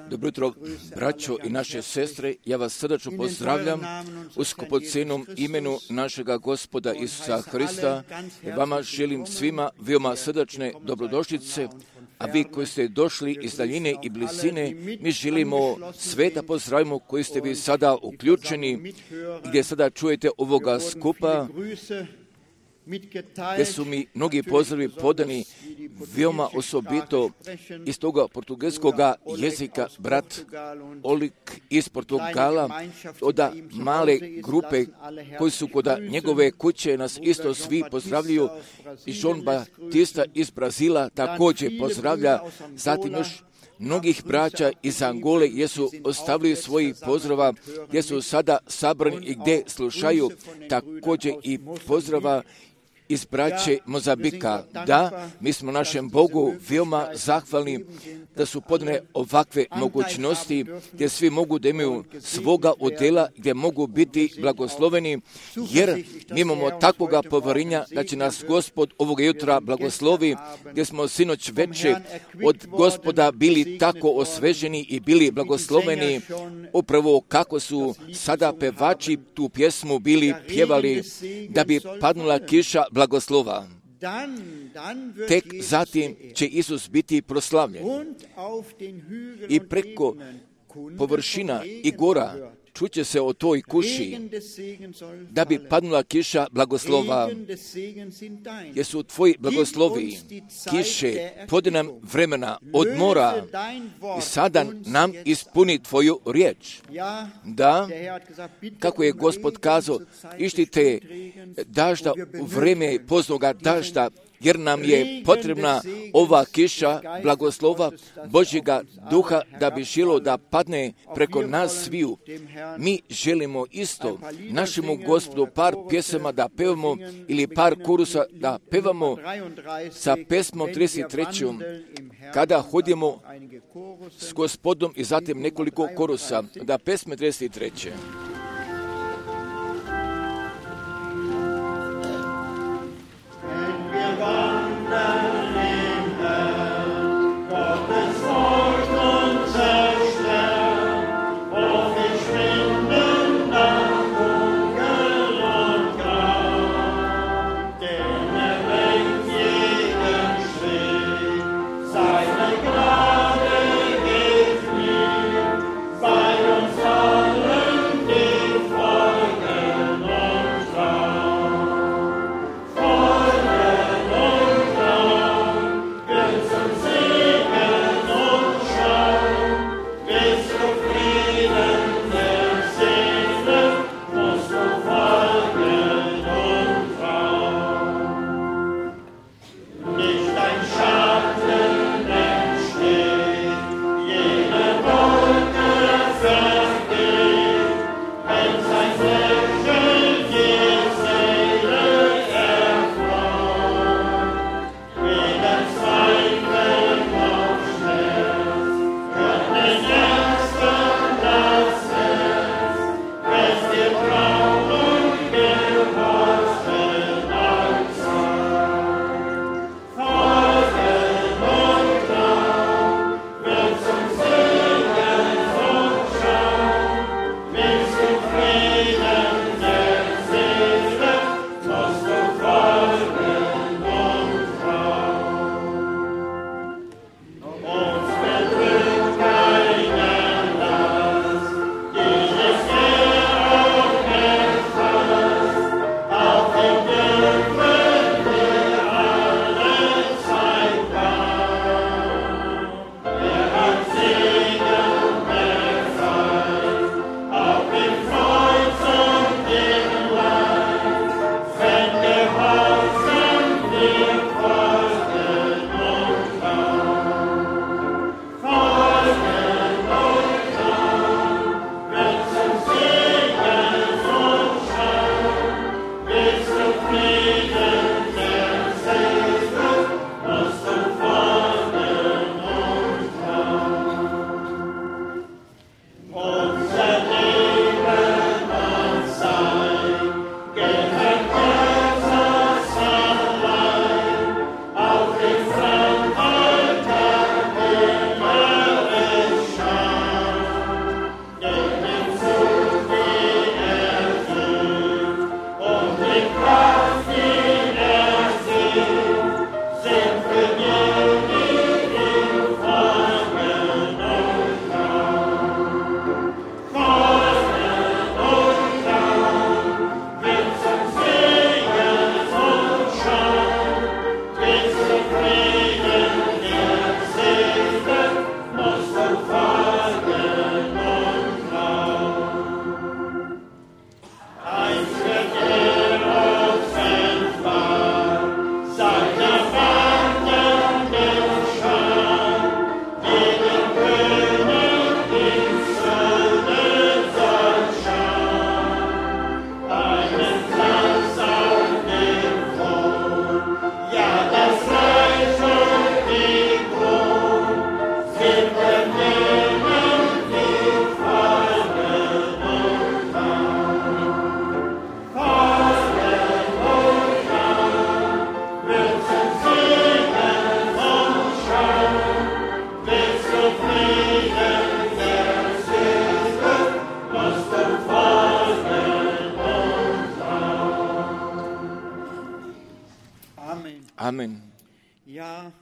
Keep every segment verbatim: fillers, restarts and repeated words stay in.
Dobro jutro, braćo i naše sestre, ja vas srdačno pozdravljam u skupocenom imenu našega Gospoda Isusa Hrista. Vama želim svima veoma srdačne dobrodošlice, a vi koji ste došli iz daljine i blizine, mi želimo sve da pozdravimo koji ste vi sada uključeni, gdje sada čujete ovoga skupa, gdje su mi mnogi pozdravi podani veoma osobito iz toga portugalskoga jezika, brat Olik iz Portugala, od male grupe koji su kod njegove kuće nas isto svi pozdravljaju, i João Batista iz Brazila također pozdravlja, zatim još mnogih braća iz Angole gdje su ostavili svojih pozdrava, gdje su sada sabrani i gdje slušaju, također i pozdrava iz braće Mozambika. Da, mi smo našem Bogu veoma zahvalni da su podane ovakve mogućnosti gdje svi mogu da imaju svoga udjela, gdje mogu biti blagosloveni, jer mi imamo takvoga poverenja da će nas Gospod ovoga jutra blagoslovi, gdje smo sinoć veče od Gospoda bili tako osveženi i bili blagosloveni, upravo kako su sada pevači tu pjesmu bili pjevali, da bi padnula kiša blagoslova. Tek zatim će Isus biti proslavljen i preko površina i gora čuće se o toj kuši, da bi padnula kiša blagoslova, jer su tvoji blagoslovi kiše, podi nam vremena odmora i sada nam ispuni tvoju riječ. Da, kako je Gospod kazao, ištite dažda u vreme poznoga dažda, jer nam je potrebna ova kiša blagoslova Božjega duha da bi želo da padne preko nas sviju. Mi želimo isto našemu Gospodu par pjesama da pevamo ili par korusa da pevamo sa pesmom trideset trećom kada hodimo s Gospodom i zatim nekoliko korusa da pesme trideset treće. Bei uns allen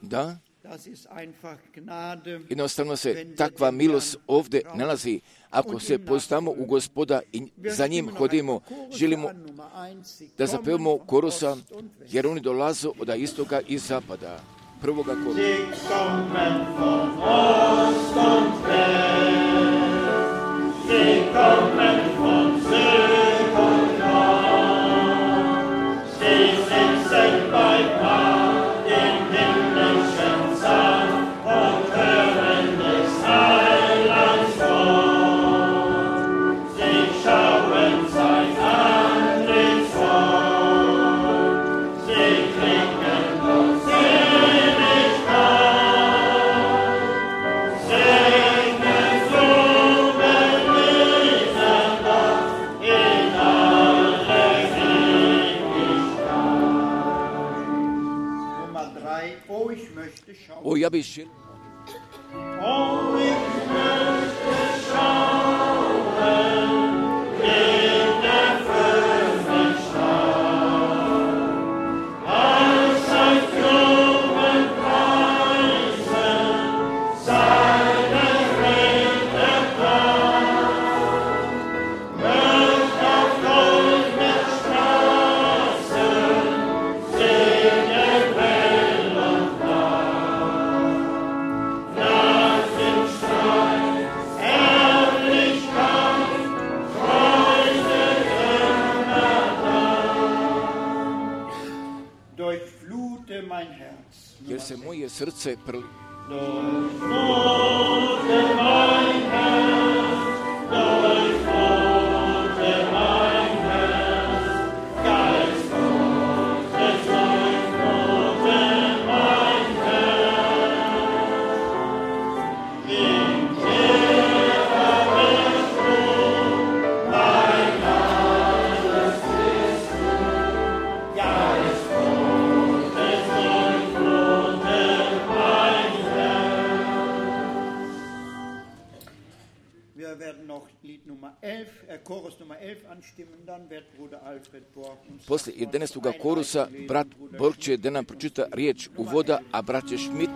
da jednostavno se takva milost ovdje nalazi. Ako se poznamo u Gospoda i za njim hodimo, želimo da zapevamo korusa, jer oni dolaze od istoka i zapada. Prvoga korusa. O, ja bih želio. Jer se moje srce prli. Poslije jedanaestoga korusa brat Borg će da nam pročita riječ uvoda, a brat će Schmidt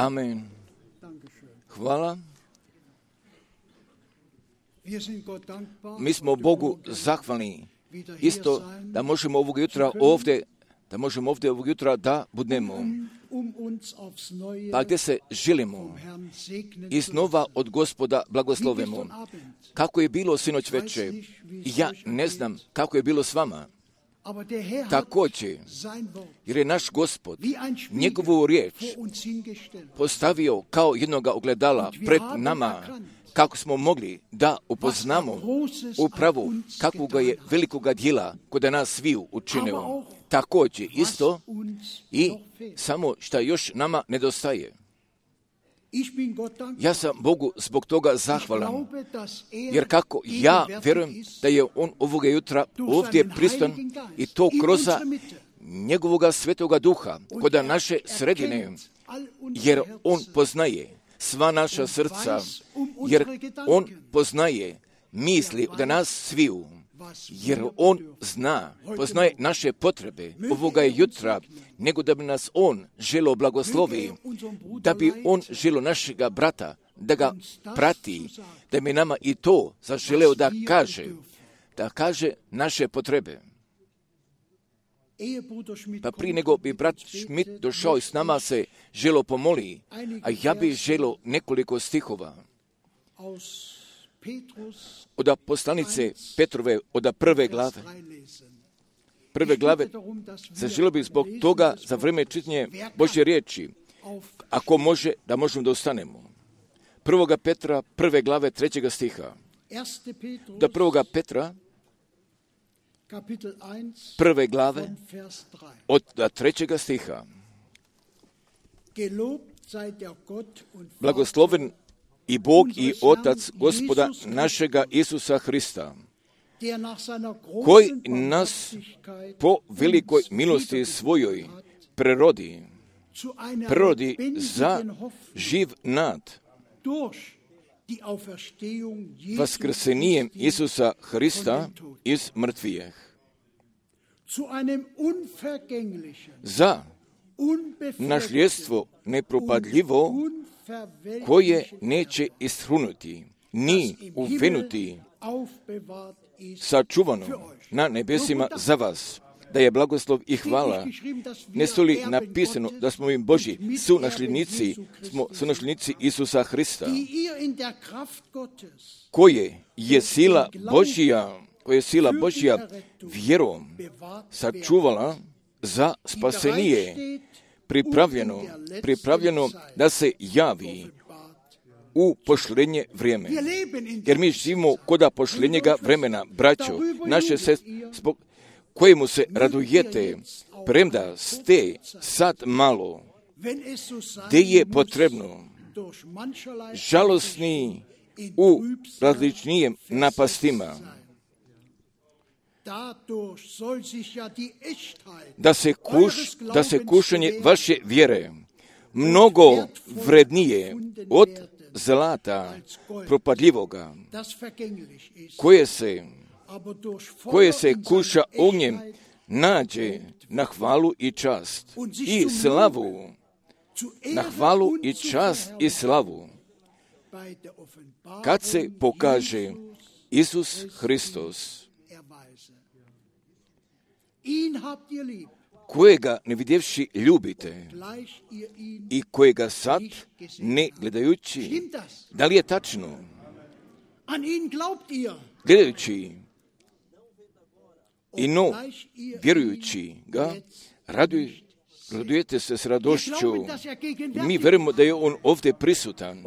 Amen. Hvala. Mi smo Bogu zahvalni isto da možemo ovog jutra ovdje, da možemo ovdje ovog jutra da budemo. Pa gdje se želimo i znova od Gospoda blagoslovimo. Kako je bilo sinoć veče, ja ne znam kako je bilo s vama. Također, jer je naš Gospod njegovu riječ postavio kao jednoga ogledala pred nama, kako smo mogli da upoznamo upravo kakvoga je velikoga djela kod nas sviju učinio. Također isto i samo što još nama nedostaje. Ja sam Bogu zbog toga zahvalan, jer kako ja vjerujem da je On ovoga jutra ovdje pristan i to kroz njegovoga svetoga duha kod naše sredine, jer On poznaje sva naša srca, jer On poznaje misli od nas sviju, jer On zna, poznaje naše potrebe ovoga jutra, nego da bi nas On želo blagoslovi, da bi On želo našega brata, da ga prati, da bi nama i to zaželeo da kaže, da kaže naše potrebe. Pa prije nego bi brat Schmidt došao i s nama se želo pomoli, a ja bih želo nekoliko stihova od poslanice Petrove, od prve glave. Prve glave, zaželio bih zbog toga za vrijeme čitanja Božje riječi, ako može, da možemo da ostanemo. Prvoga Petra, prve glave, trećega stiha. Da prvoga Petra, prve glave, od trećega stiha. Blagosloven i Bog i Otac Gospoda našega Isusa Hrista, koji nas po velikoj milosti svojoj prerodi, prerodi za živ nad vaskrsenjem Isusa Hrista iz mrtvijeh, za nasljedstvo nepropadljivo, koje neće ishrunuti, ni uvenuti, sačuvano na nebesima za vas, da je blagoslov i hvala. Ne su li napisano da smo im Božji sunasljednici, smo sunasljednici Isusa Hrista, koje je sila Božja, koje je sila Božja vjerom sačuvala za spasenije, pripravljeno, pripravljeno da se javi u pošljenje vrijeme. Jer mi živimo koda pošljenjega vremena, braćo, naše sestre, zbog kojemu se radujete, premda ste sad malo, gdje je potrebno žalosni u različnijem napastima, da se, kuš, da se kušanje vaše vjere mnogo vrednije od zlata propadljivoga, koje se, koje se kuša ognjem, nađe na hvalu i čast i slavu, na hvalu i čast i slavu, kad se pokaže Isus Hristos, kojega ne vidjevši ljubite i kojega sad ne gledajući. Da li je tačno? Gledajući i no vjerujući ga, raduj, radujete se s radošću. Mi vjerujemo da je on ovdje prisutan,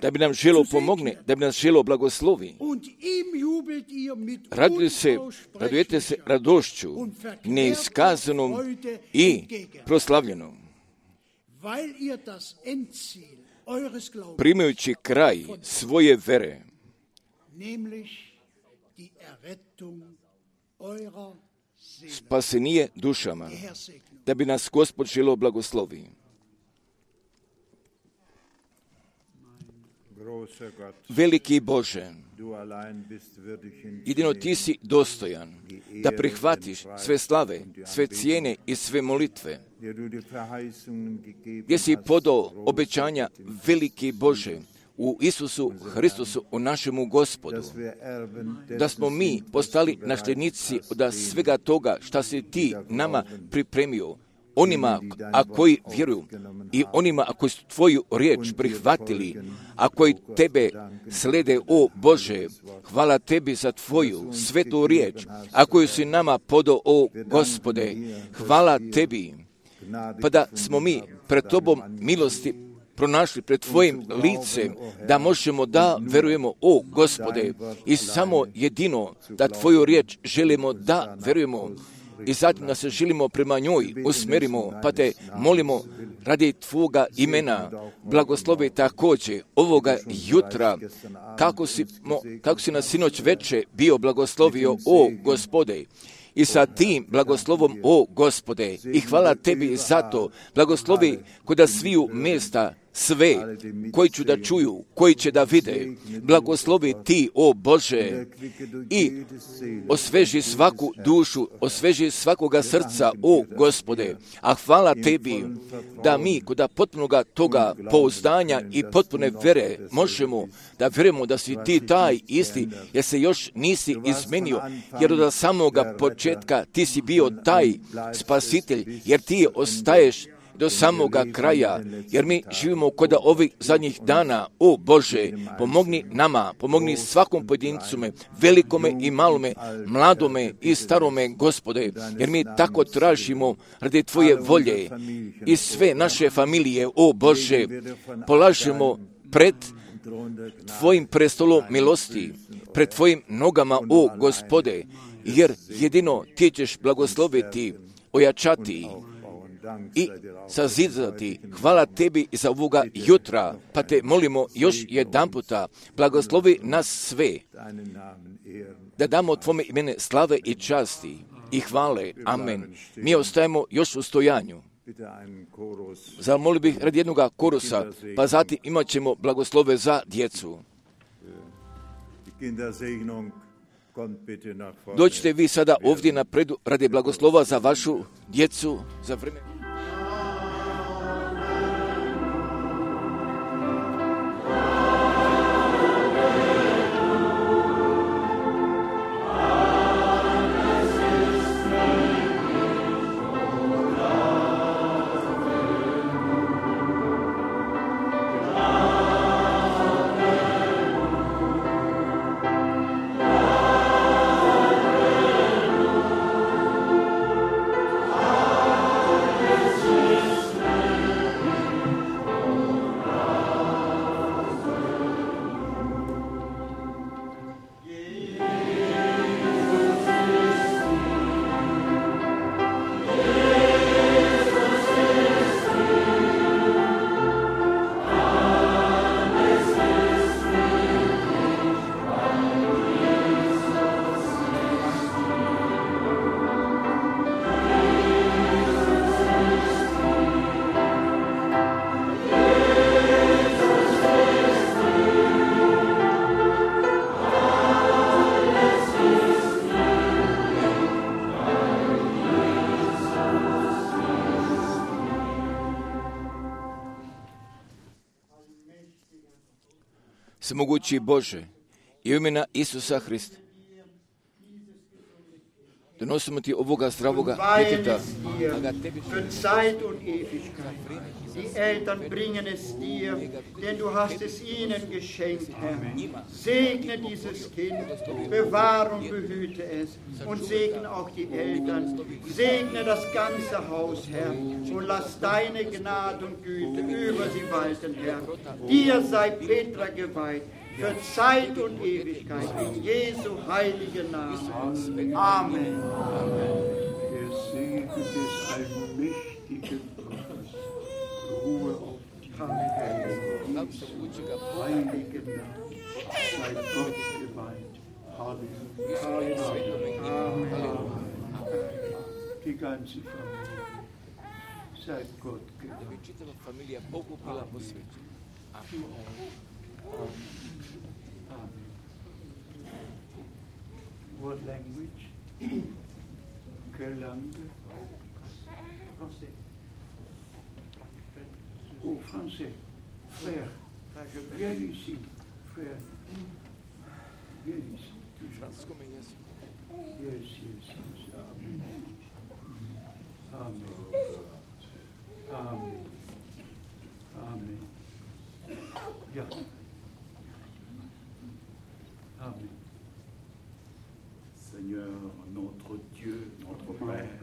da bi nam želo pomogne, da bi nas želo blagoslovi. Radujete se, radujete se radošću, neiskazanom i proslavljenom, primajući kraj svoje vere, spasenije dušama, da bi nas Gospod želo blagoslovi. Veliki Bože, jedino Ti si dostojan da prihvatiš sve slave, sve cijene i sve molitve, gdje si podao obećanja, veliki Bože, u Isusu Hristusu, u našemu Gospodu, da smo mi postali nasljednici od svega toga šta si Ti nama pripremio, onima a koji vjeruju i onima a koji su Tvoju riječ prihvatili, a koji Tebe slede, o Bože, hvala Tebi za Tvoju svetu riječ, a koju si nama podao, o Gospode, hvala Tebi, pa da smo mi pred Tobom milosti pronašli pred Tvojim licem, da možemo da verujemo, o Gospode, i samo jedino da Tvoju riječ želimo da verujemo i zatim da se želimo prema njoj usmerimo, pa Te molimo radi Tvoga imena, blagoslovi također ovoga jutra, kako si, mo, kako si nas sinoć veče bio blagoslovio, o Gospode, i sa tim blagoslovom, o Gospode, i hvala Tebi za to, blagoslovi koda sviju mjesta, sve koji ću da čuju, koji će da vide, blagoslovi Ti, o Bože, i osveži svaku dušu, osveži svakoga srca, o Gospode, a hvala Tebi da mi kod potpunoga toga pouzdanja i potpune vere možemo da vjerujemo da si Ti taj isti, jer se još nisi izmenio, jer od samoga početka Ti si bio taj spasitelj, jer Ti ostaješ do samoga kraja, jer mi živimo kod ovih zadnjih dana. O Bože, pomogni nama, pomogni svakom pojedincu me, velikome i malome, mladome i starome, Gospode, jer mi tako tražimo radi Tvoje volje i sve naše familije, o Bože, polažemo pred Tvojim prestolom milosti, pred Tvojim nogama, o Gospode, jer jedino Ti ćeš blagosloviti, ojačati i sazidati. Hvala Tebi za ovoga jutra, pa Te molimo još jedan puta, blagoslovi nas sve, da damo Tvome imene slave i časti i hvale. Amen. Mi ostajemo još u stojanju. Zamolio bih radi jednoga korusa, pa zatim imat ćemo blagoslove za djecu. Dođite vi sada ovdje napredu radi blagoslova za vašu djecu, za vreme. Svemogući Bože, i u imena Isusa Hrista, donosimo Ti ovoga zdravoga djeteta, a ga Tebi Die Eltern bringen es dir, denn du hast es ihnen geschenkt, Herr. Segne dieses Kind, bewahre und behüte es und segne auch die Eltern. Segne das ganze Haus, Herr, und lass deine Gnade und Güte über sie walten, Herr. Dir sei Petra geweiht, für Zeit und Ewigkeit, in Jesu heiligen Namen. Amen. Der Segen des allmächtigen Gottes ruhe auf die heiligen Namen. Sei Gott geweiht. Halleluja. Amen. Die ganze Familie. Sei Gott geweiht. Amen. What language? Quelle langue? Français. Oh, français. Frère, viens ici. Frère, viens ici. Yes, yes, yes. Amen. Amen. Amen. Amen. Ja. Amen. Seigneur, notre Dieu, notre Père,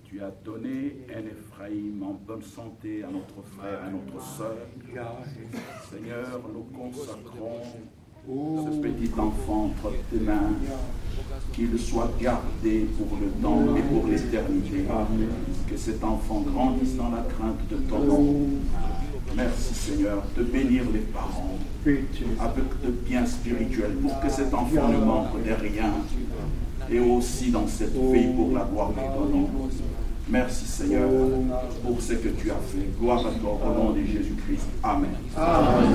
Tu as donné un Ephraïm en bonne santé à notre frère, à notre sœur. Seigneur, nous consacrons ce petit enfant entre tes mains, qu'il soit gardé pour le temps et pour l'éternité. Que cet enfant grandisse dans la crainte de ton nom. Merci Seigneur de bénir les parents avec de bien spirituel pour que cet enfant ne manque de rien et aussi dans cette vie pour la gloire de ton nom. Merci Seigneur pour ce que tu as fait. Gloire à toi au nom de Jésus-Christ. Amen. Amen.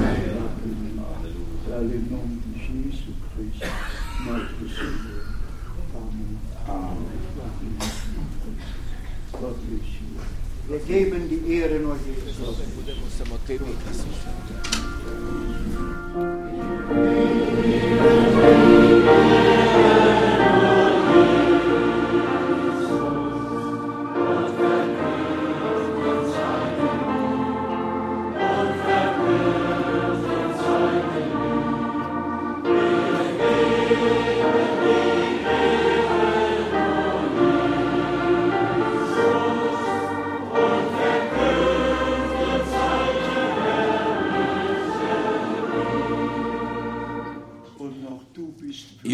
Dans le nom de Jésus-Christ, notre Seigneur. Amen. Amen. Gott bless you. Wir geben die Ehre nur Jesus. Amen.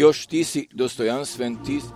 još ti si dostojanstven, ti si...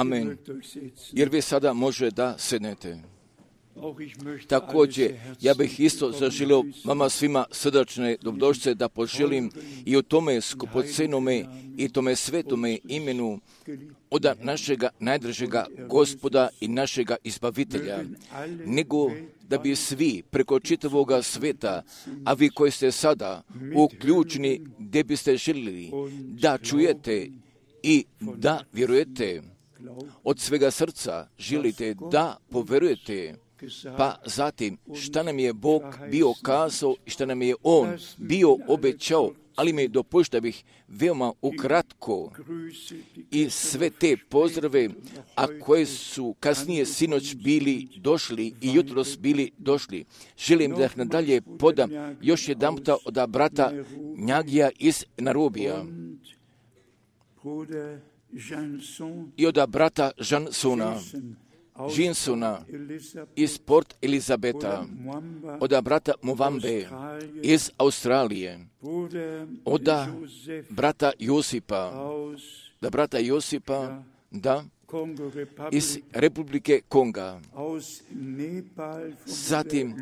Amen. Jer vi sada može da sednete. Također, ja bih isto zaželio vama svima srdačne dobrodošlice da poželim i u tome skupocenome i tome svetome imenu od našega najdražega Gospoda i našega Izbavitelja, nego da bi svi preko čitavoga sveta, a vi koji ste sada uključeni gdje biste željeli da čujete i da vjerujete, od svega srca želite da poverujete, pa zatim šta nam je Bog bio kazao i šta nam je On bio obećao, ali mi dopušta bih veoma ukratko i sve te pozdrave, a koje su kasnije sinoć bili došli i jutros bili došli. Želim da ih nadalje podam još jedanputa od brata Njagija iz Narobija i od brata Jansona, Jinsona iz Port Elizabeta, od brata Movambe iz Australije, od brata Josipa, da brata Josipa, da, iz Republike Konga, zatim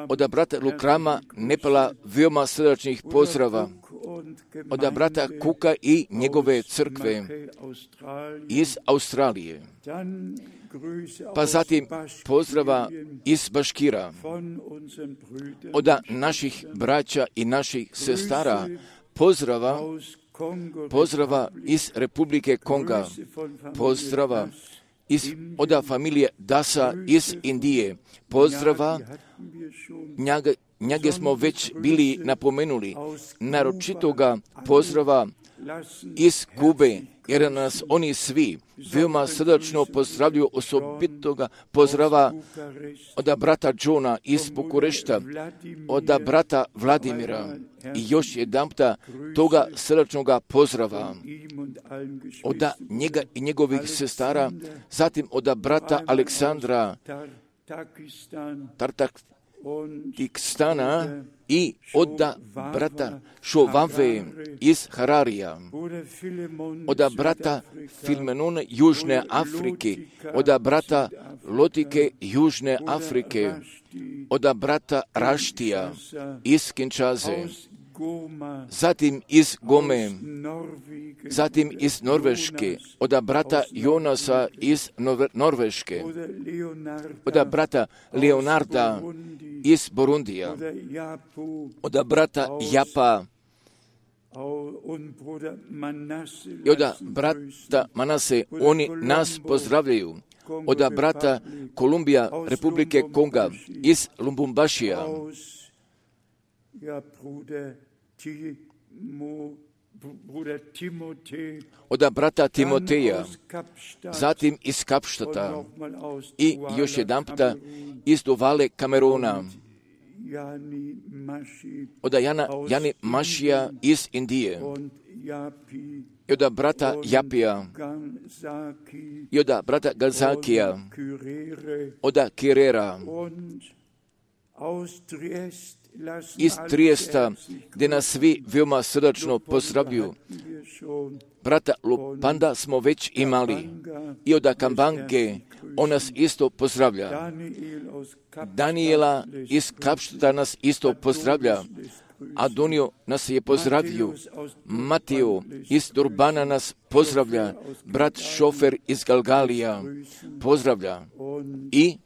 od brata Lukrama, Nepala, veoma srdačnih pozdrava, od brata Kuka i njegove crkve iz Australije, pa zatim pozdrava iz Baškira, od naših braća i naših sestara, pozdrava, pozdrava iz Republike Konga, pozdrava iz, od familije Dasa iz Indije, pozdrava, njega, njega smo već bili napomenuli, naročitoga pozdrava iz Kube, jer nas oni svi veoma srdačno pozdravljuju, osobitoga pozdrava od brata Johna iz Bukurešta, od brata Vladimira i još jedanputa toga srdačnoga pozdrava od njega i njegovih sestara, zatim od brata Aleksandra Tartakstana i od brata Šovave iz Hararija, od brata Filmenona Južne Afrike, od brata Lotike Južne Afrike, od brata Raštija iz Kinčaze, zatim iz Gome, zatim iz Norveške, od brata Jonasa iz Norveške, od brata Leonarda iz Burundija, od brata Japa i od brata Manase, oni nas pozdravljaju, od brata Kolumbija, Republike Konga, iz Lumbumbašija, od brata Timoteja, zatim iz Kapštata i još jedanputa iz Duvale Kameruna, od Jana, Jani Mašija iz Indije, i od brata Japija, i od brata Gazakija, od Kirera, iz Trijesta, gdje nas svi veoma srdačno pozdravljuju. Brata Lupanda smo već imali i od Kambange on nas isto pozdravlja. Daniela iz Kapštata nas isto pozdravlja, Adonio nas je pozdravio, Mateo iz Durbana nas pozdravlja, brat Šofer iz Galgalija pozdravlja i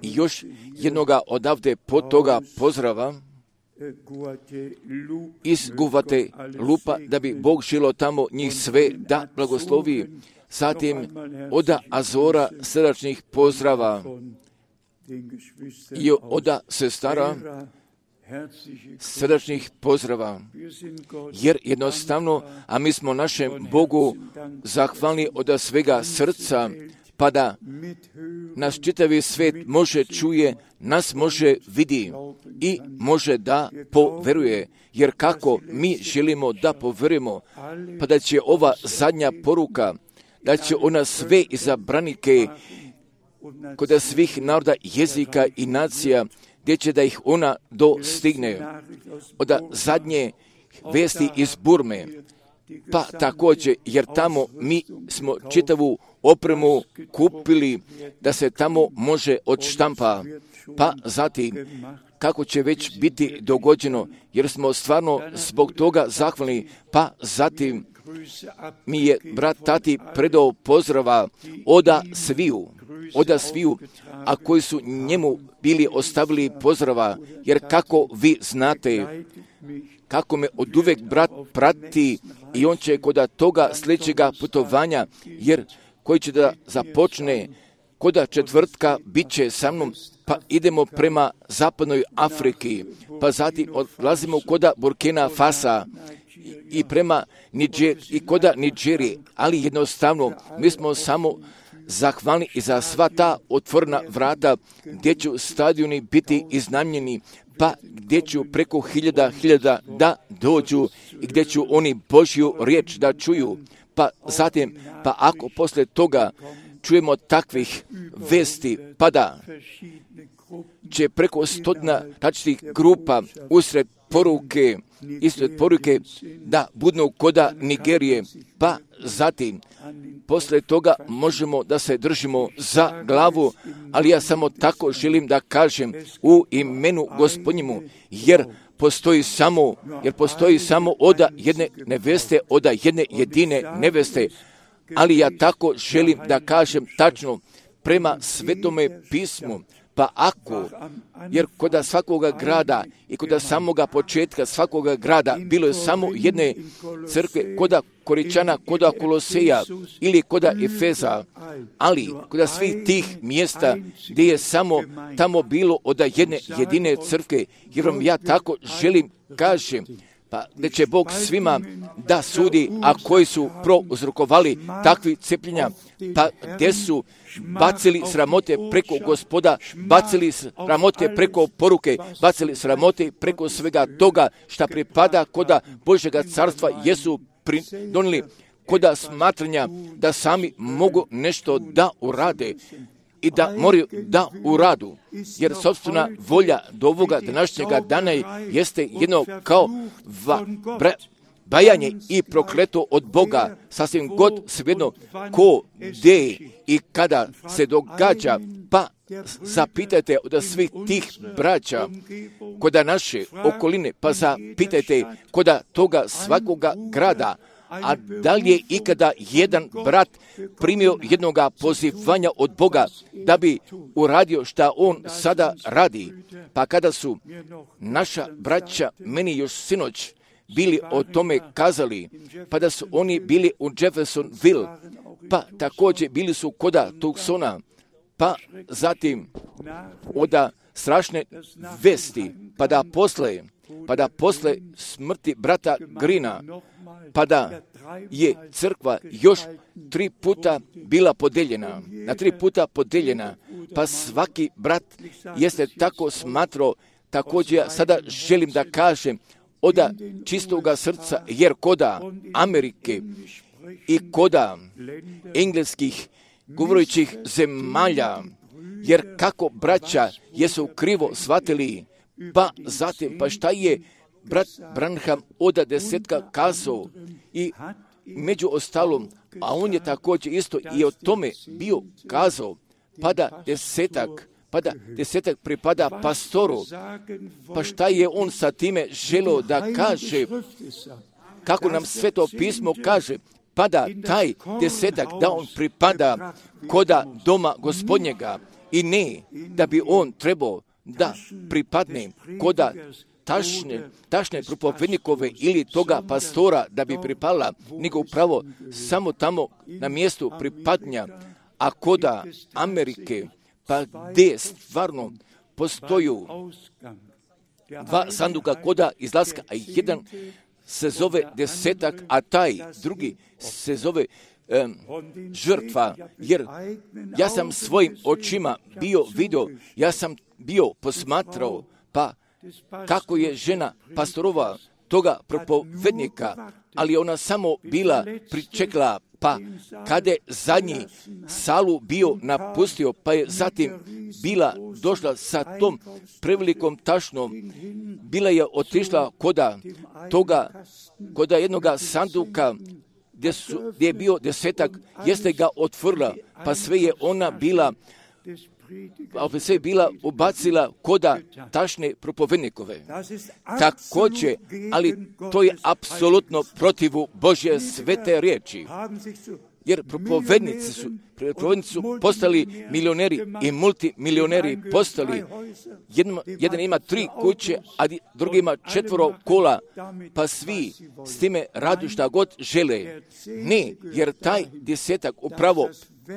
još jednoga odavde pod toga pozdrava iz Guvate Lupa, da bi Bog žilo tamo njih sve da blagoslovi. Zatim oda Azora srdačnih pozdrava i oda sestara srdačnih pozdrava, jer jednostavno, a mi smo našem Bogu zahvalni od svega srca, pa da nas čitavi svijet može čuje, nas može vidi i može da poveruje. Jer kako mi želimo da poverujemo, pa da će ova zadnja poruka, da će ona sve izabranike kod svih naroda, jezika i nacija, gdje će da ih ona dostigne. Od zadnje vesti iz Burme, pa također, jer tamo mi smo čitavu opremu kupili da se tamo može odštampa, pa zatim kako će već biti dogođeno, jer smo stvarno zbog toga zahvalni, pa zatim mi je brat Tati predao pozdrava oda sviju, oda sviju, a koji su njemu bili ostavili pozdrava, jer kako vi znate, kako me od uvek brat prati i on će kod toga sljedećega putovanja, jer koji će da započne koda četvrtka bit će sa mnom, pa idemo prema zapadnoj Afriki, pa zatim odlazimo koda Burkina Fasa i prema Niđer, i koda Niđerije, ali jednostavno mi smo samo zahvalni i za sva ta otvorena vrata gdje će stadioni biti iznajmljeni, pa gdje ću preko hiljada hiljada da dođu i gdje ću oni Božju riječ da čuju. Pa zatim, pa ako posle toga čujemo takvih vesti, pa da će preko stotina različitih grupa usred poruke, ispred poruke da budnu koda Nigerije, pa zatim posle toga možemo da se držimo za glavu, ali ja samo tako želim da kažem u imenu Gospodnjemu, jer postoji samo, jer postoji samo oda jedne neveste, oda jedne jedine neveste, ali ja tako želim da kažem tačno prema Svetome pismu. Pa ako, jer kod svakoga grada i kod samoga početka svakoga grada bilo je samo jedne crkve, kod Koričana, kod Koloseja ili kod Efeza, ali kod svih tih mjesta gdje je samo tamo bilo od jedne jedine crkve, jer vam ja tako želim kažem, pa gdje će Bog svima da sudi, a koji su prouzrokovali takvi cepljenja, pa gdje su bacili sramote preko Gospoda, bacili sramote preko poruke, bacili sramote preko svega toga šta pripada koda Božjega carstva, jesu donijeli koda smatranja da sami mogu nešto da urade i da moraju da uradu, jer sopstvena volja do ovoga današnjega dana jeste jedno kao va, bra, bajanje i prokleto od Boga, sasvim god svejedno ko, gdje i kada se događa, pa zapitajte od svih tih braća koda naše okoline, pa zapitajte koda toga svakoga grada, a da li je ikada jedan brat primio jednoga pozivanja od Boga da bi uradio šta on sada radi? Pa kada su naša braća meni još sinoć bili o tome kazali, pa da su oni bili u Jeffersonville, pa također bili su koda Tucsona, pa zatim oda strašne vesti, pa da posle, pa da posle smrti brata Grina, pa da je crkva još tri puta bila podeljena, na tri puta podeljena, pa svaki brat jeste tako smatrao, također ja sada želim da kažem od čistoga srca, jer koda Amerike i koda engleskih govorućih zemalja, jer kako braća jesu krivo shvatili, pa zatim, pa šta je brat Branham od desetka kazao i među ostalom, a on je također isto i o tome bio kazao, pa da desetak pa da desetak pripada pastoru. Pa šta je on sa time želio da kaže? Kako nam Sveto pismo kaže? Pa da taj desetak, da on pripada koda doma Gospodnjega i ne da bi on trebao da pripadne koda tašne, tašne propovednikove ili toga pastora da bi pripala, nego upravo samo tamo na mjestu pripadnja, a koda Amerike, pa gdje stvarno postoju dva sanduka koda izlaska, a jedan se zove desetak, a taj drugi se zove um, žrtva, jer ja sam svojim očima bio vidio, ja sam bio posmatrao, pa kako je žena pastorova toga propovednika, ali ona samo bila pričekla, pa kada je zadnji salu bio napustio, pa je zatim bila došla sa tom prevelikom tašnom, bila je otišla koda toga, koda jednoga sanduka gdje, su, gdje je bio desetak, jeste ga otvorila, pa sve je ona bila a sve je bila ubacila koda tašne propovednikove. Također, ali to je apsolutno protivu Božje svete riječi. Jer propovednici su, propovednici su postali milioneri i multimilioneri postali. Jedan, jedan ima tri kuće, a drugi ima četvoro kola, pa svi s time radu šta god žele. Ne, jer taj desetak upravo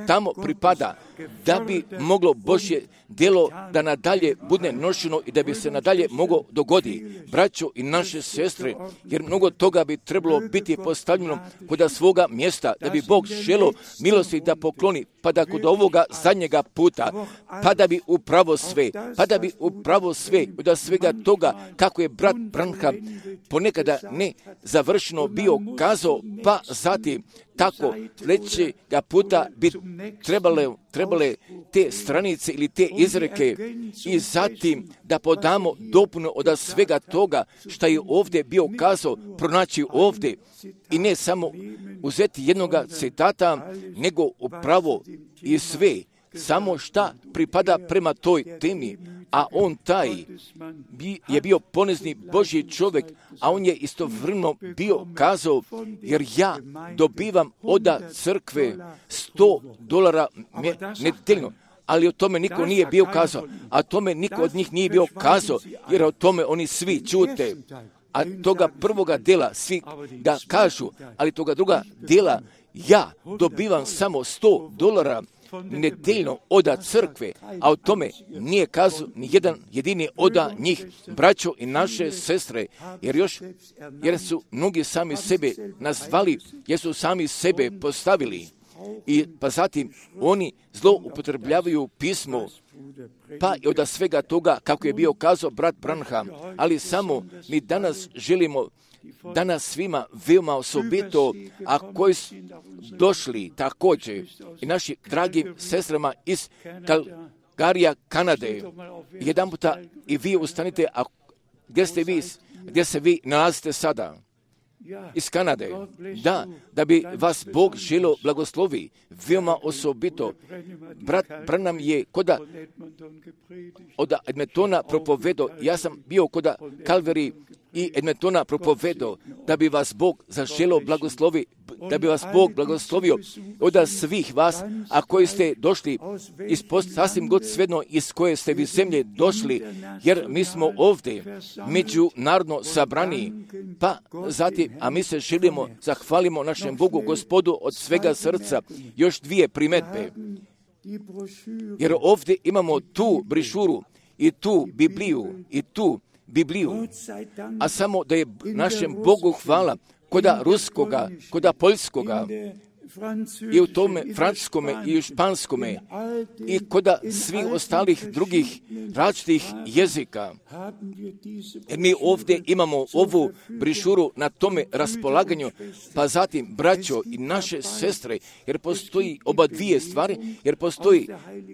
tamo pripada da bi moglo Božje djelo da nadalje bude nošeno i da bi se nadalje moglo dogodi. Braćo i naše sestre, jer mnogo toga bi trebalo biti postavljeno kod svoga mjesta, da bi Bog želio milosti da pokloni, pa da kod ovoga zadnjega puta, pa da bi upravo sve, pa da bi upravo sve, od svega toga kako je brat Branham ponekada ne završeno bio kazao, pa zatim tako sljedećega puta bi trebale, trebale te stranice ili te izreke i zatim da podamo dopunu od svega toga što je ovdje bio kazao, pronaći ovdje i ne samo uzeti jednoga citata, nego upravo i sve, samo šta pripada prema toj temi, a on taj je bio ponezni Božji čovjek, a on je istovremeno bio kazao, jer ja dobivam od crkve sto dolara nedeljno, ali o tome niko nije bio kazao, a tome niko od njih nije bio kazao, jer o tome oni svi čute. A toga prvoga dela svi da kažu, ali toga druga dela ja dobivam samo sto dolara nedeljno oda crkve, a o tome nije kazao ni jedan jedini oda njih, braćo i naše sestre, jer još, jer su mnogi sami sebe nazvali, jer su sami sebe postavili. I pa zatim oni zloupotrebljavaju pismo, pa i od svega toga kako je bio kazao brat Branham, ali samo mi danas želimo danas svima veoma osobito, a koji su došli također i naši dragim sestrama iz Calgaryja, Kanade, jedan puta i vi ustanite, a gdje ste vi, gdje se vi nalazite sada? Iz Kanade, da, da bi vas Bog želio blagoslovi, veoma osobito. Brat Branham je koda od Edmontona propovedao, ja sam bio koda Calvary i Edmontona propovedao, da bi vas Bog zaželio blagoslovi, da bi vas Bog blagoslovio od svih vas, a koji ste došli iz post, sasvim god svedno iz koje ste vi zemlje došli, jer mi smo ovdje međunarodno sabrani, pa zatim, a mi se želimo, zahvalimo našem Bogu Gospodu od svega srca, još dvije primjedbe, jer ovdje imamo tu brišuru i tu Bibliju i tu Bibliju, a samo da je našem Bogu hvala koda ruskoga, koda poljskoga, i u tome francuskome i u španskome i koda svih ostalih drugih različitih jezika. Jer mi ovdje imamo ovu brišuru na tome raspolaganju, pa zatim braćo i naše sestre, jer postoji oba dvije stvari, jer postoji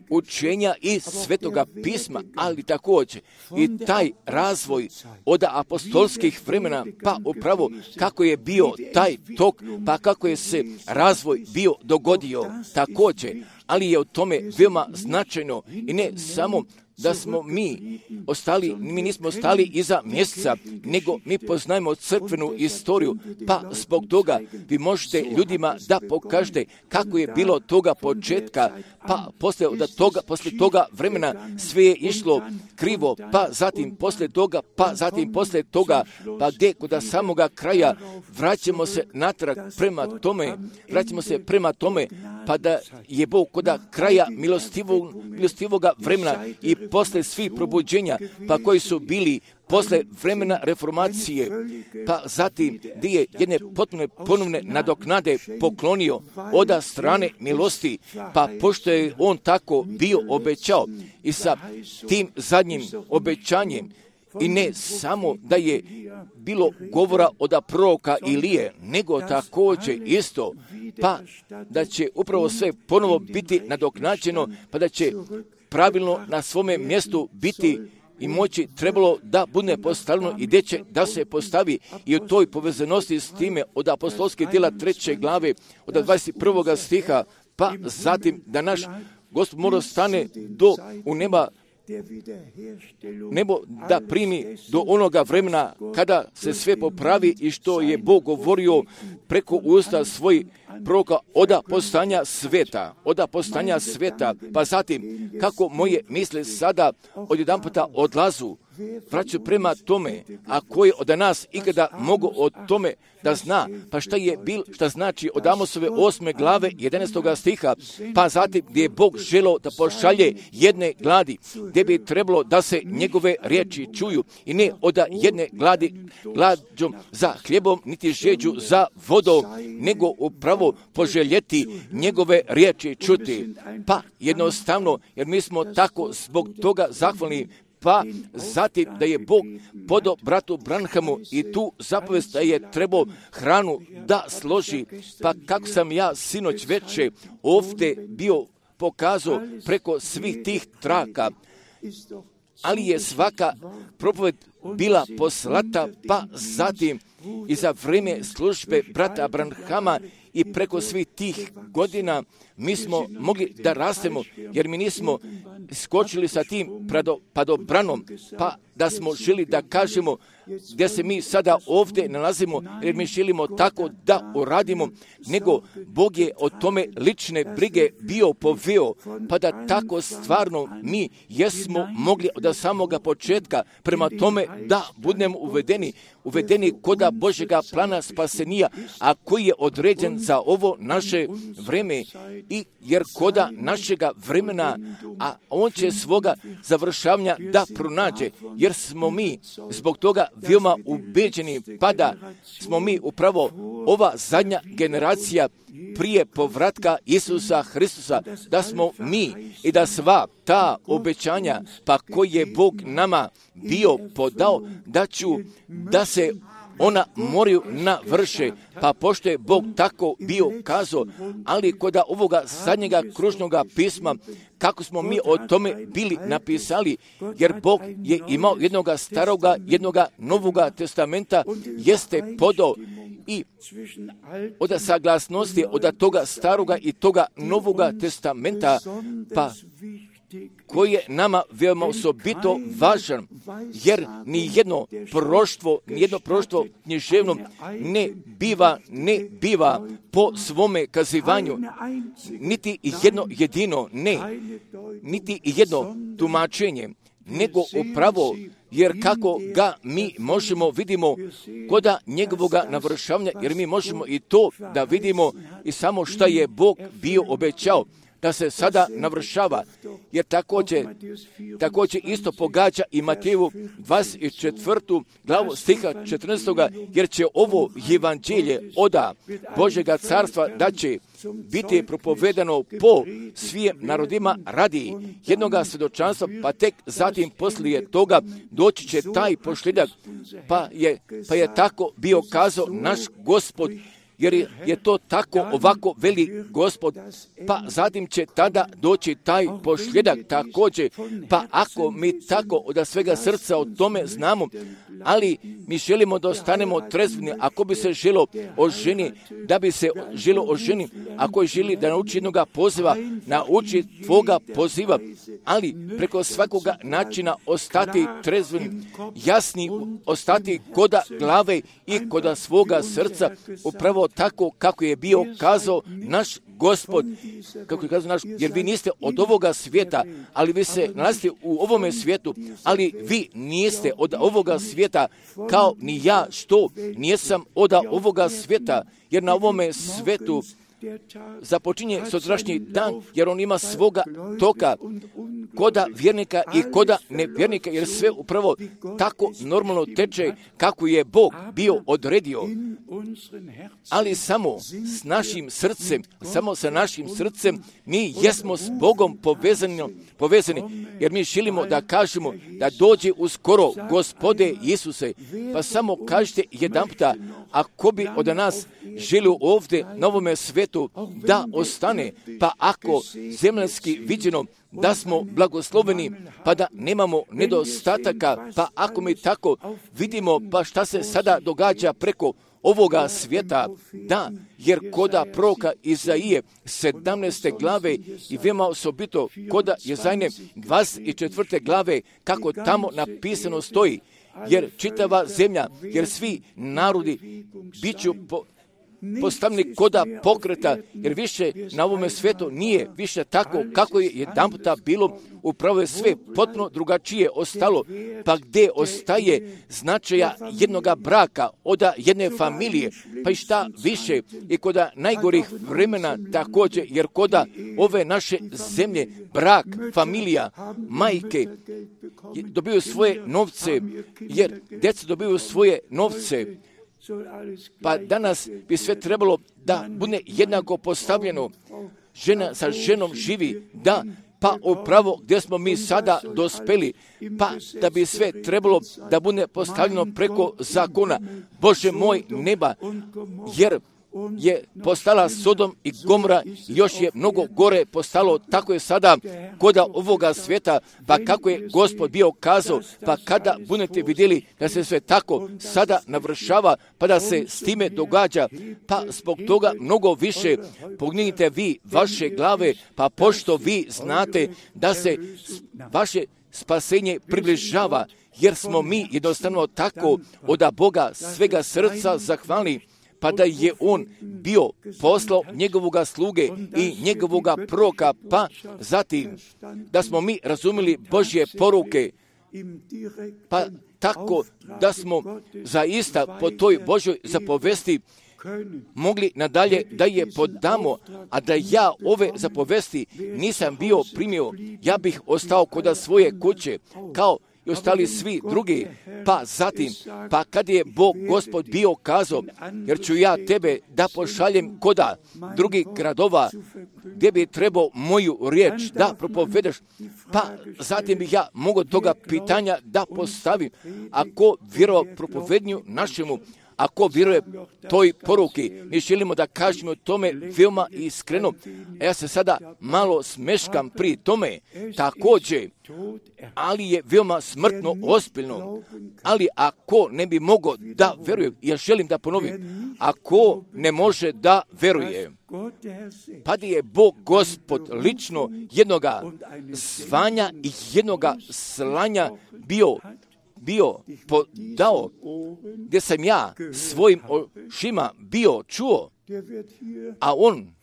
učenja iz Svetoga pisma, ali također i taj razvoj od apostolskih vremena, pa upravo kako je bio taj tok, pa kako je se razvoj svoj bio dogodio također, ali je o tome veoma značajno i ne samo da smo mi ostali, mi nismo ostali iza mjeseca, nego mi poznajemo crkvenu istoriju, pa zbog toga vi možete ljudima da pokažete kako je bilo toga početka, pa poslije da toga, poslije toga vremena sve je išlo krivo, pa zatim poslije toga, pa zatim poslije toga, pa gdje kod samoga kraja vraćamo se natrag prema tome, vraćamo se prema tome, pa da je Bog kod kraja milostivog, milostivoga vremena i posle svih probuđenja, pa koji su bili posle vremena reformacije, pa zatim gdje je jedne potpune ponovne nadoknade poklonio od strane milosti, pa pošto je on tako bio obećao i sa tim zadnjim obećanjem, i ne samo da je bilo govora od proroka Ilije, nego također isto, pa da će upravo sve ponovo biti nadoknađeno, pa da će pravilno na svome mjestu biti i moći trebalo da bude postavljeno i gdje će da se postavi i u toj povezanosti s time od apostolskih djela treće glave od dvadeset prvog stiha, pa zatim da naš Gospod mora stane do u neba, nebo da primi do onoga vremena kada se sve popravi i što je Bog govorio preko usta svojih proroka od postanja sveta, od postanja sveta, pa zatim kako moje misle sada odjedanputa odlazu, vraćaju prema tome, a ko je od nas ikada mogu o tome da zna, pa šta je bil, šta znači od Amosove osme glave jedanaestog stiha, pa zatim gdje je Bog želeo da pošalje jedne gladi, gdje bi trebalo da se njegove riječi čuju i ne od jedne gladi, glađom za hljebom, niti žeđu za vodom, nego upravo poželjeti njegove riječi čuti. Pa jednostavno, jer mi smo tako zbog toga zahvalni, pa zatim da je Bog podao bratu Branhamu i tu zapovest da je trebao hranu da složi, pa kako sam ja sinoć večer ovdje bio pokazao preko svih tih traka, ali je svaka propoved bila poslata, pa zatim i za vrijeme službe brata Branhama i preko svih tih godina mi smo mogli da rastemo, jer mi nismo skočili sa tim padobranom, pa da smo želi da kažemo gdje se mi sada ovdje nalazimo, jer mi želimo tako da uradimo, nego Bog je o tome lične brige bio poveo, pa da tako stvarno mi jesmo mogli od samoga početka prema tome da budemo uvedeni, uvedeni koda Božjega plana spasenija, a koji je određen za ovo naše vreme, i jer koda našega vremena, a on će svoga završavanja da pronađe, jer smo mi zbog toga veoma ubeđeni, pa da smo mi upravo ova zadnja generacija prije povratka Isusa Hristusa, da smo mi i da sva ta obećanja, pa koji je Bog nama bio podao, da ću da se ona moraju navrše, pa pošto je Bog tako bio kazao, ali kod ovoga zadnjega kružnoga pisma, kako smo mi o tome bili napisali, jer Bog je imao jednoga staroga, jednoga novoga testamenta, jeste podao i od saglasnosti od toga staroga i toga novoga testamenta, pa koji je nama veoma osobito važan, jer ni jedno proštvo, ni jedno proštvo književno ne biva, ne biva po svome kazivanju, niti jedno jedino, ne, niti jedno tumačenje, nego upravo, jer kako ga mi možemo vidimo koda njegovoga navršavanja, jer mi možemo i to da vidimo i samo šta je Bog bio obećao da se sada navršava, jer također, također isto pogađa i Mateju dvadeset četvrtu glavu stiha četrnaestog, jer će ovo evanđelje oda Božjega carstva da će biti propovedano po svim narodima radi jednoga svjedočanstva, pa tek zatim poslije toga doći će taj posljedak, pa je, pa je tako bio kazao naš Gospod, jer je, je to tako, ovako veli Gospod, pa zatim će tada doći taj posljedak također, pa ako mi tako od svega srca o tome znamo, ali mi želimo da ostanemo trezveni, ako bi se želo o ženi, da bi se želo o ženi, ako je želi da nauči jednoga poziva, nauči tvoga poziva, ali preko svakoga načina ostati trezveni, jasni, ostati koda glave i koda svoga srca, upravo tako kako je bio kazao naš Gospod, kako je kazao naš, jer vi niste od ovoga svijeta, ali vi se nalazite u ovome svijetu, ali vi niste od ovoga svijeta, kao ni ja što nijesam od ovoga svijeta, jer na ovome svijetu započinje sutrašnji dan, jer on ima svoga toka, koda vjernika i koda nevjernika, jer sve upravo tako normalno teče kako je Bog bio odredio. Ali samo s našim srcem, samo sa našim srcem, mi jesmo s Bogom povezani, povezani, jer mi želimo da kažemo da dođe uskoro Gospode Isuse, pa samo kažite jedanputa, ako bi od nas želio ovdje na ovome svetu da ostane, pa ako zemljanski viđeno da smo blagosloveni, pa da nemamo nedostataka, pa ako mi tako vidimo, pa šta se sada događa preko ovoga svijeta, da, jer koda proroka Izaije sedamnaeste glave i veoma osobito koda Jezajne dvadeset četvrte glave, kako tamo napisano stoji, jer čitava zemlja, jer svi narodi bit ću po, postavljeni koda pokreta, jer više na ovome svijetu nije više tako kako je jedanputa bilo, upravo je sve potpuno drugačije ostalo, pa gdje ostaje značaja jednoga braka, od jedne familije, pa i šta više i koda najgorih vremena također, jer koda ove naše zemlje, brak, familija, majke dobiju svoje novce, jer djeca dobiju svoje novce, pa danas bi sve trebalo da bude jednako postavljeno. Žena sa ženom živi, da, pa upravo gdje smo mi sada dospeli, pa da bi sve trebalo da bude postavljeno preko zakona. Bože moj neba, jer je postala Sodom i Gomora, još je mnogo gore postalo, tako je sada koda ovoga svijeta, pa kako je Gospod bio kazao, pa kada budete vidjeli da se sve tako sada navršava, pa da se s time događa, pa zbog toga mnogo više pognite vi vaše glave, pa pošto vi znate da se vaše spasenje približava, jer smo mi jednostavno tako od Boga svega srca zahvalni, pa da je on bio poslao njegovoga sluge i njegovoga proroka, pa zatim da smo mi razumjeli Božje poruke, pa tako da smo zaista po toj Božjoj zapovesti mogli nadalje da je podamo, a da ja ove zapovesti nisam bio primio, ja bih ostao kod svoje kuće, kao i ostali svi drugi, pa zatim, pa kad je Bog Gospod bio kazao, jer ću ja tebe da pošaljem koda drugih gradova, gdje bi trebao moju riječ da propovedeš, pa zatim bih ja mogao toga pitanja da postavim, ako vjerovao propovednju našemu, ako vjeruje toj poruki, mi želimo da kažemo tome veoma iskreno, a ja se sada malo smeškam pri tome, također, ali je veoma smrtno ozbiljno, ali ako ne bi mogao da veruje, ja želim da ponovim, ako ne može da veruje, pa da je Bog Gospod lično jednoga zvanja i jednoga slanja bio bio podao, gdje sam ja svojim očima bio čuo, a on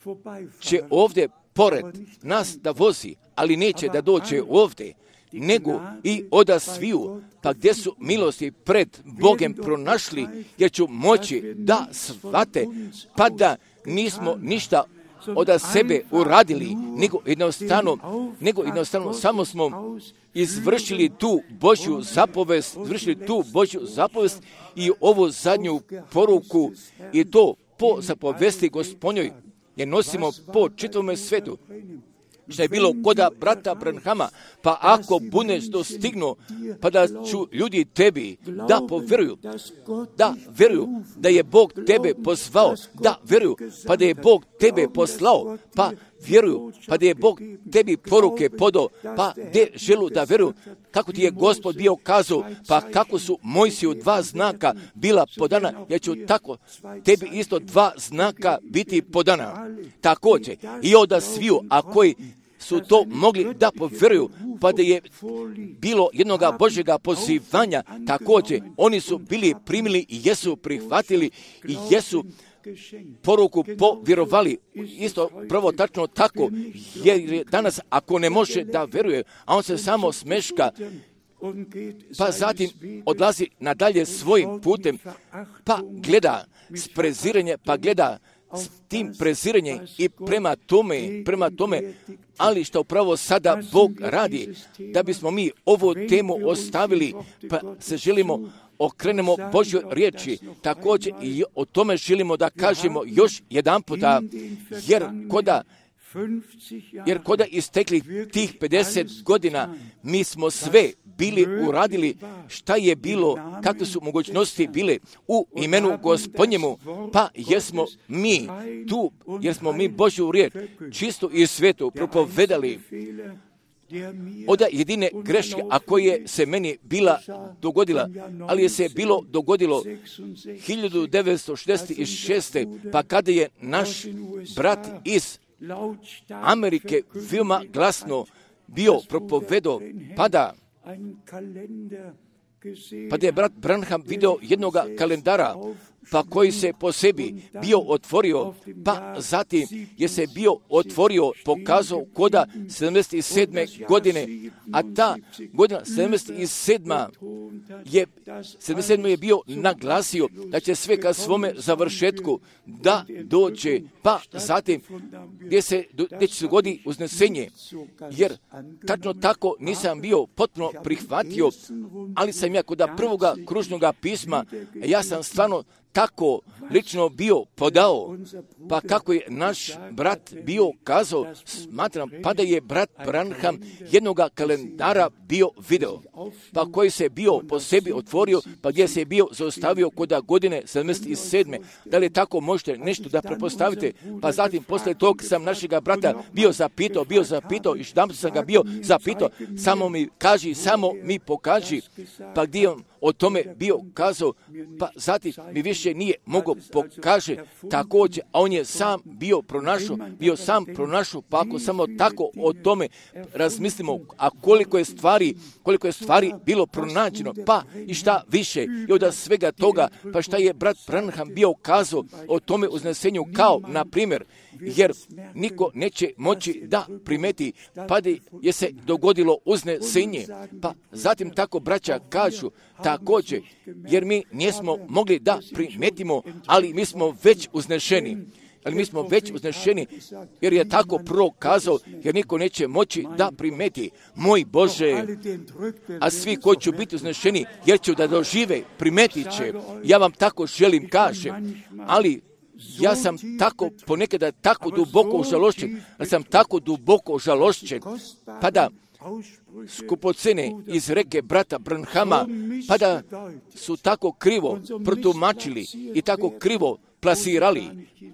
će ovdje pored nas da vozi, ali neće da dođe ovdje, nego i oda sviju, pa gdje su milosti pred Bogem pronašli, jer ću moći da shvate, pa da nismo ništa od sebe uradili, nego jednostavno, nego jednostavno samo smo izvršili tu Božju zapovest, izvršili tu Božju zapovest i ovu zadnju poruku, i to po zapovesti Gospodnjoj, jer nosimo po čitavome svetu. što je bilo koda brata Branhama, pa ako budeš dostignuo, pa da ću ljudi tebi da povjeruju, da vjeruju da je Bog tebe pozvao, da vjeruju, pa da je Bog tebe poslao, pa vjeruju, pa da je Bog tebi poruke podao, pa gdje želu da vjeruju, kako ti je Gospod bio kazao, pa kako su Mojsiju dva znaka bila podana, ja ću tako tebi isto dva znaka biti podana. Također, i od sviju, a koji su to mogli da povjeruju, pa da je bilo jednoga Božjega pozivanja, također, oni su bili primili i jesu prihvatili i jesu poruku povjerovali. Isto prvo tačno tako, jer danas ako ne može da vjeruje, a on se samo smeška, pa zatim odlazi nadalje svojim putem, pa gleda s preziranjem, pa gleda s tim preziranjem i prema tome, prema tome, ali što upravo sada Bog radi, da bismo mi ovu temu ostavili, pa se želimo okrenemo Božjoj riječi, također i o tome želimo da kažemo još jedan puta, jer koda Jer koda istekli tih pedeset godina, mi smo sve bili uradili šta je bilo, kakve su mogućnosti bile u imenu Gospodnjemu, pa jesmo mi tu, jer smo mi Božju riječ čisto i svetu propovedali. Oda jedine greške, a koje se meni bila dogodila, ali je se bilo dogodilo hiljadu devetsto šezdeset šeste. pa kada je naš brat iz Amerike veoma glasno bio propovedo, pa da, pa da je brat Branham video jednoga kalendara, pa koji se po sebi bio otvorio, pa zatim je se bio otvorio, pokazao koda sedamdeset sedme godine, a ta godina sedamdeset sedma je, sedamdeset sedma je bio naglasio da će sve ka svome završetku da dođe, pa zatim gdje se, gdje će se goditi uznesenje, jer tačno tako nisam bio potpuno prihvatio, ali sam ja kod prvoga kružnoga pisma, ja sam stvarno tako lično bio podao, pa kako je naš brat bio kazao, smatram, pa da je brat Branham jednoga kalendara bio video, pa koji se bio po sebi otvorio, pa gdje se je bio zaustavio kod godine sedamdeset sedme. Da li tako možete nešto da prepostavite? Pa zatim posle tog sam našega brata bio zapitao, bio zapitao, i što sam ga bio zapitao, samo mi kaži, samo mi pokaži, pa gdje on o tome bio kazao, pa zatim mi više nije mogao pokaže također, a on je sam bio pronašao, bio sam pronašao, pa ako samo tako o tome razmislimo, a koliko je stvari, koliko je stvari bilo pronađeno, pa i šta više, i od svega toga, pa šta je brat Branham bio kazao o tome uznesenju, kao, na primjer, jer niko neće moći da primeti, pa da je se dogodilo uznesenje, pa zatim tako braća kažu, također, jer mi nismo mogli da primetimo, ali mi smo već uznešeni. Ali mi smo već uznešeni, jer je tako prvo kazao, jer niko neće moći da primeti. Moj Bože, a svi koji će biti uznešeni, jer će da dožive, primetit će. Ja vam tako želim kažem, ali ja sam tako ponekada tako duboko užalošćen, ali sam tako duboko užalošćen, pa da skupocene iz reke brata Branhama, pa da su tako krivo protumačili i tako krivo plasirali,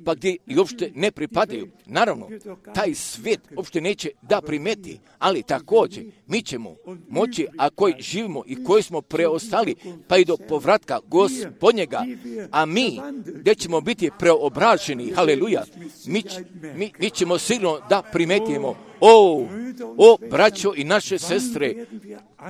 pa gdje i uopšte ne pripadaju. Naravno, taj svijet uopšte neće da primeti, ali također mi ćemo moći, a koji živimo i koji smo preostali, pa i do povratka Gospodnjega, a mi gdje ćemo biti preobraženi, haleluja, mi, mi, mi ćemo sigurno da primetimo, o, o, braćo i naše sestre,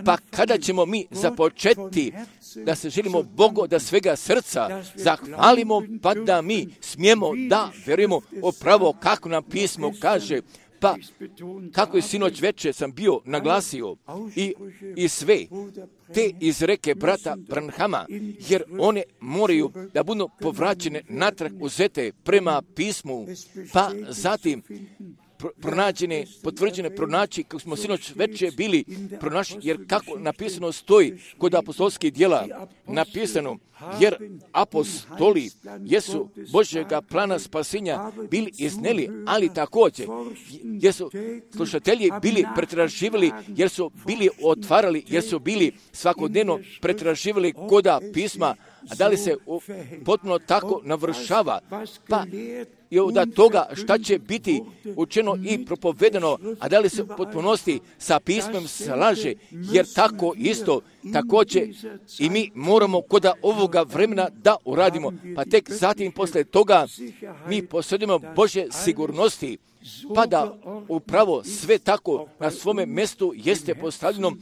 pa kada ćemo mi započeti da se želimo Bogu da svega srca zahvalimo, pa da mi smijemo da vjerujemo upravo kako nam pismo kaže, pa kako je sinoć večer sam bio naglasio i, i sve te izreke brata Branhama, jer one moraju da budu povraćene natrag uzete prema pismu, pa zatim pronađene, potvrđene, pronaći, kako smo sinoć veče bili pronašli, jer kako napisano stoji kod apostolskih djela, napisano, jer apostoli jesu Božjega plana spasenja bili izneli, ali također jesu slušatelji bili pretraživali, jer su bili otvarali, jer su bili svakodnevno pretraživali koda pisma, a da li se u, potpuno tako navršava, pa i od toga šta će biti učeno i propovedano, a da li se u potpunosti sa pismom slaže, jer tako isto, također i mi moramo kod ovoga vremena da uradimo, pa tek zatim posle toga mi posjedimo Božje sigurnosti, pa da upravo sve tako na svome mjestu jeste postavljeno,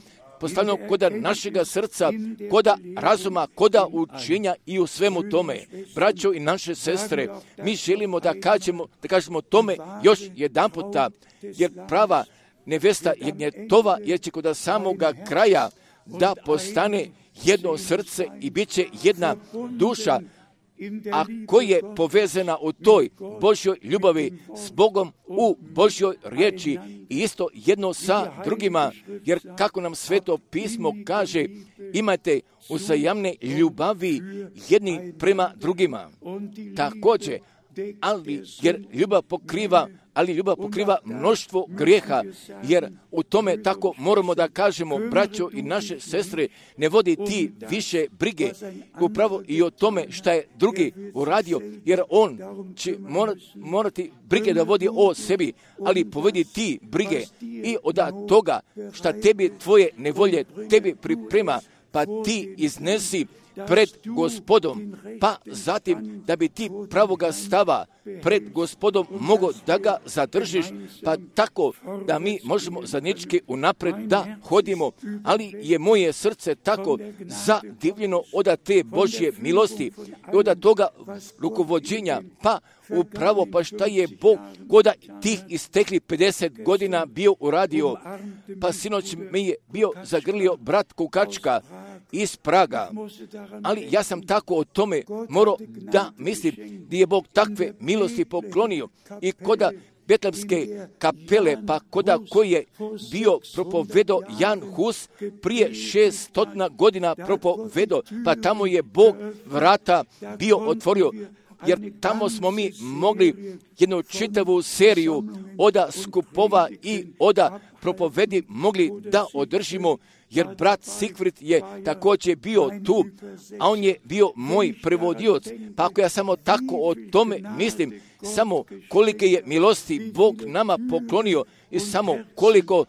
postavljeno koda našega srca, koda razuma, koda učenja i u svemu tome. Braćo i naše sestre, mi želimo da kažemo, da kažemo tome još jedan puta, jer prava nevesta je gnjetova, jer će kod samoga kraja da postane jedno srce i bit će jedna duša, a koja je povezana u toj Božjoj ljubavi s Bogom u Božjoj riječi i isto jedno sa drugima, jer kako nam Sveto pismo kaže, imajte uzajamne ljubavi jedni prema drugima. Također, ali jer ljubav pokriva, ali ljubav pokriva mnoštvo grijeha, jer u tome tako moramo da kažemo, braćo i naše sestre, ne vodi ti više brige upravo i o tome šta je drugi uradio, jer on će morati brige da vodi o sebi, ali povedi ti brige i od toga šta tebi tvoje nevolje tebi priprema, pa ti iznesi pred Gospodom, pa zatim da bi ti pravoga stava pred Gospodom mogo da ga zadržiš, pa tako da mi možemo zajednički unapred da hodimo, ali je moje srce tako zadivljeno od te Božje milosti i od toga rukovođenja, pa upravo pa šta je Bog koda tih istekli pedeset godina bio uradio, pa sinoć mi je bio zagrlio brat Kukačka iz Praga, ali ja sam tako o tome morao da mislim gdje je Bog takve milosti poklonio i koda Betlemske kapele, pa koda koji je bio propovedo Jan Hus prije šeststotina godina propovedo, pa tamo je Bog vrata bio otvorio, jer tamo smo mi mogli jednu čitavu seriju oda skupova i oda propovedi mogli da održimo, jer brat Sigfrid je također bio tu, a on je bio moj prevodioc. Pa ako ja samo tako o tome mislim, samo kolike je milosti Bog nama poklonio i samo koliko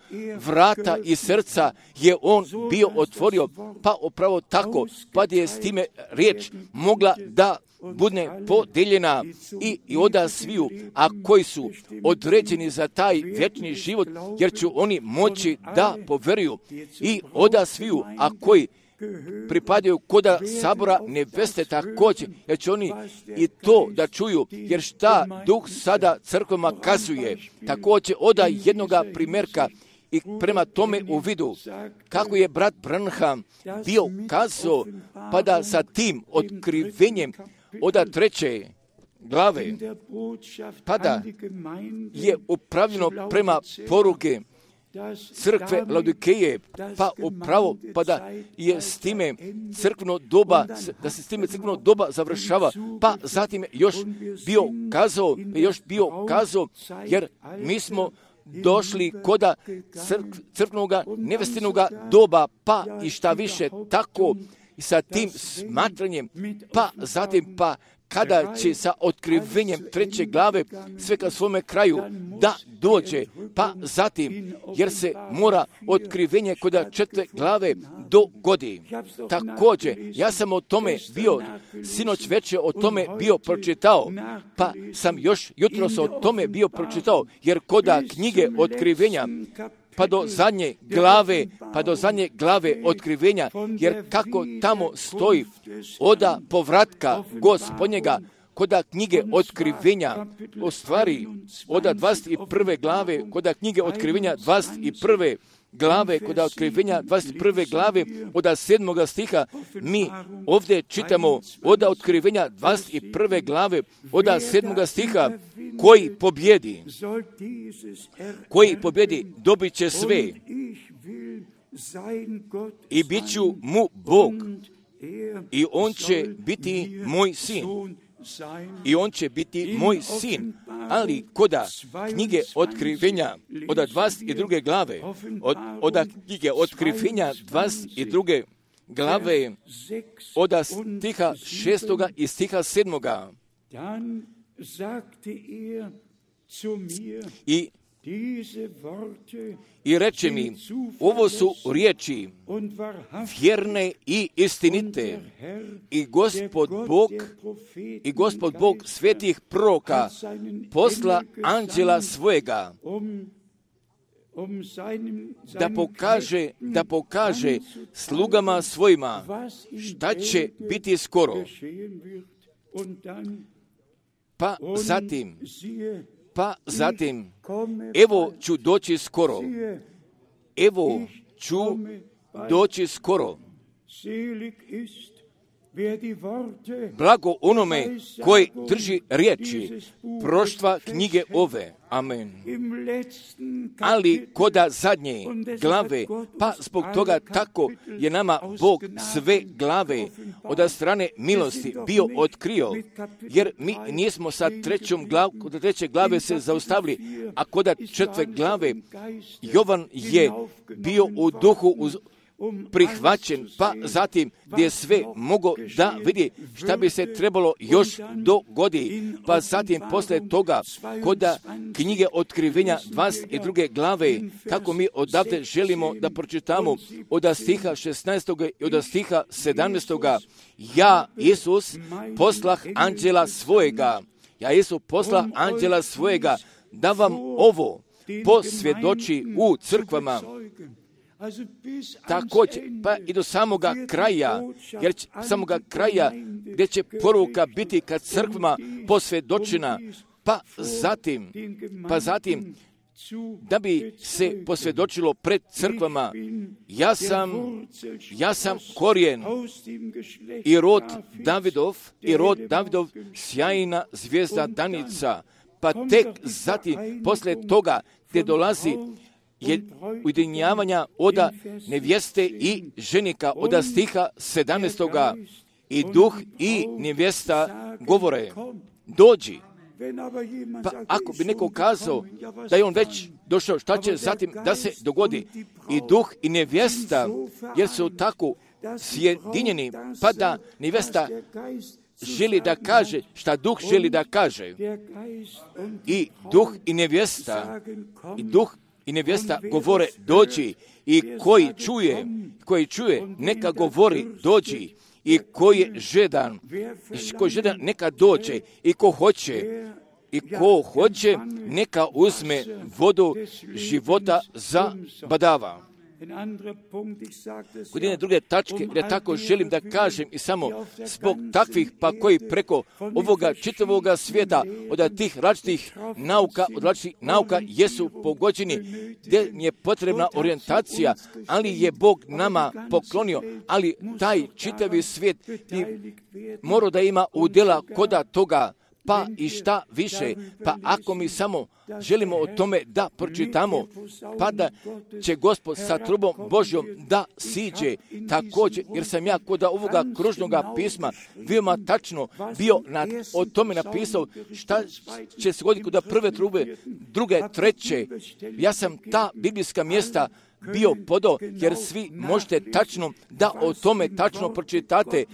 vrata i srca je on bio otvorio, pa upravo tako, pa je s time riječ mogla da bude podeljena i, i oda sviju, a koji su određeni za taj vječni život, jer će oni moći da poveruju, i oda sviju, a koji pripadaju koda sabora neveste također, jer će oni i to da čuju, jer šta Duh sada crkvama kazuje, također oda jednoga primjerka i prema tome u vidu, kako je brat Branham bio kazao, pa da sa tim otkrivenjem oda treće glave, pa da je upravljeno prema poruke crkve Laodikeje, pa upravo, pa da je s time crkveno doba, da se s time crkveno doba završava, pa zatim još bio kazao, još bio kazao, jer mi smo došli koda crk, crkvenoga nevestinoga doba, pa i šta više tako i sa tim smatranjem, pa zatim pa kada će sa otkrivenjem treće glave sve ka svome kraju da dođe, pa zatim, jer se mora otkrivenje koda četvrte glave dogodi. Također, ja sam o tome bio, sinoć večer o tome bio pročitao, pa sam još jutros o tome bio pročitao, jer koda knjige otkrivenja, pa do zadnje glave, pa do zadnje glave otkrivenja, jer kako tamo stoji oda povratka Gospodnjega, koda knjige otkrivenja, u stvari oda dvadeset prve glave, koda knjige otkrivenja dvadeset prve glave, kod otkrivenja dvadeset prve glave, od sedmoga stiha, mi ovdje čitamo od otkrivenja dvadeset prve glave, od sedmoga stiha, koji pobjedi, koji pobjedi, dobit će sve i bit ću mu Bog i on će biti moj sin. I on će biti moj sin. Ali koda knjige otkrivenja od dvadeset druge glave, od, od knjige otkrivenja dvadeset druge glave, od stiha šestoga i stiha sedmoga. I I reče mi, ovo su riječi vjerne i istinite. I Gospod Bog, i Gospod Bog svetih proroka posla anđela svojega da pokaže, da pokaže slugama svojima šta će biti skoro. Pa zatim, pa zatim, evo ću doći skoro. Evo ću doći skoro. Blago onome koji drži riječi proštva knjige ove. Amen. Ali koda zadnje glave, pa zbog toga tako je nama Bog sve glave od strane milosti bio otkrio, jer mi nismo sa trećom glavom, kod treće glave se zaustavili, a koda četvrte glave Jovan je bio u duhu uz prihvaćen, pa zatim gdje sve mogo da vidi šta bi se trebalo još dogodi, pa zatim posle toga koda knjige otkrivenja dvadeset druge glave, kako mi odavde želimo da pročitamo od stiha šesnaestog i od stiha sedamnaestog. Ja, Isus, poslah anđela svojega, ja, Isus, poslah anđela svojega, da vam ovo posvjedoči u crkvama. Također, pa i do samoga kraja, jer će, samoga kraja gdje će poruka biti kad crkvama posvjedočena, pa zatim, pa zatim, da bi se posvjedočilo pred crkvama, ja sam, ja sam korijen i rod Davidov, i rod Davidov sjajna zvijezda danica, pa tek zatim, posle toga, gdje dolazi je ujedinjavanja oda nevjeste i ženika od stiha sedamnaestoga. I duh i nevjesta govore, dođi. Pa ako bi neko kazao da je on već došao, šta će zatim da se dogodi? I duh i nevjesta, jer su tako sjedinjeni, pa da nevjesta želi da kaže šta duh želi da kaže. I duh i nevjesta, i duh i nevjesta govore dođi, i koji čuje, koji čuje neka govori dođi, i koji je žedan, koji je žedan neka dođe, i ko hoće, i ko hoće neka uzme vodu života za badava. Kod jedne druge tačke, gdje tako želim da kažem i samo zbog takvih pa koji preko ovoga čitavoga svijeta od tih različitih nauka, od različitih nauka jesu pogođeni, gdje je potrebna orijentacija, ali je Bog nama poklonio, ali taj čitavi svijet mora da ima udjela koda toga, pa i šta više, pa ako mi samo želimo o tome da pročitamo, pa da će Gospod sa trubom Božjom da siđe također, jer sam ja kod ovoga kružnoga pisma veoma tačno bio na, o tome napisao šta će se goditi kod prve trube, druge, treće. Ja sam ta biblijska mjesta bio podao, jer svi možete tačno da o tome tačno pročitate,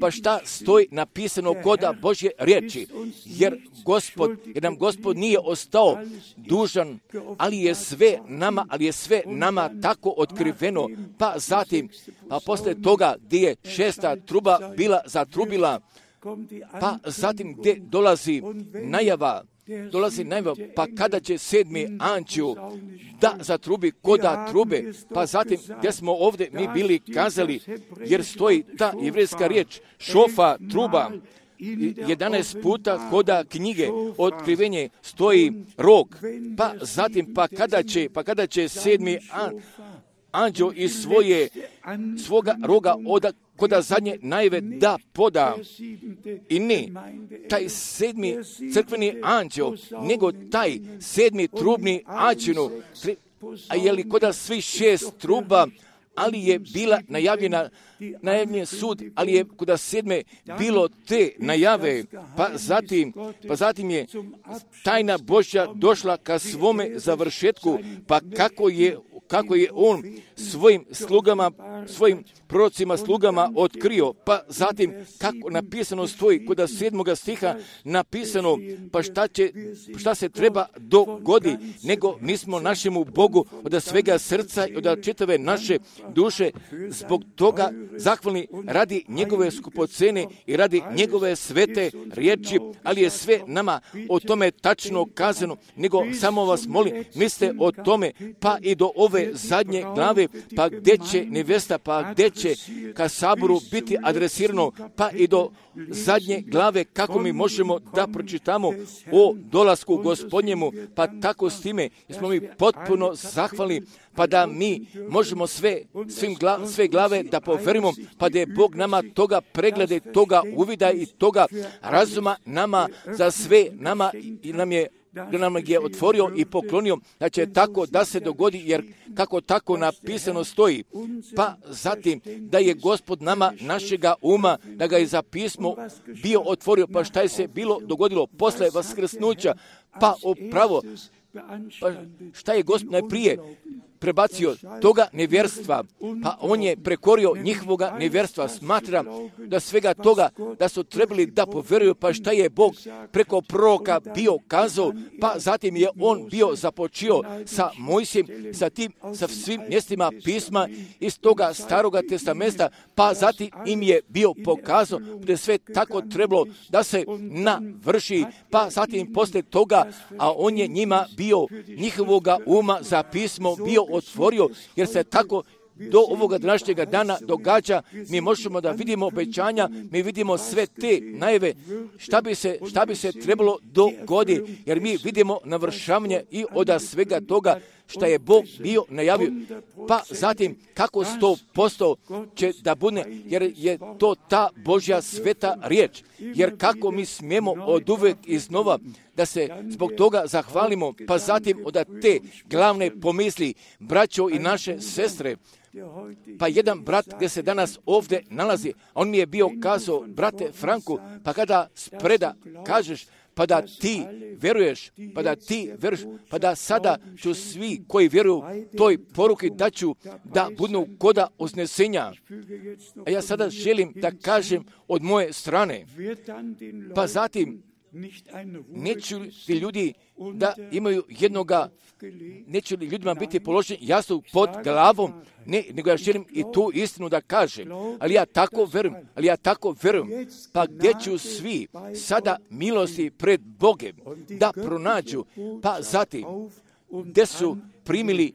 pa šta stoji napisano koda Božje riječi, jer Gospod, jer nam Gospod nije ostao dužan, ali je sve nama, ali je sve nama tako otkriveno, pa zatim, pa posle toga gdje je šesta truba bila zatrubila, pa zatim gdje dolazi najava, dolazi najava, pa kada će sedmi anđeo da zatrubi koda trube, pa zatim gdje smo ovdje mi bili kazali, jer stoji ta jevrejska riječ šofa, truba, jedanaest puta koda knjige Otkrivenje stoji rog, pa zatim pa kada će, pa kada će sedmi an, anđeo iz svoje, svoga roga oda, koda zadnje najave da poda. I ne taj sedmi crkveni anđeo, nego taj sedmi trubni anđeo, a je li koda svi šest truba, ali je bila najavljena, najavljen sud, ali je kod sedme bilo te najave, pa zatim, pa zatim je tajna Božja došla ka svome završetku, pa kako je, kako je on svojim slugama, svojim prorocima slugama otkrio, pa zatim kako napisano stoji kod sedmoga stiha napisano, pa šta, će, šta se treba dogodi, nego mi smo našemu Bogu od svega srca i od čitave naše duše zbog toga zahvalni radi njegove skupocene i radi njegove svete riječi, ali je sve nama o tome tačno kazano, nego samo vas molim, mislite o tome, pa i do ove zadnje glave, pa gdje će nevesta, pa gdje će ka saboru biti adresirano, pa i do zadnje glave kako mi možemo da pročitamo o dolasku Gospodnjemu, pa tako s time smo mi potpuno zahvalni, pa da mi možemo sve, svim gla, sve glave da poverimo, pa da je Bog nama toga preglede, toga uvida i toga razuma nama za sve nama i nam je da nam je otvorio i poklonio, da će tako da se dogodi, jer kako tako napisano stoji. Pa zatim da je Gospod nama našega uma, da ga je za pismo bio otvorio, pa šta je se bilo dogodilo posle vaskrsnuća, pa upravo, pa šta je Gospod najprije prebacio toga nevjerstva, pa on je prekorio njihovoga nevjerstva. Smatram da svega toga da su trebali da poveruju, pa šta je Bog preko proroka bio kazao, pa zatim je on bio započio sa Mojsijem, sa tim, sa svim mjestima pisma iz toga staroga testamenta, pa zatim im je bio pokazao da je sve tako trebalo da se navrši, pa zatim posle toga, a on je njima bio njihovoga uma za pismo bio otvorio, jer se tako do ovoga današnjega dana događa. Mi možemo da vidimo obećanja, mi vidimo sve te najave, šta bi se, šta bi se trebalo dogoditi, jer mi vidimo navršavanje i od svega toga šta je Bog bio najavio. Pa zatim kako sto posto će da bude, jer je to ta Božja sveta riječ. Jer kako mi smijemo od uvek iznova da se zbog toga zahvalimo, pa zatim od te glavne pomisli, braćo i naše sestre. Pa jedan brat gdje se danas ovdje nalazi, on mi je bio kazao, brate Franku, pa kada spreda kažeš, pa da ti vjeruješ, pa da ti vjeruješ, pa da sada ću svi koji vjeruju toj poruki da ću da budu koda uznesenja. A ja sada želim da kažem od moje strane, pa zatim neću li ljudi da imaju jednoga, neću li ljudima biti položen jasno pod glavom, ne, nego ja želim i tu istinu da kažem, ali ja tako verujem, ali ja tako verujem, pa gdje ću svi sada milosti pred Bogem da pronađu, pa zatim gdje su primili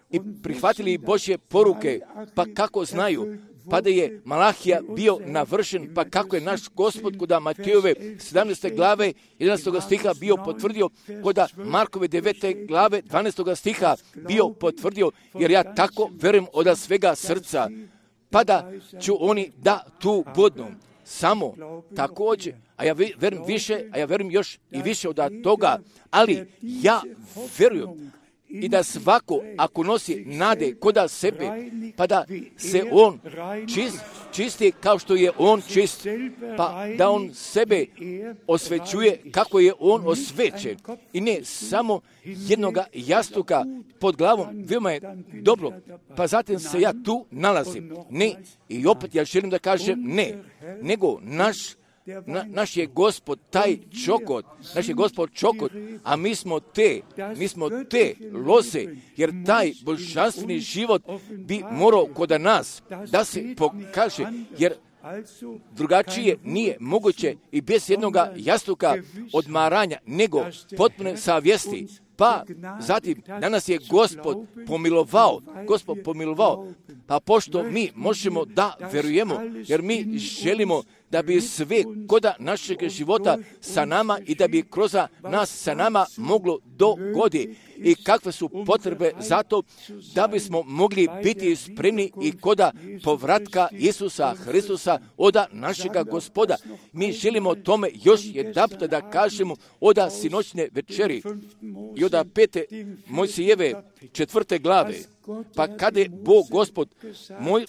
i prihvatili Božje poruke, pa kako znaju, pa da je Malahija bio navršen, pa kako je naš Gospod kod Matejove sedamnaeste glave jedanaestog stiha bio potvrdio, kod Markove devete glave dvanaestog stiha bio potvrdio, jer ja tako verujem od svega srca, pa da ću oni da tu budu. Samo također, a ja verujem više, a ja verujem još i više od toga, ali ja verujem i da svako, ako nosi nade koda sebe, pa da se on čist, čisti kao što je on čist, pa da on sebe osvećuje kako je on osvećen. I ne samo jednoga jastuka pod glavom, veoma je dobro, pa zatim se ja tu nalazim. Ne, i opet ja želim da kažem ne, nego naš Na, naš je Gospod taj čokot, naš je Gospod čokot, a mi smo te, mi smo te lose, jer taj božanstveni život bi morao kod nas da se pokaže, jer drugačije nije moguće i bez jednoga jastuka odmaranja, nego potpune savjesti. Pa zatim danas je Gospod pomilovao, Gospod pomilovao, pa pošto mi možemo da verujemo, jer mi želimo da bi sve koda našeg života sa nama i da bi kroz nas sa nama moglo dogodi. I kakve su potrebe za to da bismo mogli biti spremni i koda povratka Isusa Hristusa oda našega Gospoda. Mi želimo tome još jedanput da kažemo oda sinoćne večeri i oda pete Mojsijeve četvrte glave. Pa kada je Bog Gospod moj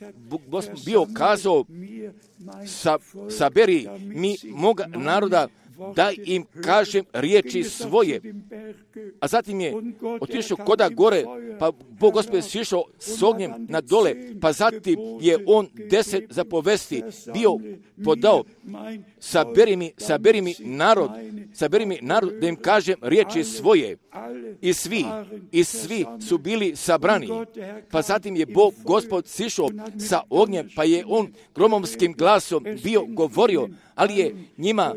Gospod bio kazao sa, saberi mi moga naroda da im kažem riječi svoje. A zatim je otišao koda gore, pa Bog Gospod je sišao s ognjem na dole, pa zatim je on deset zapovesti bio podao. Saberi mi, saberi mi narod, saberi mi narod da im kažem riječi svoje. I svi, i svi su bili sabrani. Pa zatim je Bog Gospod sišao sa ognjem, pa je on gromovskim glasom bio govorio, ali je njima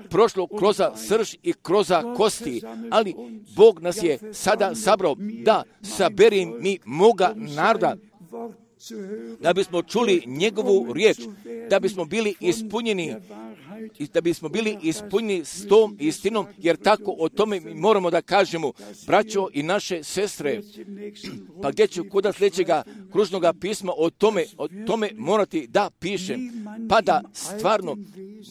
prošlo kroz srž i kroz kosti, ali Bog nas je sada sabrao da saberi mi moga naroda, da bismo čuli njegovu riječ, da bismo bili ispunjeni i da bismo bili ispunjeni s tom istinom, jer tako o tome mi moramo da kažemo, braćo i naše sestre. Pa gdje ću kod sljedećega kružnog pisma o tome, o tome morati da pišem, pa da stvarno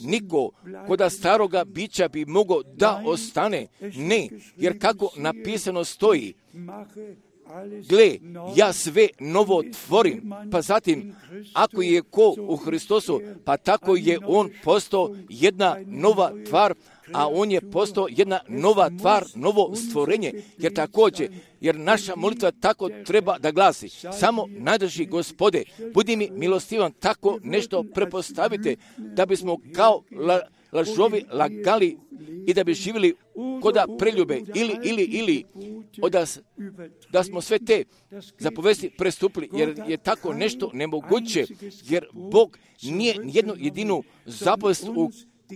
niko kod staroga bića bi mogao da ostane. Ne, jer kako napisano stoji, gle, ja sve novo tvorim, pa zatim, ako je ko u Hristosu, pa tako je on postao jedna nova tvar, a on je postao jedna nova tvar, novo stvorenje, jer također, jer naša molitva tako treba da glasi, samo najdrži Gospode, budi mi milostivan, tako nešto prepostavite, da bismo kao la, lažovi lagali i da bi živjeli koda preljube ili, ili, ili, da, da smo sve te zapovesti prestupili, jer je tako nešto nemoguće, jer Bog nije jednu jedinu zapovest u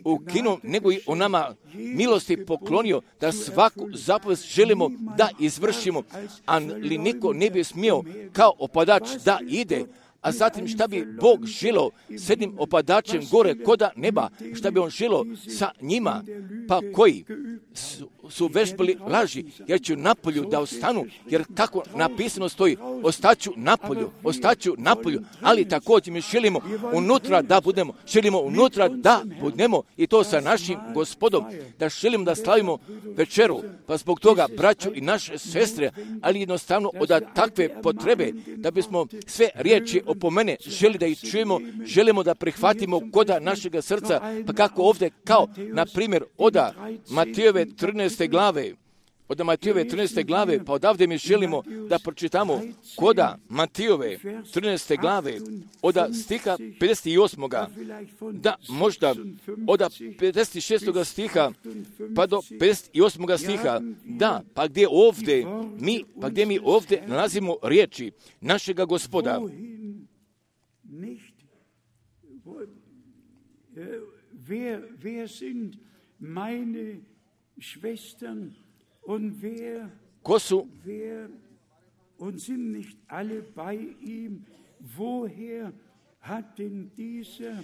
ukinuo, nego i o nama milosti poklonio, da svaku zapovest želimo da izvršimo, ali niko ne bi smio kao opadač da ide. A zatim šta bi Bog želio s jednim opadačem gore koda neba, šta bi on želio sa njima, pa koji su, su vešpali laži, jer ću napolju da ostanu, jer tako napisano stoji, ostaću napolju, ostaću napolju, ali također mi želimo unutra da budemo, želimo unutra da budemo i to sa našim Gospodom, da želimo da slavimo večeru, pa zbog toga braću i naše sestre, ali jednostavno od takve potrebe, da bismo sve riječi po mene želi da ih čujemo, želimo da prihvatimo koda našega srca, pa kako ovdje, kao, na primjer, oda Matijeve trinaeste glave, od Matijeve trinaeste glave, pa odavde mi želimo da pročitamo koda Matijeve trinaeste glave, od stiha pedeset osmog da možda od pedeset šestog stiha pa do pedeset osmog stiha, da, pa gdje ovdje mi, pa gdje mi ovdje nalazimo riječi našega Gospoda. Wer, wer sind meine Schwestern und wer, ko su, wer, und sind nicht alle bei ihm, woher hat denn dieser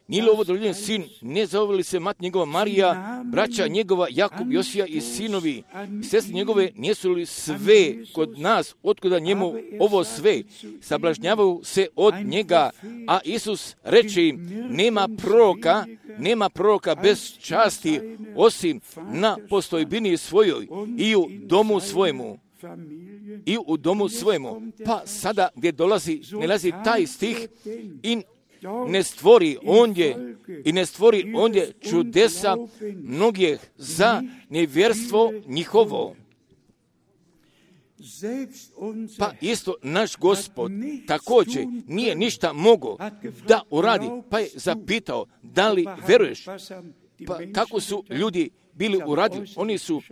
nije li ovo doljen sin, ne zove li se mat njegova Marija, braća njegova Jakub, Josija i sinovi, sestre njegove, nijesu li sve kod nas, otkuda njemu ovo sve, sablažnjavaju se od njega, a Isus reče im, nema proroka, nema proroka bez časti, osim na postojbini svojoj i u domu svojemu. I u domu svojemu. Pa sada gdje dolazi, ne lazi taj stih i ne stvori ondje i ne stvori ondje čudesa mnogih za nevjerstvo njihovo. Pa isto naš Gospod također nije ništa mogao da uradi, pa je zapitao, da li veruješ? Pa kako su ljudi bili uradili? Oni su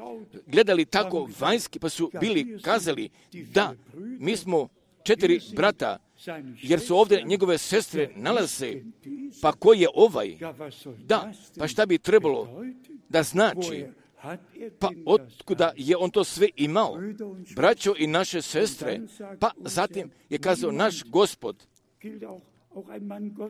gledali tako vanjski, pa su bili kazali, da, mi smo četiri brata, jer su ovdje njegove sestre nalaze, pa ko je ovaj? Da, pa šta bi trebalo da znači? Pa otkuda je on to sve imao? Braćo i naše sestre, pa zatim je kazao naš Gospod,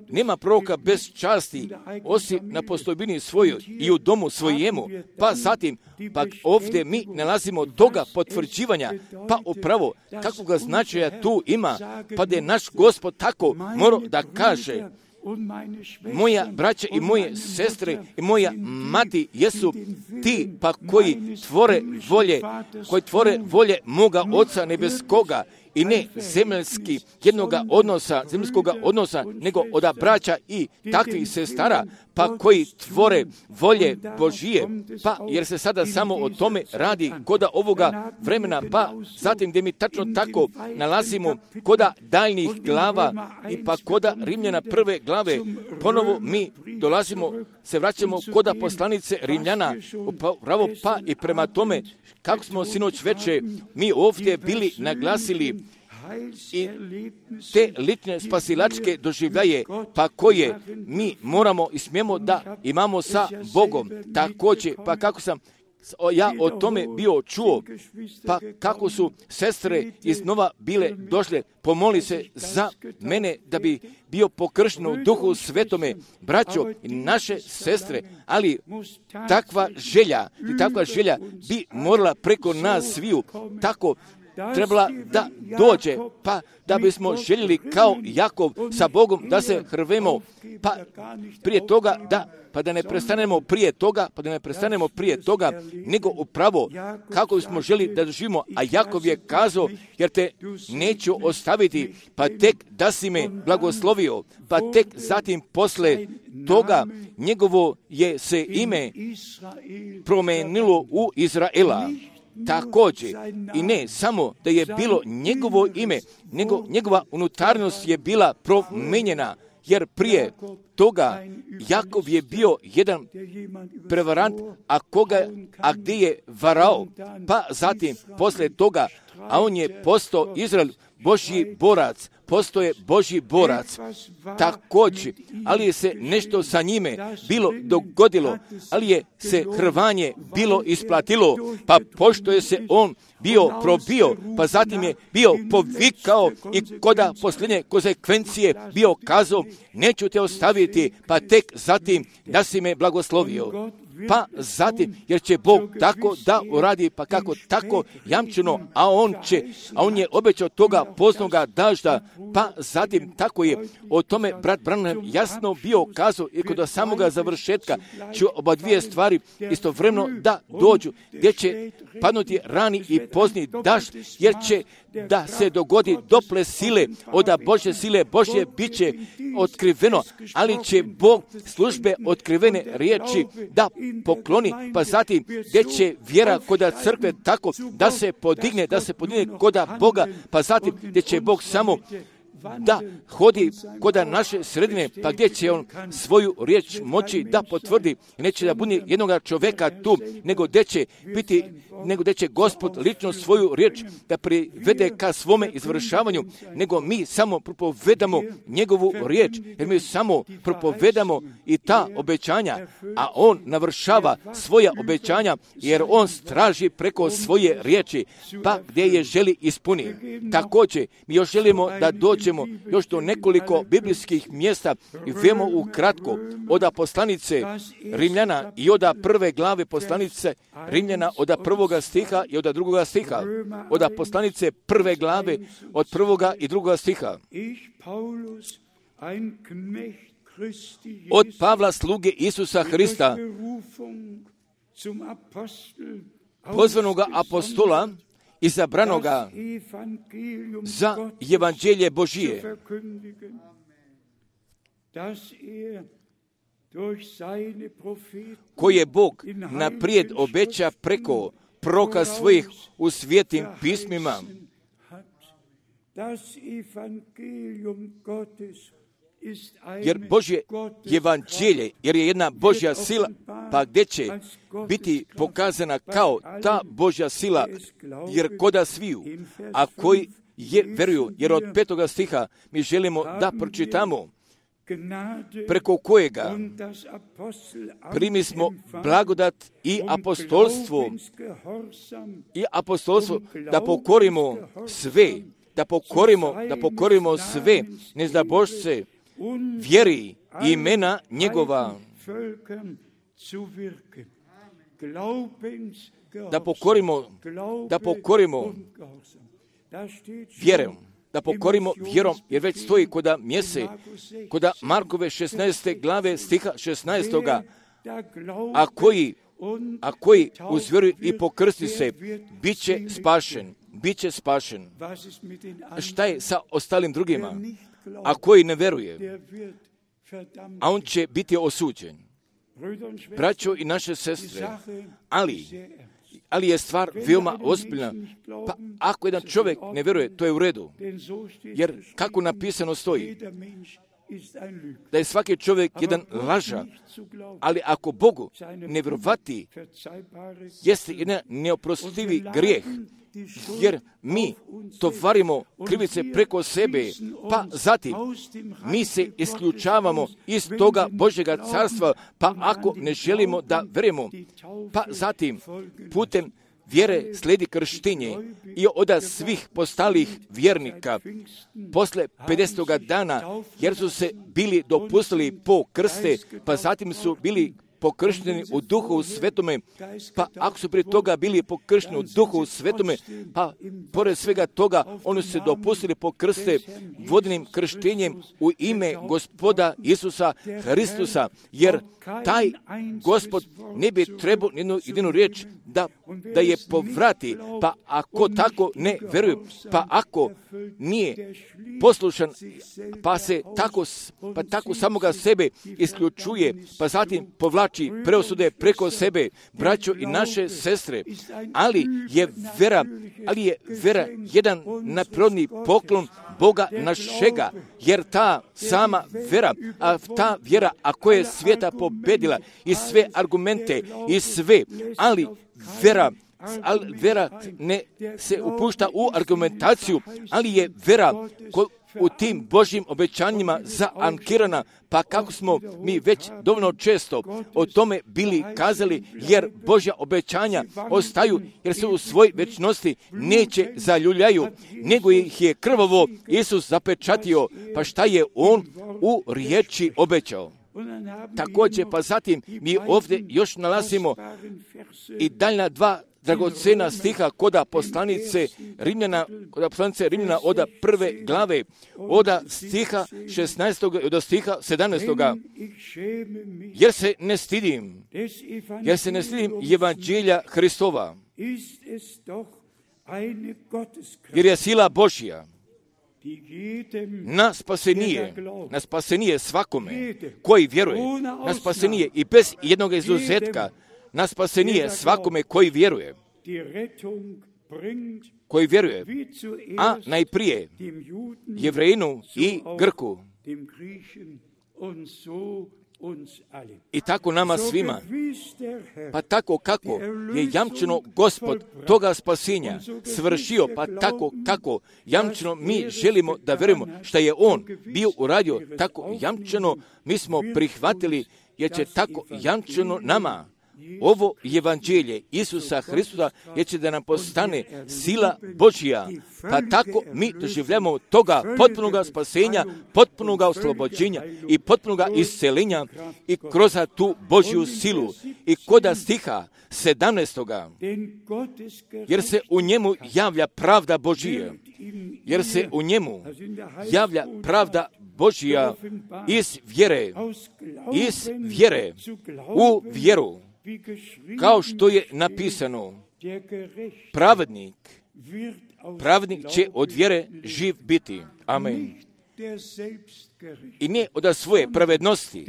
Nema proroka bez časti, osim na postojbini svojoj i u domu svojemu. Pa zatim, pa ovdje mi nalazimo toga potvrđivanja, pa upravo kakvoga značaja tu ima, pa da je naš Gospod tako morao da kaže: moja braća i moje sestre i moja mati jesu ti pa koji tvore volje, koji tvore volje moga Oca nebeskoga, i ne zemaljski jednoga odnosa, zemaljskoga odnosa, nego od braća i takvih sestara, pa koji tvore volje Božije, pa jer se sada samo o tome radi koda ovoga vremena, pa zatim gdje mi tačno tako nalazimo koda daljnjih glava i pa koda Rimljana prve glave, ponovo mi dolazimo, se vraćamo koda poslanice Rimljana, upravo pa i prema tome kako smo sinoć veče mi ovdje bili naglasili i te lične spasilačke doživljaje, pa koje mi moramo i smijemo da imamo sa Bogom. Također, pa kako sam ja o tome bio čuo, pa kako su sestre iznova bile došle, pomoli se za mene da bi bio pokršten u Duhu Svetome, braćo i naše sestre, ali takva želja i takva želja bi morala preko nas sviju tako trebala da dođe, pa da bismo željeli kao Jakov sa Bogom da se hrvemo, pa prije toga da, pa da ne prestanemo prije toga, pa da ne prestanemo prije toga, nego upravo kako bismo želi da doživimo, a Jakov je kazao, jer te neću ostaviti, pa tek da si me blagoslovio, pa tek zatim posle toga njegovo je se ime promenilo u Izraela. Također, i ne samo da je bilo njegovo ime, nego njegova unutarnost je bila promijenjena, jer prije toga Jakov je bio jedan prevarant, a koga, a gdje je varao, pa zatim posle toga, a on je postao Izrael, Božji borac, postoje Božji borac, također, ali je se nešto sa njime bilo dogodilo, ali je se hrvanje bilo isplatilo, pa pošto je se on bio probio, pa zatim je bio povikao i koda posljednje konsekvencije bio kazao, neću te ostaviti, pa tek zatim da si me blagoslovio. Pa zatim, jer će Bog tako da uradi, pa kako tako jamčeno, a on će, a on je obećao toga poznoga dažda, pa zatim tako je o tome brat Branham jasno bio kazao i kod samoga završetka će oba dvije stvari istovremeno da dođu, gdje će padnuti rani i pozni daž, jer će da se dogodi dople sile, od Božje sile Božje bit će otkriveno, ali će Bog službe otkrivene riječi da pokloni, pa zatim gdje će vjera koda crkve tako da se podigne, da se podigne koda Boga, pa zatim gdje će Bog samo da hodi koda naše sredine, pa gdje će on svoju riječ moći da potvrdi, neće da bude jednoga čovjeka tu, nego gdje će biti, nego gdje će Gospod lično svoju riječ da privede ka svome izvršavanju, nego mi samo propovedamo njegovu riječ, jer mi samo propovedamo i ta obećanja, a on navršava svoja obećanja, jer on straži preko svoje riječi, pa gdje je želi ispuni. Također, mi još želimo da dođemo još do nekoliko biblijskih mjesta i vemo ukratko od poslanice Rimljana i od prve glave poslanice Rimljana od prvoga stiha i od drugoga stiha. Od poslanice prve glave od prvoga i drugoga stiha. Od Pavla sluge Isusa Hrista, pozvanoga apostola, izabranoga za evanđelje Božije, koje Bog naprijed obeća preko proroka svojih u svetim pismima. Jer Božje evanđelje, jer je jedna Božja sila, pa gdje će biti pokazana kao ta Božja sila, jer koda sviju, a koji je, veruju, jer od petoga stiha mi želimo da pročitamo, preko kojega primi smo blagodat i apostolstvo, i apostolstvo da pokorimo sve, da pokorimo, da pokorimo sve nezdabošce, vjeri i imena njegova, da pokorimo, da pokorimo vjerom, da pokorimo vjerom, jer već stoji koda mjese, koda Markove šesnaeste glave stiha šesnaestoga, a koji, a koji uz vjeru i pokrsti se, bit će spašen, bit će spašen. Šta je sa ostalim drugima? A koji ne veruje, a on će biti osuđen. Braćo i naše sestre, ali, ali je stvar veoma ozbiljna. Pa ako jedan čovjek ne vjeruje, to je u redu. Jer kako napisano stoji, da je svaki čovjek jedan laža, ali ako Bogu ne vjerovati, jeste jedan neoprostivi grijeh, jer mi tovarimo krivice preko sebe, pa zatim mi se isključavamo iz toga Božjega carstva, pa ako ne želimo da vjerujemo, pa zatim putem vjere slijedi krštenje i od svih postalih vjernika posle pedesetoga dana, jer su se bili dopustili po krste, pa zatim su bili pokršteni u Duhu Svetome, pa ako su prije toga bili pokršteni u Duhu Svetome, pa pored svega toga oni su se dopustili pokrste vodenim krštenjem u ime Gospoda Isusa Hristusa, jer taj Gospod ne bi trebao jednu jedinu riječ da, da je povrati, pa ako tako ne vjeruje, pa ako nije poslušan, pa se tako, pa tako samoga sebe isključuje, pa zatim povlači preosude preko sebe, braćo i naše sestre, ali je vera, ali je vera jedan neprirodni poklon Boga našega, jer ta sama vera, a ta vjera, ako je svijeta pobedila i sve argumente i sve, ali vera, ali vera ne se upušta u argumentaciju, ali je vera ko, u tim Božjim obećanjima zaankirana, pa kako smo mi već dovoljno često o tome bili kazali, jer Božja obećanja ostaju, jer se u svoj večnosti neće zaljuljaju, nego ih je krvavo Isus zapečatio, pa šta je On u riječi obećao. Također, pa zatim mi ovdje još nalazimo i daljna dva dragocena stiha koda poslanice Rimljana, koda poslanice Rimljana od prve glave, od stiha šesnaestog i od stiha sedamnaestog. Jer se ne stidim, jer se ne stidim evanđelja Hristova, jer je sila Božja na spasenije, na spasenije svakome koji vjeruje, na spasenije i bez jednog izuzetka, na spasenije svakome koji vjeruje, koji vjeruje, a najprije Jevrejinu i Grku. I tako nama svima, pa tako kako je jamčeno Gospod toga spasenja svršio, pa tako kako jamčeno mi želimo da vjerujemo što je On bio uradio, tako jamčeno mi smo prihvatili, jer će tako jamčeno nama ovo evanđelje Isusa Hristusa, jer će da nam postane sila Božja, pa tako mi doživljamo toga potpunoga spasenja, potpunoga oslobođenja i potpunoga iscelenja i kroz tu Božju silu. I koda stiha sedamnaestoga, jer se u njemu javlja pravda Božija, jer se u njemu javlja pravda Božja iz vjere, iz vjere u vjeru, kao što je napisano, pravednik, pravednik će od vjere živ biti. Amen. I ne od svoje pravednosti,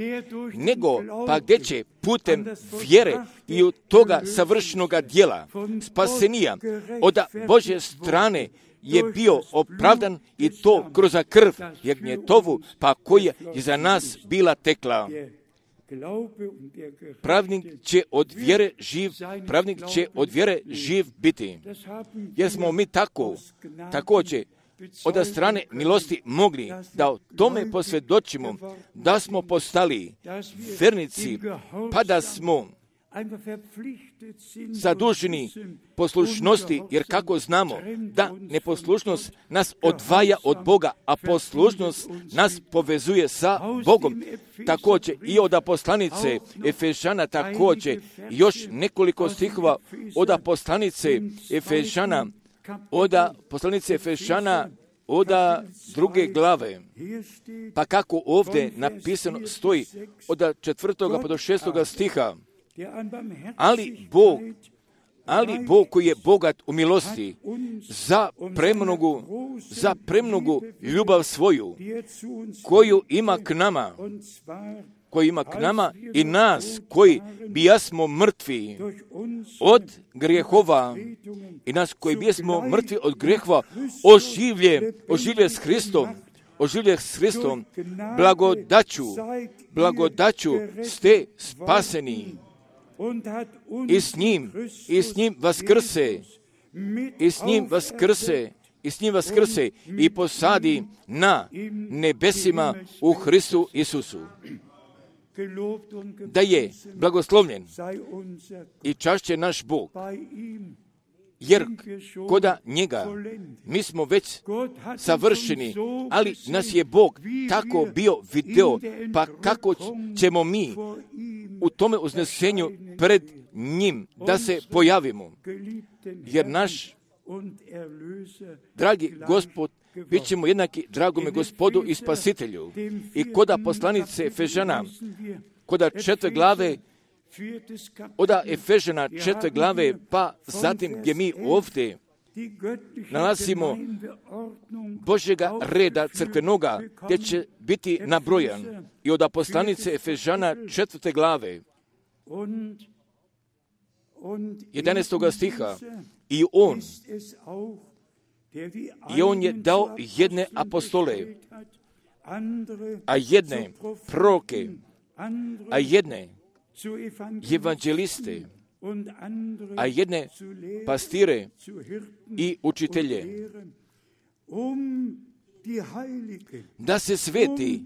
nego pa gdje će putem vjere i od toga savršenoga djela spasenija od Božje strane je bio opravdan i to kroz krv jagnjetovu, pa koja je za nas bila tekla. Pravnik će od vjere živ, pravnik će od vjere živ biti. Jer smo mi tako, također, od strane milosti mogli da o tome posvjedočimo, da smo postali vernici, pa da smo zaduženi poslušnosti, jer kako znamo da neposlušnost nas odvaja od Boga, a poslušnost nas povezuje sa Bogom. Također i od poslanice Efežana, također još nekoliko stihova od poslanice Efežana, od poslanice Efežana, od druge glave. Pa kako ovdje napisano stoji od četvrtoga pa do šestoga stiha. Ali Bog, ali Bog koji je bogat u milosti, za premnogu, za premnogu ljubav svoju, koju ima k nama, koji ima k nama i nas, koji bijasmo mrtvi od grijehova i nas koji bijasmo mrtvi od grijehova, oživlje, oživlje s Hristom, oživlje s Hristom, blagodaću, blagodaću ste spaseni. I s njim, i s njim vaskrse, i s njim vaskrse, i s njim vaskrse i posadi na nebesima u Hristu Isusu. Da je blagoslovljen i čašće naš Bog, jer koda njega mi smo već savršeni, ali nas je Bog tako bio video, pa kako ćemo mi u tome uznesenju pred njim da se pojavimo, jer naš dragi Gospod bit ćemo jednaki dragome Gospodu i Spasitelju. I koda poslanice Efežana, koda četvrte glave, od Efežana četvrte glave, pa zatim gdje mi ovdje nalazimo Božjega reda crkvenoga, gdje će biti nabrojan. I od poslanice Efežana četvrte glave, jedanaestoga stiha, i on, i on je dao jedne apostole, a jedne proroke, a jedne evanđeliste, a jedne pastire i učitelje, da se sveti,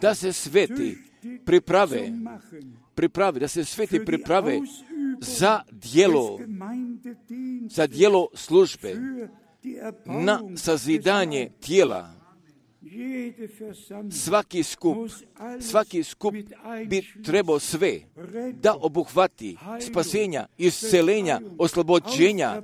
da se sveti priprave, priprave, da se sveti priprave za djelo, za djelo službe, na sazidanje tijela. Svaki skup, svaki skup bi trebao sve da obuhvati spasenja, iscelenja, oslobođenja,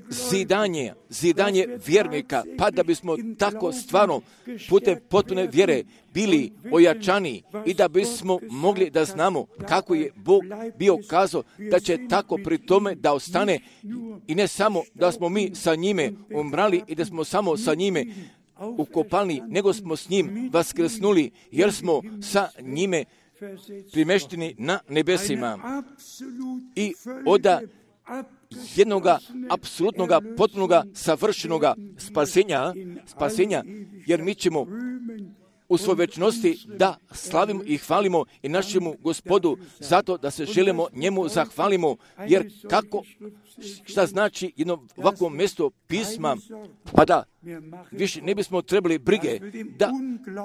zidanje, zidanje vjernika, pa da bismo tako stvarno putem potpune vjere bili ojačani i da bismo mogli da znamo kako je Bog bio kazao da će tako pri tome da ostane i ne samo da smo mi sa njime umrali i da smo samo sa njime ukopani, nego smo s njim vaskrsnuli, jer smo sa njime primešteni na nebesima. I oda jednoga apsolutnoga, potpunoga, savršenoga spasenja, spasenja, jer mi ćemo u svojoj večnosti da slavimo i hvalimo i našemu Gospodu zato da se želimo njemu zahvalimo, jer kako, šta znači jedno ovakvo mjesto pisma, pa da više ne bismo trebali brige da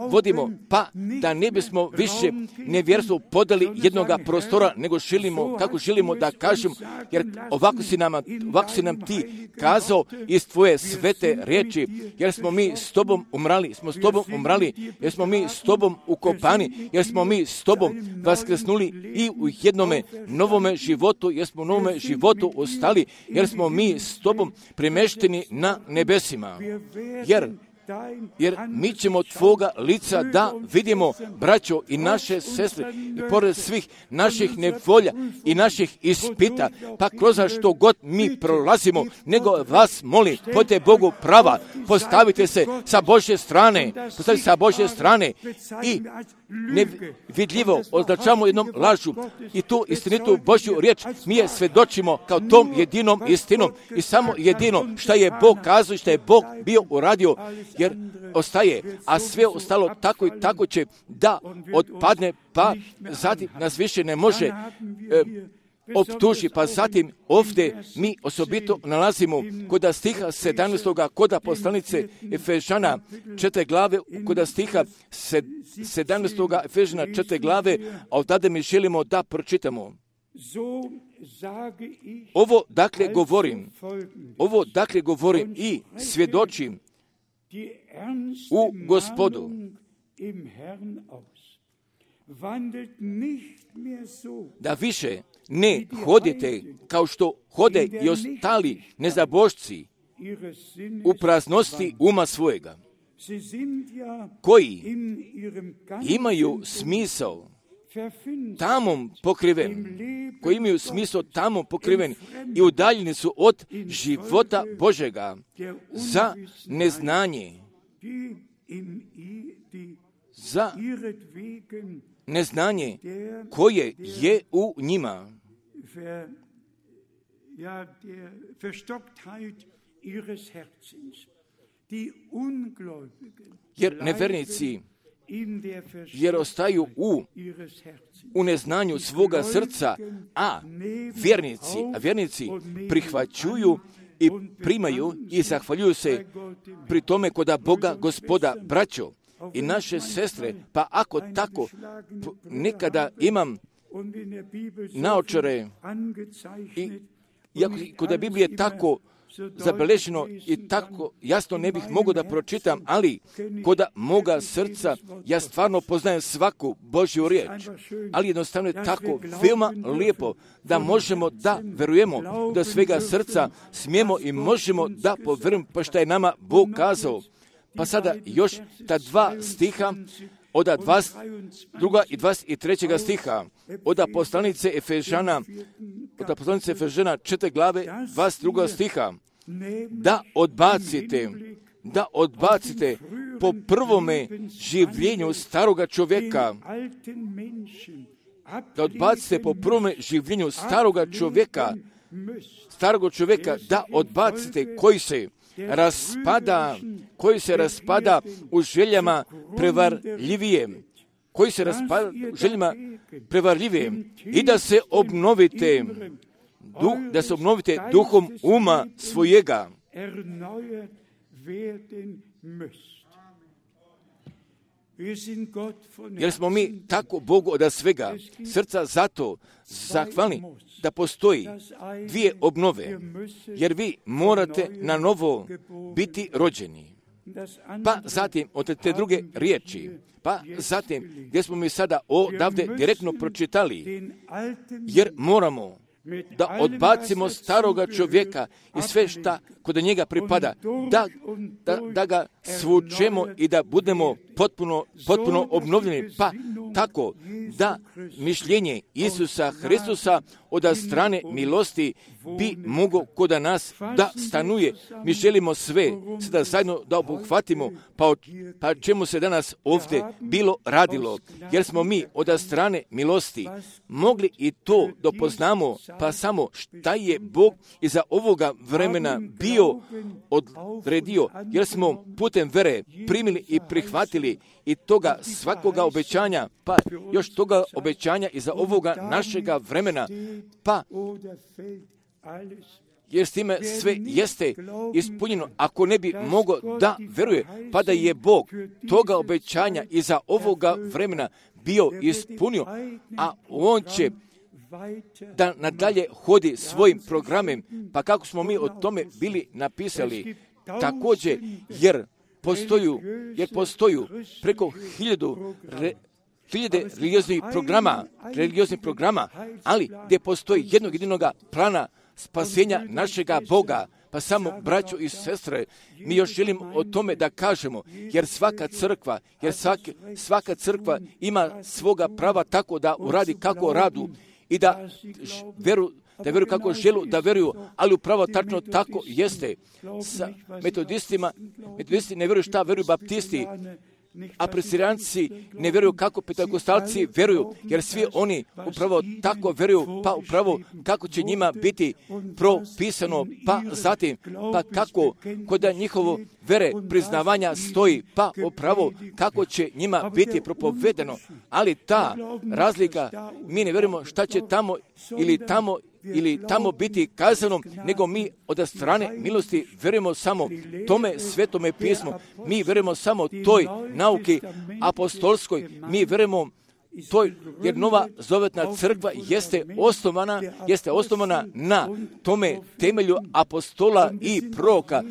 vodimo, pa da ne bismo više nevjerstvo podali jednoga prostora, nego želimo, kako želimo da kažemo, jer ovako si, nama, ovako si nam ti kazao iz tvoje svete riječi, jer smo mi s tobom umrali, smo s tobom umrali, jer smo mi s tobom ukopani, jer smo mi s tobom vaskrsnuli i u jednome novome životu, jer smo u novome životu ostali, jer smo mi s tobom premešteni na nebesima. Jer, jer mi ćemo tvoga lica da vidimo, braćo i naše sestre, i pored svih naših nevolja i naših ispita, pa kroz što god mi prolazimo, nego vas molim, budite Bogu prava, postavite se sa Božje strane, postavite se sa Božje strane i nevidljivo označamo jednom lažu i tu istinitu Božju riječ mi je svedočimo kao tom jedinom istinom i samo jedino što je Bog kazao i što je Bog bio uradio, jer ostaje, a sve ostalo tako i tako će da odpadne, pa zatim nas više ne može e, optuži. Pa zatim ovdje mi osobito nalazimo kod stiha sedamnaestog kod poslanice Efežana četiri glave, kod stiha sedamnaestog Efežana četiri glave, a od tada mi želimo da pročitamo. Ovo dakle govorim, ovo dakle govorim i svjedočim u Gospodu. Da više ne hodite kao što hode i ostali nezabožci u praznosti uma svojega, koji imaju smisao tamom pokriven, koji imaju smisao tamom pokriven i udaljeni su od života Božega za neznanje, za neznanje koje je u njima. Jer nevernici jer ostaju u, u neznanju svoga srca, a vjernici, a vjernici prihvaćuju i primaju i zahvaljuju se pri tome koda Boga Gospoda. Braćo i naše sestre, pa ako tako nekada imam naočare i iako kod Biblije tako zabeleženo i tako jasno ne bih mogao da pročitam, ali kod moga srca ja stvarno poznajem svaku Božju riječ. Ali jednostavno je tako veoma lijepo da možemo da verujemo da svega srca smijemo i možemo da povjerujemo pa što je nama Bog kazao. Pa sada još ta dva stiha od dvadeset drugog i dvadeset trećeg stiha od poslanice Efežana, od poslanice Efežana četiri glave dvadeset drugog stiha, da odbacite, da odbacite po prvome življenju staroga čovjeka, da odbacite po prvome življenju staroga čovjeka, staroga čovjeka, da odbacite koji se raspada, koji se raspada u željama prevarljivije, koji se raspada u željama prevarljivije i da se obnovite, duh, da se obnovite duhom uma svojega. Jer smo mi tako Bogu od svega srca zato zahvalni da postoji dvije obnove, jer vi morate na novo biti rođeni. Pa zatim od te druge riječi, pa zatim gdje smo mi sada odavde direktno pročitali, jer moramo da odbacimo staroga čovjeka i sve šta kod njega pripada, da, da, da ga svučemo i da budemo potpuno, potpuno obnovljeni, pa tako da mišljenje Isusa Hristusa od strane milosti bi moglo kod nas da stanuje. Mi želimo sve sada zajedno da obuhvatimo, pa o pa čemu se danas ovdje bilo radilo, jer smo mi od strane milosti mogli i to dopoznamo, pa samo šta je Bog iza ovoga vremena bio odredio, jer smo putem vere primili i prihvatili i toga svakoga obećanja, pa još toga obećanja iza ovoga našega vremena, pa jer s time sve jeste ispunjeno. Ako ne bi mogao da veruje, pa da je Bog toga obećanja iza ovoga vremena bio ispunio, a On će da nadalje hodi svojim programem, pa kako smo mi o tome bili napisali, također, jer postoju, jer postoju preko hiljadu re, hiljade religioznih programa, religioznih programa, ali gdje postoji jednog jedinoga plana spasenja našega Boga. Pa samo, braćo i sestre, mi još želim o tome da kažemo, jer svaka crkva, jer svaka, svaka crkva ima svoga prava tako da uradi kako radu i da veru, da veruju kako želu da veruju, ali upravo tačno tako jeste. Sa metodistima, metodisti ne veruju šta veruju baptisti, a presirijanci ne vjeruju kako pentakostalci vjeruju, jer svi oni upravo tako vjeruju, pa upravo kako će njima biti propisano, pa zatim, pa kako kod njihovo vere priznavanja stoji, pa upravo kako će njima biti propovedeno. Ali ta razlika, mi ne vjerujemo šta će tamo ili tamo ili tamo biti kazano, nego mi od strane milosti vjerujemo samo tome svetome pismu. Mi vjerujemo samo toj nauki apostolskoj. Mi vjerujemo toj, jer nova zavetna crkva jeste osnovana, jeste osnovana na tome temelju apostola i proroka.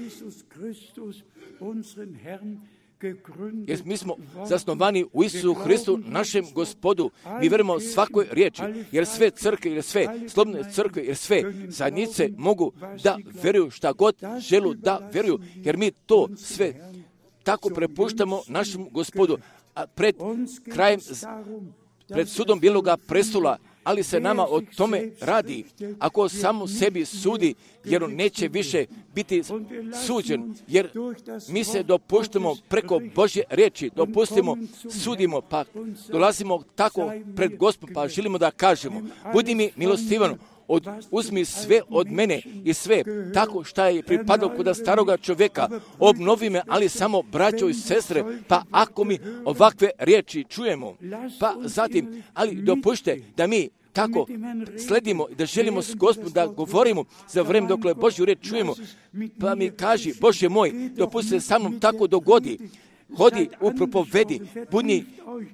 Jer mi smo zasnovani u Isusu Hristu, našem Gospodu. Mi vjerujemo svakoj riječi, jer sve crkve, jer sve slobodne crkve, jer sve zajednice mogu da vjeruju šta god želu da vjeruju, jer mi to sve tako prepuštamo našem Gospodu. A pred krajem, pred sudom Bijeloga prestola, ali se nama o tome radi. Ako samo sebi sudi, jer on neće više biti suđen, jer mi se dopuštamo preko Božje riječi, dopustimo, sudimo, pa dolazimo tako pred Gospodom, pa želimo da kažemo, budi mi milostivan, od, uzmi sve od mene i sve tako šta je pripadalo kod staroga čovjeka, obnovi me, ali samo braćo i sestre, pa ako mi ovakve riječi čujemo, pa zatim, ali dopušte da mi tako sledimo, da želimo s Gospodom da govorimo za vrijeme dokle Božju riječ čujemo, pa mi kaži, Bože moj, dopusti se sa mnom tako dogodi, hodi u propovedi, budni,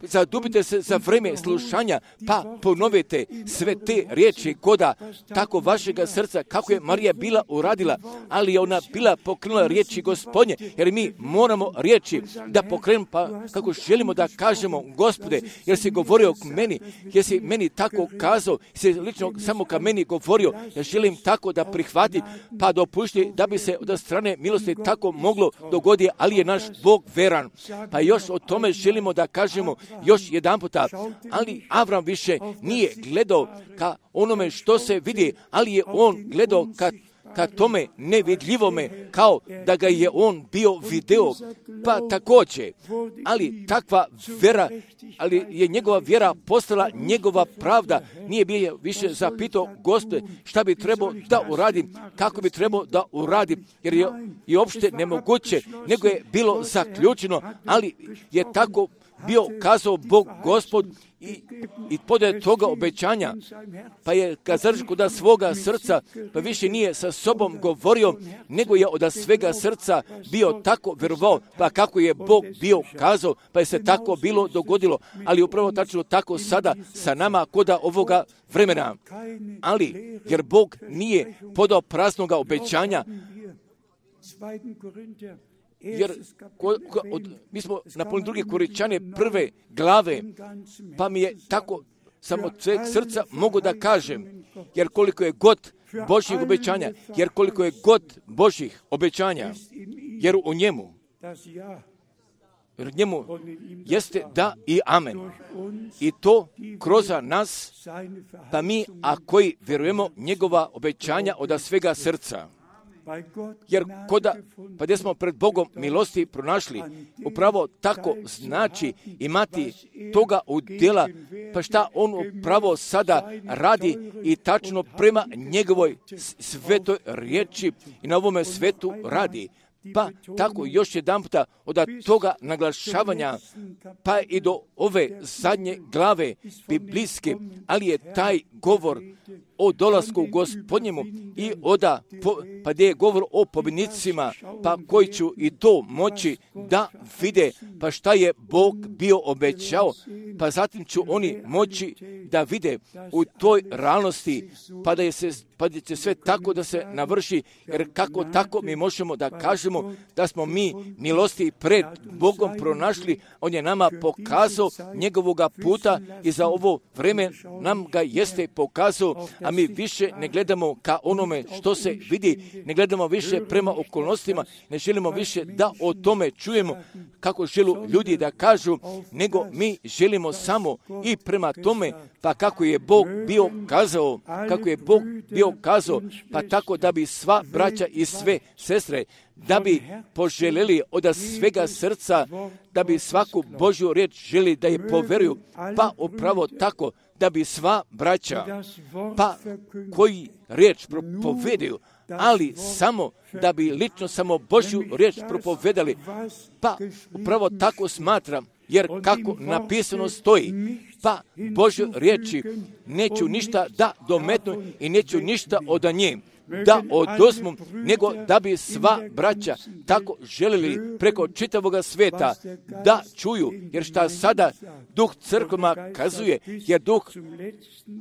zadubite se za vrijeme slušanja, pa ponovite sve te riječi koda tako vašega srca, kako je Marija bila uradila, ali je ona bila pokrenula riječi Gospodnje, jer mi moramo riječi da pokrenemo, pa kako želimo da kažemo, Gospode, jer si govorio k meni, jer si meni tako kazao, si lično samo ka meni govorio, ja želim tako da prihvati, pa dopušti da bi se od strane milosti tako moglo dogoditi, ali je naš Bog veran. Pa još o tome želimo da kažemo još jedan puta, ali Avram više nije gledao ka onome što se vidi, ali je on gledao ka, ka tome nevidljivome, kao da ga je on bio video, pa također, ali takva vera, ali je njegova vjera postala njegova pravda, nije bio više zapitao, Gospode, šta bi trebao da uradim, kako bi trebao da uradim, jer je i uopšte nemoguće, nego je bilo zaključeno, ali je tako bio kazao Bog Gospod i, i podaje toga obećanja, pa je kazaršku da svoga srca, pa više nije sa sobom govorio, nego je od svega srca bio tako vjerovao, pa kako je Bog bio kazao, pa je se tako bilo dogodilo, ali upravo tačno tako sada sa nama koda ovoga vremena. Ali, jer Bog nije podao praznoga obećanja, jer ko, ko, od, mi smo napunili druge Korinčane prve glave, pa mi je tako samo sveg srca mogu da kažem, jer koliko je god Božjih obećanja, jer koliko je god Božjih obećanja, jer u njemu, jer u njemu jeste da i amen. I to kroz nas, pa mi, a koji vjerujemo njegova obećanja od svega srca. Jer koda, pa gdje smo pred Bogom milosti pronašli, upravo tako znači imati toga udjela, pa šta on upravo sada radi i tačno prema njegovoj svetoj riječi i na ovome svetu radi. Pa tako još jedan puta od toga naglašavanja, pa i do ove zadnje glave biblijske, ali je taj govor o dolasku Gospodnjemu i oda, po, pa gdje je govor o pobjednicima, pa koji ću i to moći da vide, pa šta je Bog bio obećao, pa zatim ću oni moći da vide u toj realnosti, pa da je se, pa da će sve tako da se navrši, jer kako tako mi možemo da kažemo da smo mi milosti pred Bogom pronašli, on je nama pokazao njegovoga puta i za ovo vreme nam ga jeste pokazao, a mi više ne gledamo ka onome što se vidi, ne gledamo više prema okolnostima, ne želimo više da o tome čujemo kako žele ljudi da kažu, nego mi želimo ćemo samo i prema tome, pa kako je Bog bio kazao, kako je Bog bio kazao, pa tako da bi sva braća i sve sestre, da bi poželjeli od svega srca, da bi svaku Božju riječ želi da je poveruju, pa upravo tako, da bi sva braća, pa koji riječ propovedaju, ali samo da bi lično samo Božju riječ propovedali, pa upravo tako smatram, jer kako napisano stoji, pa Božju riječi neću ništa da dometnu i neću ništa od nje da oduzmu, nego da bi sva braća tako želili preko čitavoga sveta da čuju, jer šta sada duh crkvama kazuje, jer duh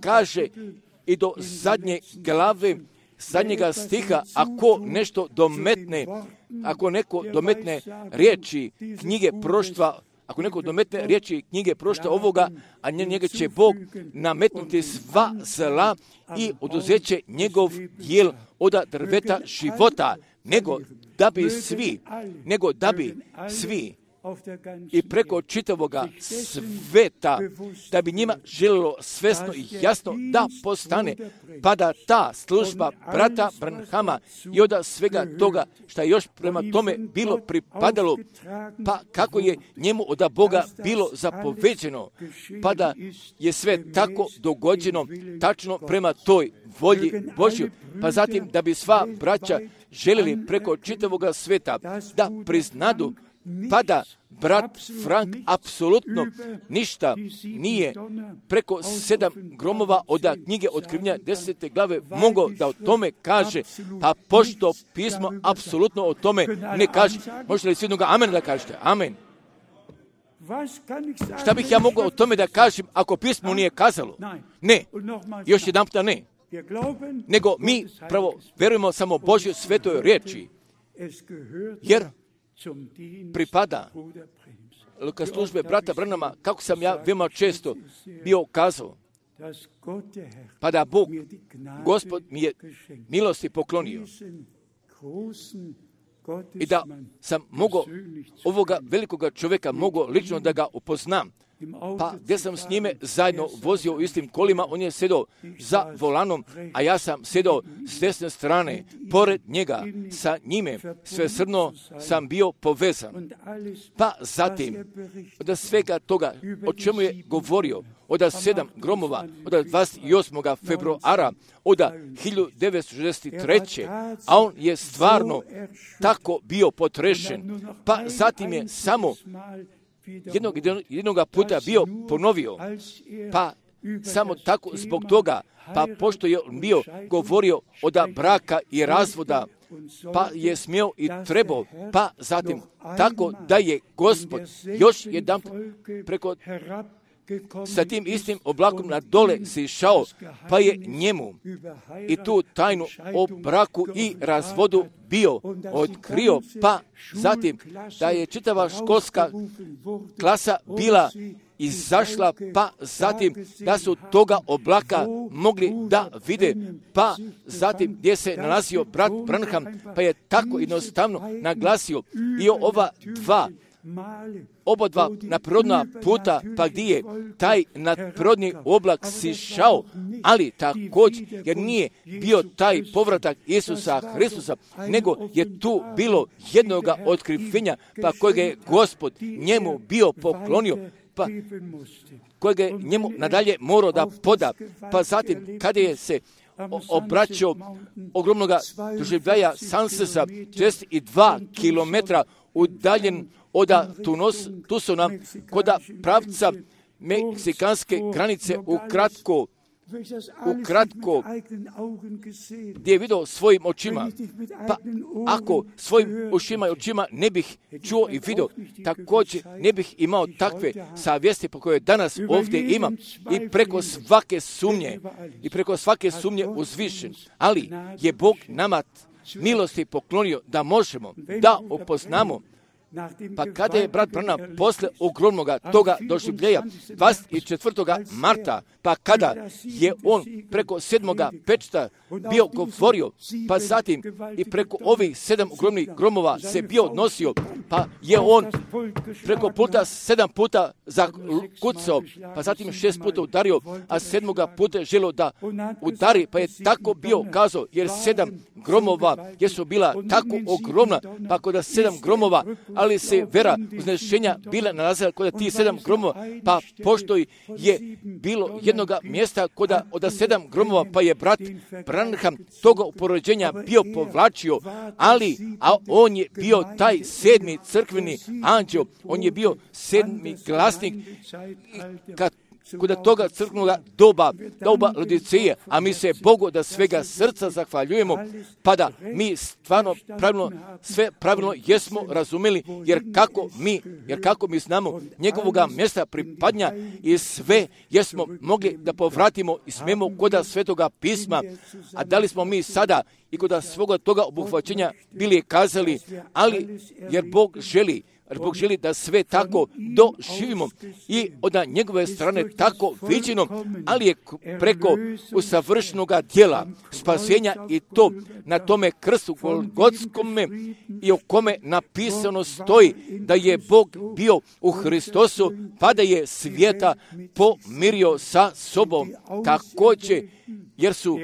kaže i do zadnje glave, zadnjega stiha, ako nešto dometne, ako neko dometne riječi knjige proštva, ako neko dometne riječi knjige prošta ovoga, a njega će Bog nametnuti sva zla i oduzeće njegov dijel od drveta života, nego da bi svi, nego da bi svi i preko čitavoga sveta, da bi njima želilo svesno i jasno da postane, pa da ta služba brata Branhama i od svega toga što je još prema tome bilo pripadalo, pa kako je njemu od Boga bilo zapoveđeno, pa da je sve tako dogođeno tačno prema toj volji Božju, pa zatim da bi sva braća želili preko čitavoga sveta da priznadu, pa da brat Frank apsolutno ništa nije preko sedam gromova od knjige Otkrivenja desete glave mogao da o tome kaže, pa pošto pismo apsolutno o tome ne kaže. Možete li svi jednoga amen da kažete? Amen. Šta bih ja mogao o tome da kažem ako pismo nije kazalo? Ne. Još jedan puta ne. Nego mi pravo verujemo samo Božjoj svetoj riječi, jer pripada ka službe brata Branhama, kako sam ja veoma često bio kazao, pa da Bog, Gospod mi je milosti poklonio i da sam mogao ovoga velikoga čovjeka mogao lično da ga upoznam. Pa gdje sam s njime zajedno vozio u istim kolima, on je sedao za volanom, a ja sam sedao s desne strane, pored njega, sa njime, svesrdno sam bio povezan. Pa zatim, od svega toga, o čemu je govorio, od sedam gromova, od dvadeset osmog februara, od hiljadu devetsto šezdeset treće a on je stvarno tako bio potrešen. Pa zatim je samo Jednog, jednoga puta bio ponovio, pa samo tako zbog toga, pa pošto je bio govorio od braka i razvoda, pa je smio i trebao, pa zatim tako da je Gospod još jedan preko sa tim istim oblakom na dole se išao, pa je njemu i tu tajnu o braku i razvodu bio otkrio, pa zatim da je čitava školska klasa bila izašla, pa zatim da su toga oblaka mogli da vide, pa zatim gdje se nalazio brat Branham, pa je tako jednostavno naglasio i ova dva oba dva nadprirodna puta, pa gdje je taj nadprirodni oblak sišao, ali također jer nije bio taj povratak Isusa Hristusa, nego je tu bilo jednoga otkrivenja, pa kojeg je Gospod njemu bio poklonio, pa kojeg je njemu nadalje morao da poda. Pa zatim kada je se obraćao ogromnoga doživljaja Sansesa, šezdeset dva kilometra udaljen od Tucsona, koda pravca meksikanske granice ukratko, ukratko, gdje je vidio svojim očima. Pa ako svojim ušima i očima ne bih čuo i vidio, također ne bih imao takve savjesti po koje danas ovdje imam i preko svake sumnje, i preko svake sumnje uzvišen. Ali je Bog nama milosti poklonio da možemo da upoznamo, Pa kada je brat Branham posle ogromnoga toga doživljeja dvadeset četvrtoga marta, pa kada je on preko sedmoga pečata bio govorio, pa zatim i preko ovih sedam ogromnih gromova se bio odnosio, pa je on preko puta sedam puta zakucao, pa zatim šest puta udario, a sedmoga puta je želio da udari, pa je tako bio kazao, jer sedam gromova jesu bila tako ogromna, pa kod sedam gromova, ali se vera uznešenja bila nalazila kod tih sedam gromova, pa pošto je bilo jednoga mjesta kod od sedam gromova, pa je brat Branham toga uporođenja bio povlačio, ali a on je bio taj sedmi crkveni anđeo, on je bio sedmi glasnik kad kod toga crkvenog doba, doba Laodiceje, a mi se Bogu da svega srca zahvaljujemo, pa da mi stvarno pravilno, sve pravilno jesmo razumeli, jer kako mi, jer kako mi znamo njegovoga mjesta pripadnja i sve jesmo mogli da povratimo i smemo kod Svetoga pisma, a da li smo mi sada i kod svoga toga obuhvaćenja bili kazali, ali jer Bog želi, jer Bog želi da sve tako doživimo i od njegove strane tako viđeno, ali je preko usavršenog djela spasenja i to na tome krstu Golgotskome i o kome napisano stoji da je Bog bio u Hristosu, pa da je svijeta pomirio sa sobom. Također, jer su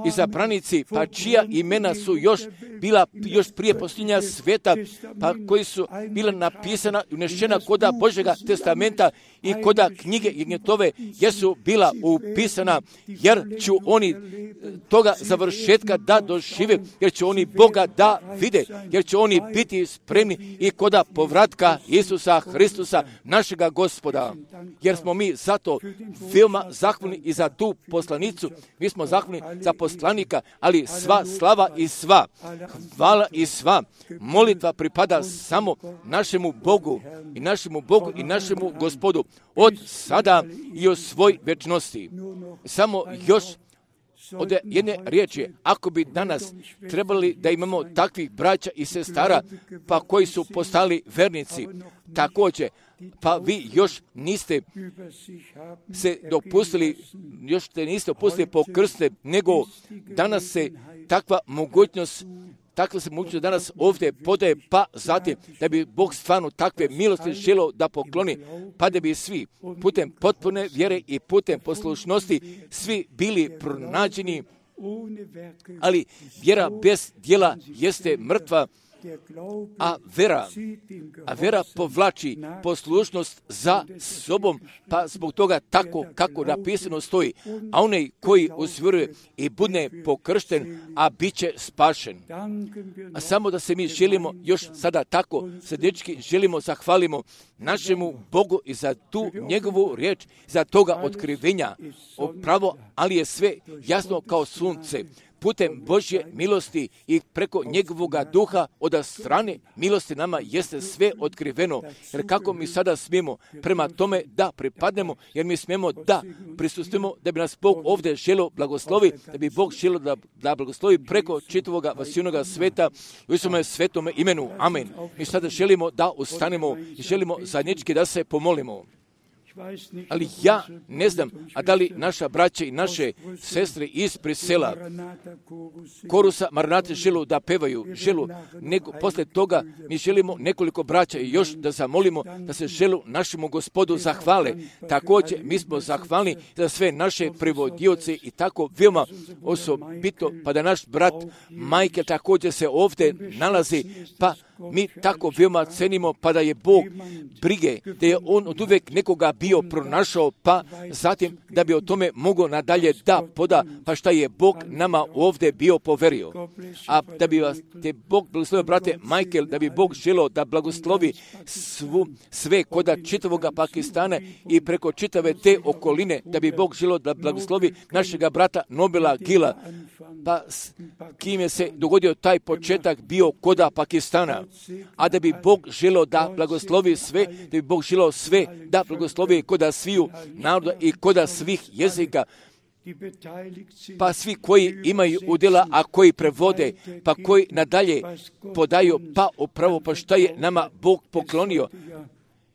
izabranici, pa čija imena su još bila još prije posljednja svijeta, pa koji su bila napisana i unešena koda Božjega testamenta i koda knjige Jegnjetove jesu bila upisana, jer će oni toga završetka da dožive, jer će oni Boga da vide, jer će oni biti spremni i koda povratka Isusa Hristusa, našega Gospoda. Jer smo mi zato veoma zahvalni i za tu poslanicu, mi smo zahvalni za poslanika, ali sva slava i sva, hvala i sva, molitva pripada samo našemu Bogu i našemu Bogu i našemu Gospodu od sada i od svoj večnosti. Samo još od jedne riječi, ako bi danas trebali da imamo takvih braća i sestara, pa koji su postali vernici, također, pa vi još niste se dopustili, još ste niste dopustili po krste, nego danas se takva mogućnost Takva se mogućnost danas ovdje podaje, pa zatim da bi Bog stvarno takve milosti želio da pokloni, pa da bi svi putem potpune vjere i putem poslušnosti svi bili pronađeni, ali vjera bez djela jeste mrtva, a vera, a vera povlači poslušnost za sobom, pa zbog toga tako kako napisano stoji, a onaj koji usvjeruje i bude pokršten, a bit će spašen. A samo da se mi želimo još sada tako srdički želimo zahvalimo našemu Bogu i za tu njegovu riječ, za toga otkrivenja, pravo, ali je sve jasno kao sunce. Putem Božje milosti i preko njegovoga duha od strane milosti nama jeste sve otkriveno. Jer kako mi sada smijemo prema tome da pripadnemo, jer mi smijemo da prisustujemo, da bi nas Bog ovdje želio blagoslovi, da bi Bog želio da, da blagoslovi preko čitavoga vasivnoga sveta u Isuse svetome imenu. Amen. Mi sada želimo da ustanemo i želimo zajednički da se pomolimo. Ali ja ne znam, a da li naša braća i naše sestre iz Brisela, korusa Maranate želu da pevaju, želu, nego posle toga mi želimo nekoliko braća i još da zamolimo da se želu našemu Gospodu zahvale. Također mi smo zahvalni za sve naše prevodioce i tako veoma osobito, pa da naš brat Michael također se ovdje nalazi, pa mi tako veoma cenimo, pa da je Bog brige, da je on od uvijek nekoga bio pronašao, pa zatim da bi o tome mogao nadalje da poda, pa šta je Bog nama ovdje bio poverio. A da bi vas te Bog blagoslovio, brate Michael, da bi Bog želio da blagoslovi svu, sve koda čitavoga Pakistana i preko čitave te okoline, da bi Bog želio da blagoslovi našega brata Nobila Gila, pa kim je se dogodio taj početak bio koda Pakistana, a da bi Bog želio da blagoslovi sve, da bi Bog želio sve da blagoslovi koda sviju naroda i koda svih jezika, pa svi koji imaju udjela, a koji prevode, pa koji nadalje podaju, pa upravo pa šta je nama Bog poklonio,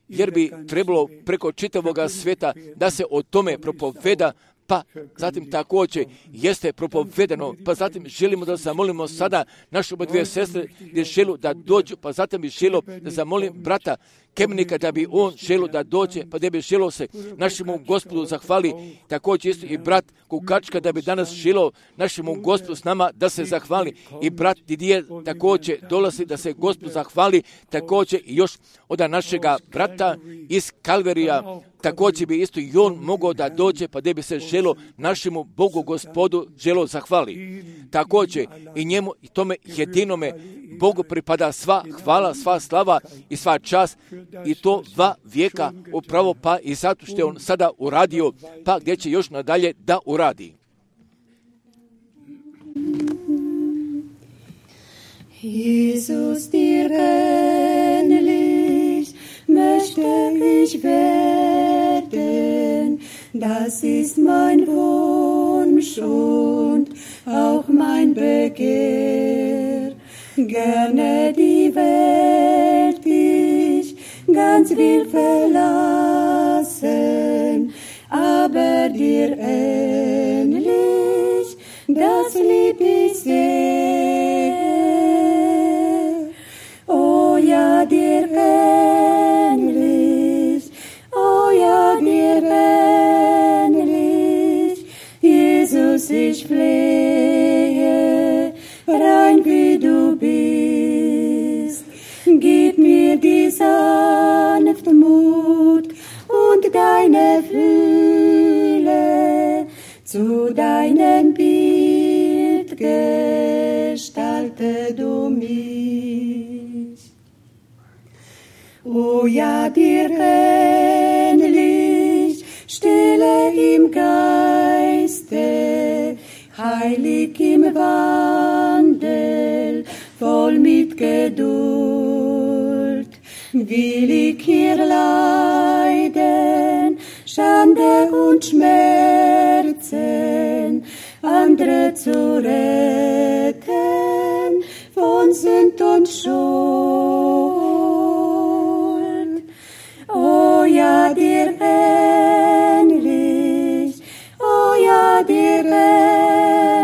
jer bi trebalo preko čitavoga svijeta da se o tome propoveda, pa zatim također jeste propovedano, pa zatim želimo da zamolimo sada našu dvije sestre gdje želu da dođu, pa zatim bi želo da zamolim brata Kemnika da bi on želo da dođe, pa da bi želo se našemu Gospodu zahvali, također isto i brat Kukačka da bi danas želo našemu Gospodu s nama da se zahvali, i brat Didije također dolazi da se Gospodu zahvali, također i još od našega brata iz Kalverija, također bi isto i on mogao da dođe, pa da bi se želo našemu Bogu Gospodu želo zahvali. Također i njemu i tome jedinome Bogu pripada sva hvala, sva slava i sva čast, i to dva vijeka upravo, pa i zato što je on sada uradio, pa gdje će još nadalje da uradi. Jesus, dir ähnlich möchte ich werden, das ist mein Wunsch und auch mein Begehr. Gerne die Welt ich ganz will verlassen, aber dir ähnlich, das lieb ich sehr. Oh ja, dir ähnlich, oh ja, dir ähnlich, Jesus, ich flehe, rein wie du bist, gib mir die sanfte Mut und deine Fühle, zu deinem Bild gestalte du mich. O ja, dir ähnlich, stille im Geiste, heilig im Wandel, voll mit Geduld, will ich hier leiden, Schande und Schmerzen, andere zu retten von Sünd und Schuld. Oh ja, dir ähnlich, oh ja, dir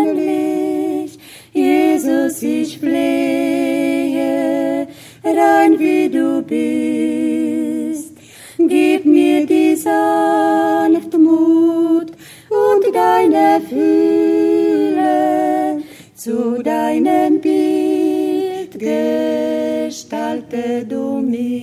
ähnlich, Jesus, ich flehe, rein wie du bist, gib mir die sanfte Mut und deine Fühle, zu deinem Bild gestalte du mich.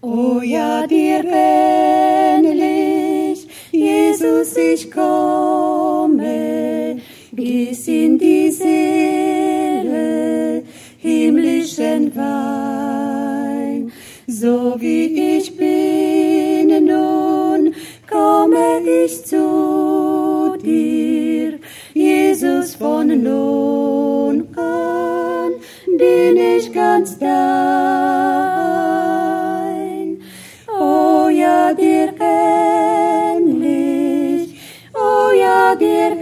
O ja, dir ähnlich, Jesus, ich komme, gieß in die Seele himmlischen Wein, so wie ich bin nun, komme ich zu dir, Jesus, von nun an bin ich ganz dein. Oh ja, dir ähnlich, oh ja, dir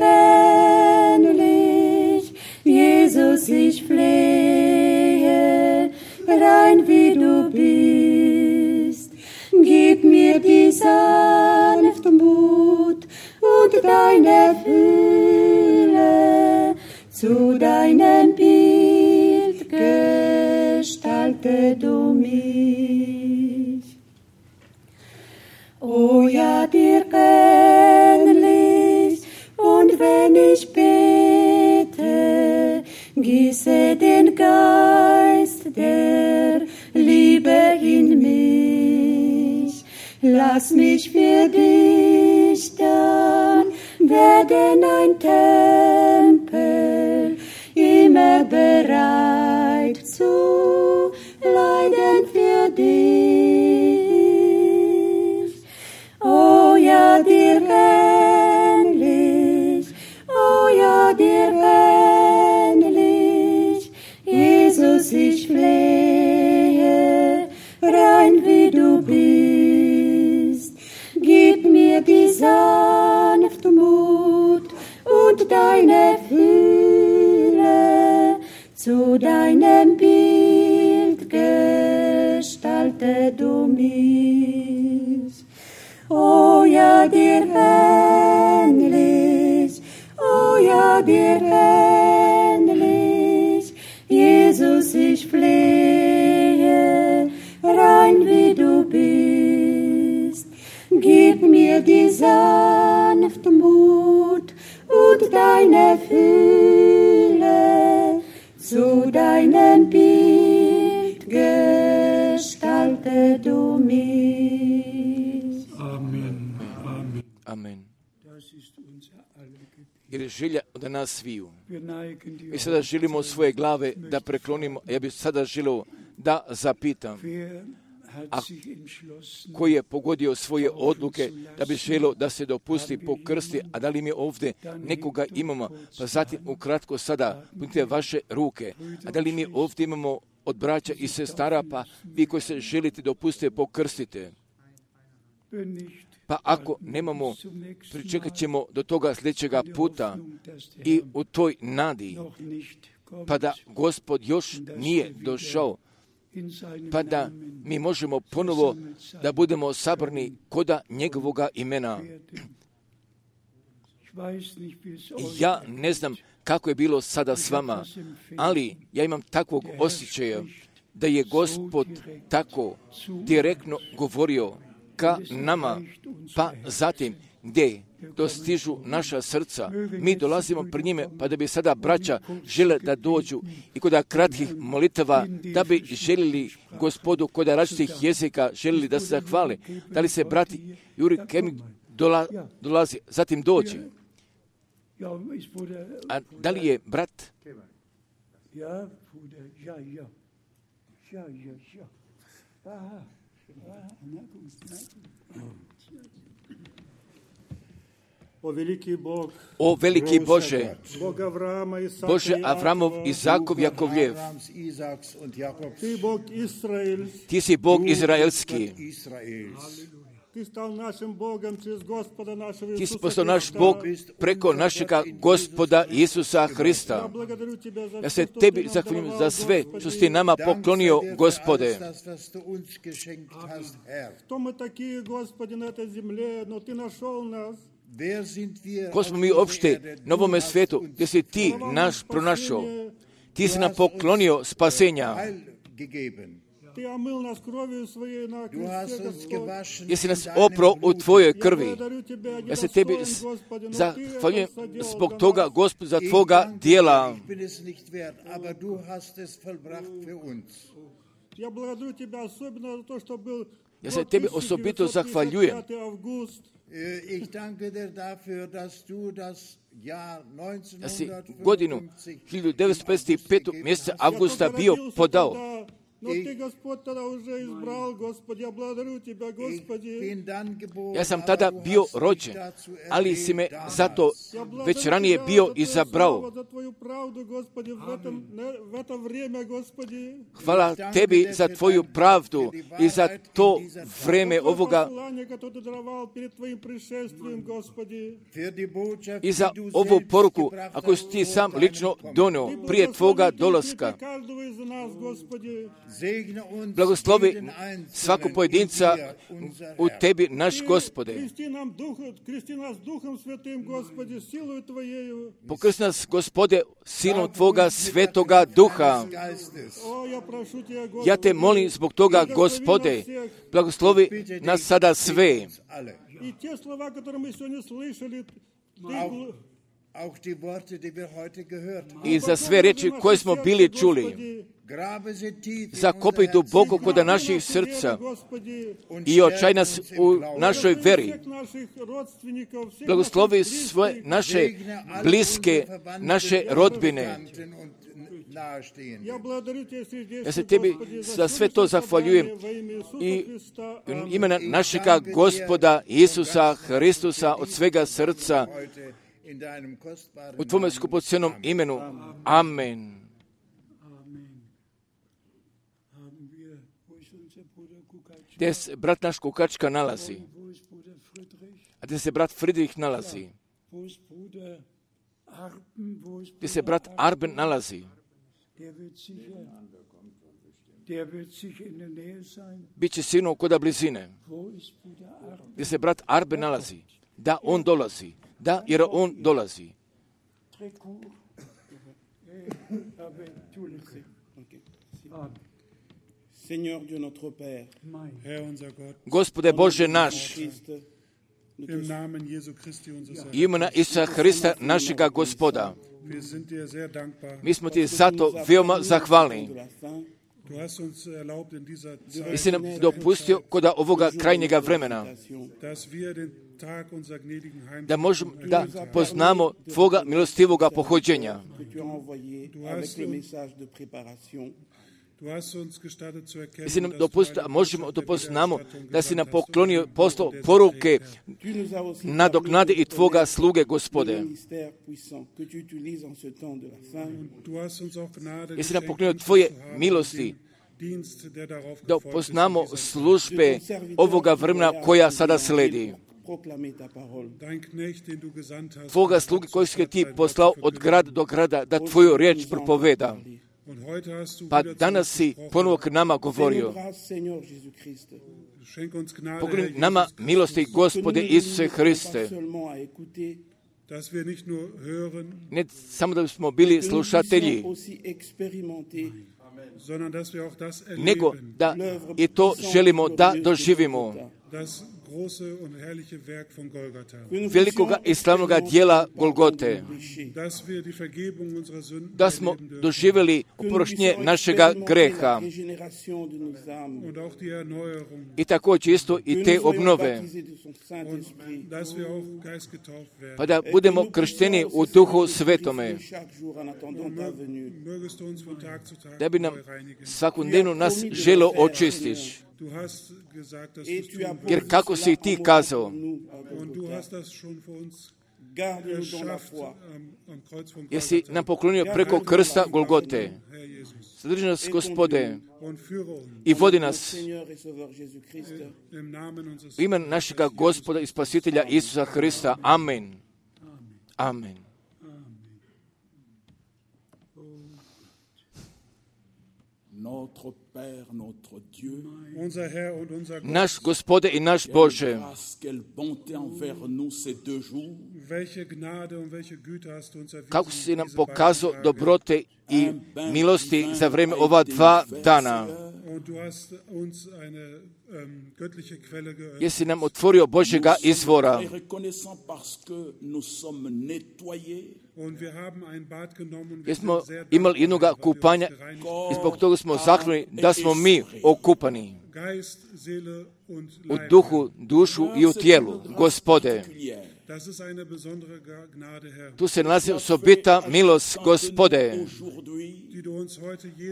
ähnlich, Jesus, ich flehe, rein wie du bist, gib mir die sanfte Mut und deine Fühle, zu deinem Bild gestalte du mich. O ja, dir ähnlich, und wenn ich bete, gieße den Geist der Liebe in mich. Lass mich für dich dann werden ein Tempel, immer bereit zu leiden für dich. Oh ja, dir ähnlich, oh ja, dir ähnlich, Jesus, ich flehe, rein wie du bist, gib mir die Sache, deine Fülle, zu deinem Bild gestalte du mich. O ja, dir ähnlich, o ja, dir ähnlich, Jesus, ich flehe, rein wie du bist. Gib mir die Sanftmut und deine Fülle, zu deinem Bild gestalte du mich. Amen. Amen. Amen. Das ist unser aller Gebet. Jer je želja od nas sviju. Wir neigen die Mi sada želimo svoje glave da preklonimo. Ja bih sada želio da zapitam Wer hat A sich entschlossen, koji je pogodio svoje odluke da bi želio da se dopusti po krsti, a da li mi ovdje nekoga imamo, pa zatim ukratko sada punite vaše ruke, a da li mi ovdje imamo od braća i sestara, pa vi koji se želite dopustiti pokrstite. wenn nicht, Pa ako nemamo, pričekat ćemo do toga sljedećega puta i u toj nadi, noch nicht kommt, pa da Gospod još nije došao, in seinem pa da Namen mi možemo ponovo da budemo sabrani koda njegovoga imena. werden. Ich weiß nicht, wie es euch Ja ne znam kako je bilo sada s vama, ali ja imam takvog osjećaja da je Gospod tako direktno govorio ka nama, pa zatim gdje dostižu naša srca. Mi dolazimo pred njime, pa da bi sada braća žele da dođu i kod kratkih molitava, da bi željeli Gospodu kod različitih jezika, željeli da se zahvale. Da li se brati Juri Kemik dola, dolazi, zatim dođe. Ja, ist Bruder, A da li je brat? ja, Bruder, ja, ja, ja, ja, ja. Aha, aha, na gut, na gut. O veliki Bog, O veliki Bože, Bog Avrama, Isaka, Bože Avramov, Jakova, Izakov, Jakovljev, Abrahams, Isaaks und Jakobs, Ti Bog Israels, ti si Bog izraelski, Gott Israels. Ti stal našim Bogom čez Gospoda našega ti si Isusa postao naš Hrista. Bog preko našega Gospoda Isusa Ja Hrista. благодарю Тебя za Ja sve se što tebi ti nam zahvaljujem darovao, za sve što Gospodi. si ti nama Dank poklonio, sei dir für Gospode. alles das, was du uns geschenkt hast, Herr. Кто мы такие, Господи, на этой земле, но Ты нашел нас. Wer sind wir Ko smo auf mi dieser uopšte Erde? na ovome Du hast svijetu uns gdje si ti naš pronašao. Ti si nam poklonio spasenja. Heil gegeben. Ты омыл нас кровью Своей на Du hast кресте, uns Господь. gewaschen Jesi in nas deinem oprao u Blut. tvojoj Я krvi. благодарю Тебя, Ja se tebi недостоин, Господи, но Ты zahvaljujem это соделал zbog за toga, нас. Gospod, za Ich tvoga danke dir, dijela. ich bin es nicht wert, aber du hast es vollbracht für uns. Я благодарю Тебя особенно за то, что был Ja se год tebi тысяча osobito девятьсот zahvaljujem. пятьдесят пятый август. Äh, Ich danke dir dafür, dass du das Jahr Ja si godinu neunzehnhundertfünfundfünfzig hiljadu devetsto pedeset pet. mjeseca avgusta bio podao. Но Ты, Господь, тогда уже избрал, Господи, я благодарю Тебя, Господи. Ja sam tada bio rođen, ali si me zato Я благодарю već ranije Тебя bio за Твое izabrao. слово, за Твою правду, Господи, в, этом, не- в это время, Господи. Hvala tebi za tvoju pravdu i za to vreme За Твое ovoga послание, которое Ты даровал перед Твоим пришествием, Господи. i za ovu poruku, ako si ti sam lično donio Ты prije tvoga благослови dolaska. каждого из нас, Господи. Blagoslovi svakog pojedinca u tebi, naš Gospode. Крести нам дух, крести нас Духом Святым, Господи, силою Твоею. Pokrsti nas, Gospode, silom tvoga svetoga duha. О, я прошу Тебя, Господи. Ja te molim zbog toga, Gospode, blagoslovi nas sada sve. И те слова, которые мы сегодня слышали, Ты гл- Auch die Worte, die wir heute gehört haben. I za sve riječi koje smo bili čuli. Господи, Grabe sie tief in Zakopaj unser duboko Herz kod naših srca Господи, i očaj nas u našoj veri. всех наших родственников, всех Blagoslovi наших svoje близких. naše bliske, naše rodbine. Я благодарю Тебя сердечно, Ja se tebi Господи, za все sve to наше zahvaljujem собрание во имя Иисуса i Христа. u Аминь. imena našega Gospoda Isusa Hristusa od svega srca u tvome skupocenom imenu. Amen. haben wir, wo ist unser Bruder Kukac, Gdje se brat naš Kukačka nalazi, wo ist Bruder Friedrich, a gdje se brat Friedrich nalazi. wo ist Bruder gdje se brat Arben nalazi. Biće sinu koda blizine. Gdje se brat Arben nalazi. Da, on dolazi. Da, jer on dolazi. Gospode Bože naš, imena Isusa Hrista, našega Gospoda, mi smo ti zato veoma zahvalni. I si nam dopustio kod ovoga krajnjega vremena da možemo da poznamo Tvoga milostivoga pohođenja. I si nam dopustio, možemo da poznamo da si nam poklonio poslao poruke nadoknade i Tvoga sluge, Gospode. I si nam poklonio Tvoje milosti da poznamo službe ovoga vremena koja sada sledi. Tvoga sluge koji si ti poslao od grada do grada da Tvoju riječ propoveda. Pa danas si ponovo k nama govorio. Pokloni nama milosti, Gospode Isuse Hriste. Ne samo da smo bili slušatelji, nego da i to želimo da doživimo. Velikoga i slavnoga dijela Golgote, da smo doživjeli oproštenje našega greha i također isto i te obnove, pa da budemo kršteni u Duhu Svetome, da bi nam svakodnevno nas želo očistiš. Jer kako si ti kazao, jesi nam poklonio preko krsta Golgote. Zadrži nas, Gospode, i vodi nas u ime našega Gospoda i Spasitelja Isusa Hrista. Amen. Amen. Naš Gospode i naš Bože, kako si nam pokazao dobrote i milosti za vrijeme ova dva dana. Jesi nam otvorio Božjega izvora. Jesmo imali jednog kupanja i zbog toga smo zahvalni da smo mi okupani u duhu, dušu i u tijelu. Gospode, tu se nalazi osobita milost, Gospode,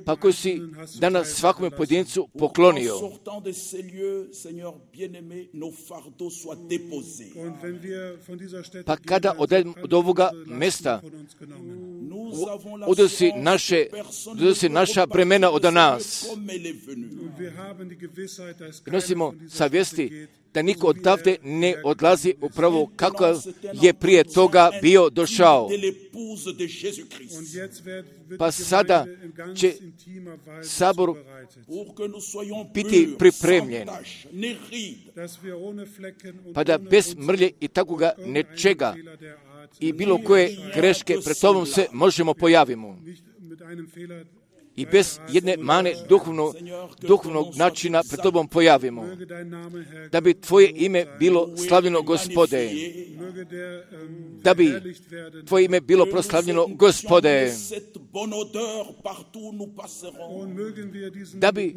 pa koju si danas svakome pojedincu poklonio. Pa kada odemo od ovoga mjesta, odnosi naše, odnosi naša bremena od nas. I nosimo savjesti da niko odavde ne odlazi upravo kako je prije toga bio došao. Pa sada će sabor biti pripremljen, pa da bez mrlje i takoga nečega i bilo koje greške pred tobom se možemo pojavimo. I bez jedne mane duhovnog, duhovnog načina pred tobom pojavimo. Da bi Tvoje ime bilo slavljeno, Gospode. Da bi Tvoje ime bilo proslavljeno, Gospode. Da bi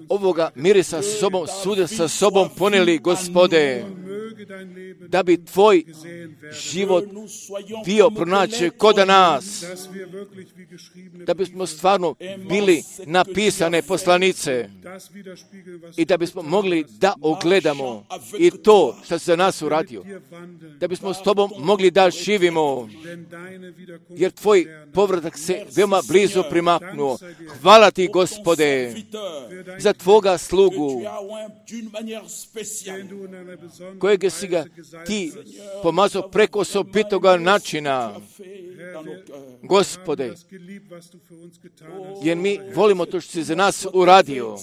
ovoga mirisa sa sobom, svuda sa sobom poneli, Gospode. Da bi Tvoj život bio pronaći kod nas. Da bismo stvarno bili napisane poslanice i da bismo mogli da ogledamo i to što se za nas uradio. Da bismo s Tobom mogli da živimo, jer Tvoj povratak se veoma blizu primaknuo. Hvala Ti, Gospode, za Tvoga slugu, kojeg kojeg si ga ti pomazao preko osobitoga načina. Gospode, jer mi volimo to što si za nas uradio.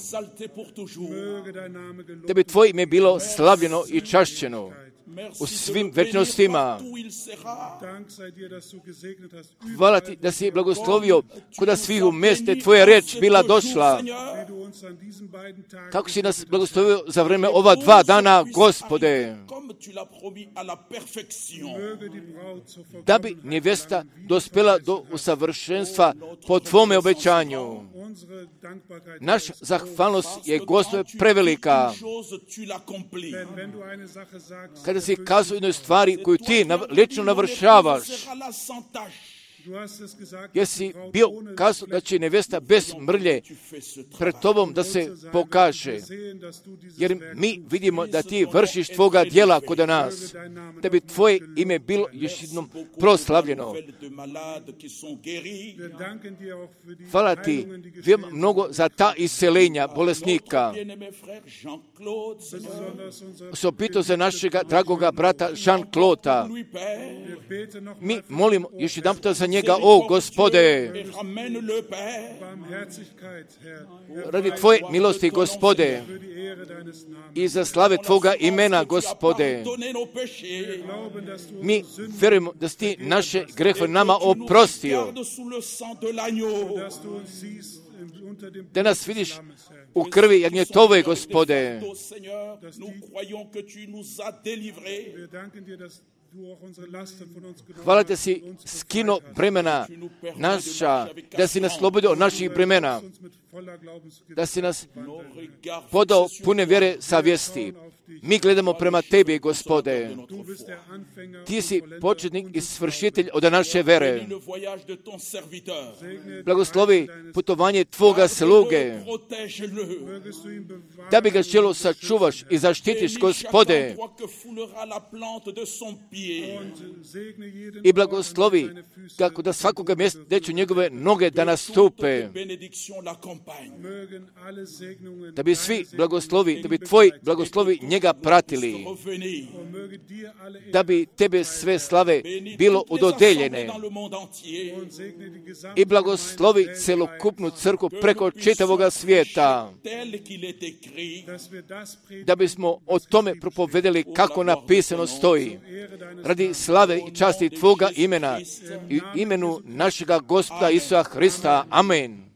Da bi tvoje ime bilo slavljeno i čašćeno u svim večnostima. Hvala ti da si blagoslovio kuda svih u mjeste tvoja reč bila došla. Kako si nas blagoslovio za vreme ova dva dana, Gospode, da bi nevjesta dospjela do usavršenstva po tvome obećanju. Naša zahvalnost je, Gospode, prevelika. Kada si kazao jednoj stvari koju ti lično navršavaš, jer si bio kazao da će nevjesta bez mrlje pred tobom da se pokaže. Jer mi vidimo da ti vršiš tvoga djela kod nas, da bi tvoje ime bilo još jednom proslavljeno. Hvala ti mnogo za ta iseljenja bolesnika. Osobito za našega dragoga brata Jean-Claude. Mi molimo još jedan puta za njega, o Gospode, radi tvoje milosti, Gospode, i za slave tvoga imena, Gospode. Mi vjerujemo da si ti naše grehe nama oprostio, da nas vidiš u krvi jagnjetove, Gospode. Hvala da si skino bremena naša, da si nas slobodio od naših bremena, da si nas podao pune vjere savjesti. Mi gledamo prema tebi, Gospode. Ti si početnik i svršitelj od naše vere. Blagoslovi putovanje tvoga sluge, da bi ga želo sačuvaš i zaštitiš, Gospode. I blagoslovi kako da svakoga mjesta gdje će njegove noge da nastupe. Da bi svi blagoslovi, da bi tvoji blagoslovi njega pratili. Da bi tebe sve slave bilo udodeljene. I blagoslovi celokupnu crkvu preko čitavoga svijeta. Da bismo o tome propovedali kako napisano stoji. Radi slave i časti tvoga imena i imenu našega Gospoda Isusa Hrista. Amen.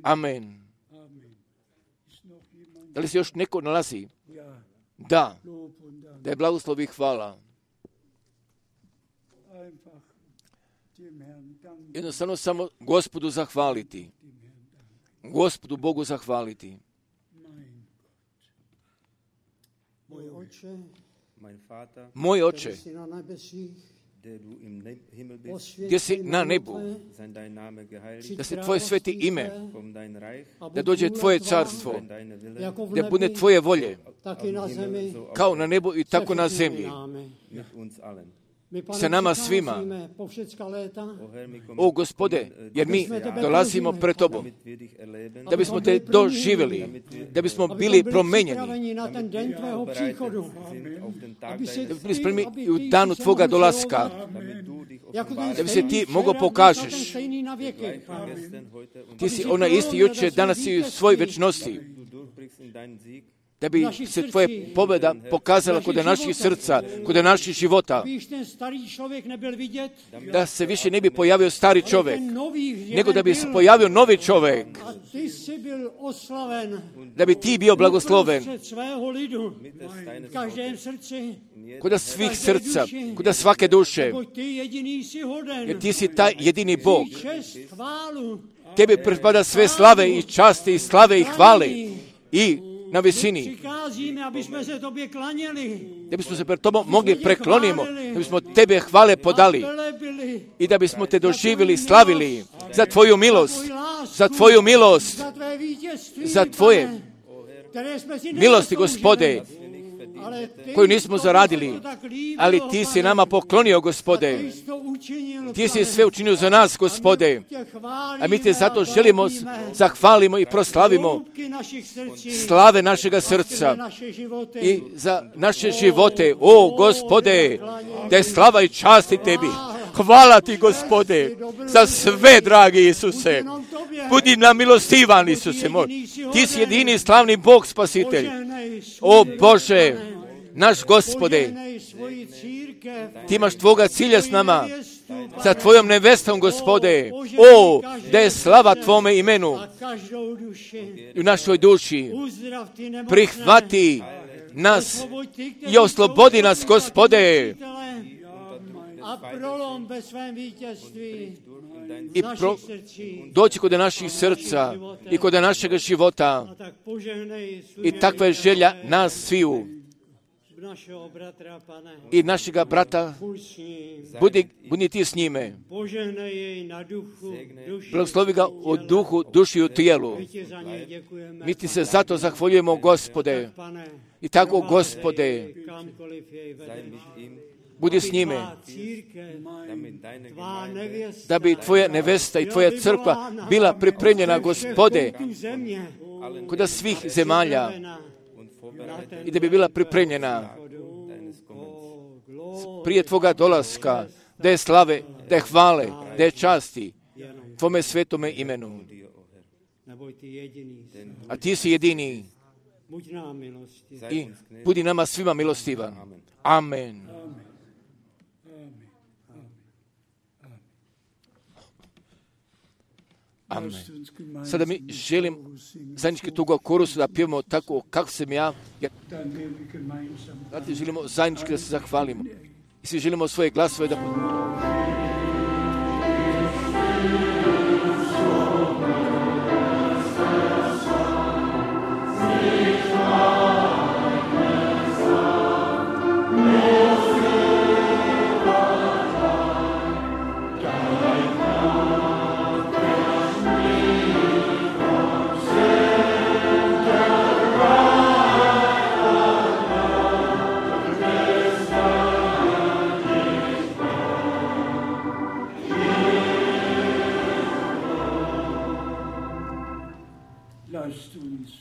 Amen. Da li se još neko nalazi? Da. Da je blagoslovi hvala. Jednostavno samo Gospodu zahvaliti. Gospodu Bogu zahvaliti. Moj oče, gdje si na nebu, da se tvoje sveti ime, da dođe tvoje carstvo, da bude tvoje volje, kao na nebu i tako na zemlji, sa nama svima. O Gospode, jer mi dolazimo pred tobom, da bismo te doživjeli, da bismo bili promenjeni, da bismo bili spremni u danu tvoga dolaska, da bi se ti mogao pokažeš. Ti si ona isti jučer, danas i u svoj večnosti. Da bi se tvoje pobjeda pokazala kod naših srca, kod naših života. Da se više ne bi pojavio stari čovjek, nego da bi se pojavio novi čovjek. Da bi ti bio blagosloven kod svih srca, kod svake duše. Jer ti si taj jedini Bog. Tebi pripada sve slave i časti i slave i hvale i na visini. Da bismo se pred tobom mogli preklonimo, da bismo tebe hvale podali i da bismo te doživjeli, slavili za tvoju milost, za tvoju milost, za tvoje milosti, Gospode, koju nismo zaradili, ali ti si nama poklonio, Gospode. Ti si sve učinio za nas, Gospode. A mi te zato želimo, zahvalimo i proslavimo slave našega srca i za naše živote. O, Gospode, da je slava i čast i tebi. Hvala ti, Gospode, za sve, dragi Isuse. Budi nam milostivan, Isuse moj. Ti si jedini slavni Bog, Spasitelj. O Bože, naš Gospode, ti imaš tvoga cilja s nama, sa tvojom nevestom, Gospode. O, da je slava tvome imenu u našoj duši. Prihvati nas i oslobodi nas, Gospode. I pro, doći kod naših srca i kod našega života. I takva je želja nas sviju. I našega brata, budi, budi ti s njime. Blagoslovi ga u duhu, duši i u tijelu. Mi ti se zato zahvaljujemo, Gospode. I tako, Gospode, budi s njime, da bi tvoja nevesta i tvoja crkva bila pripremljena, Gospode, kod svih zemalja i da bi bila pripremljena prije tvoga dolaska, da je slave, da je hvale, da je časti tvome svetome imenu. A ti si jedini i budi nama svima milostivan. Amen. Amen. Sada mi želim zajednički toga korusu da pjevamo tako kako sam ja. Znate, želimo zajednički da se zahvalimo. I svi želimo svoje glasove da...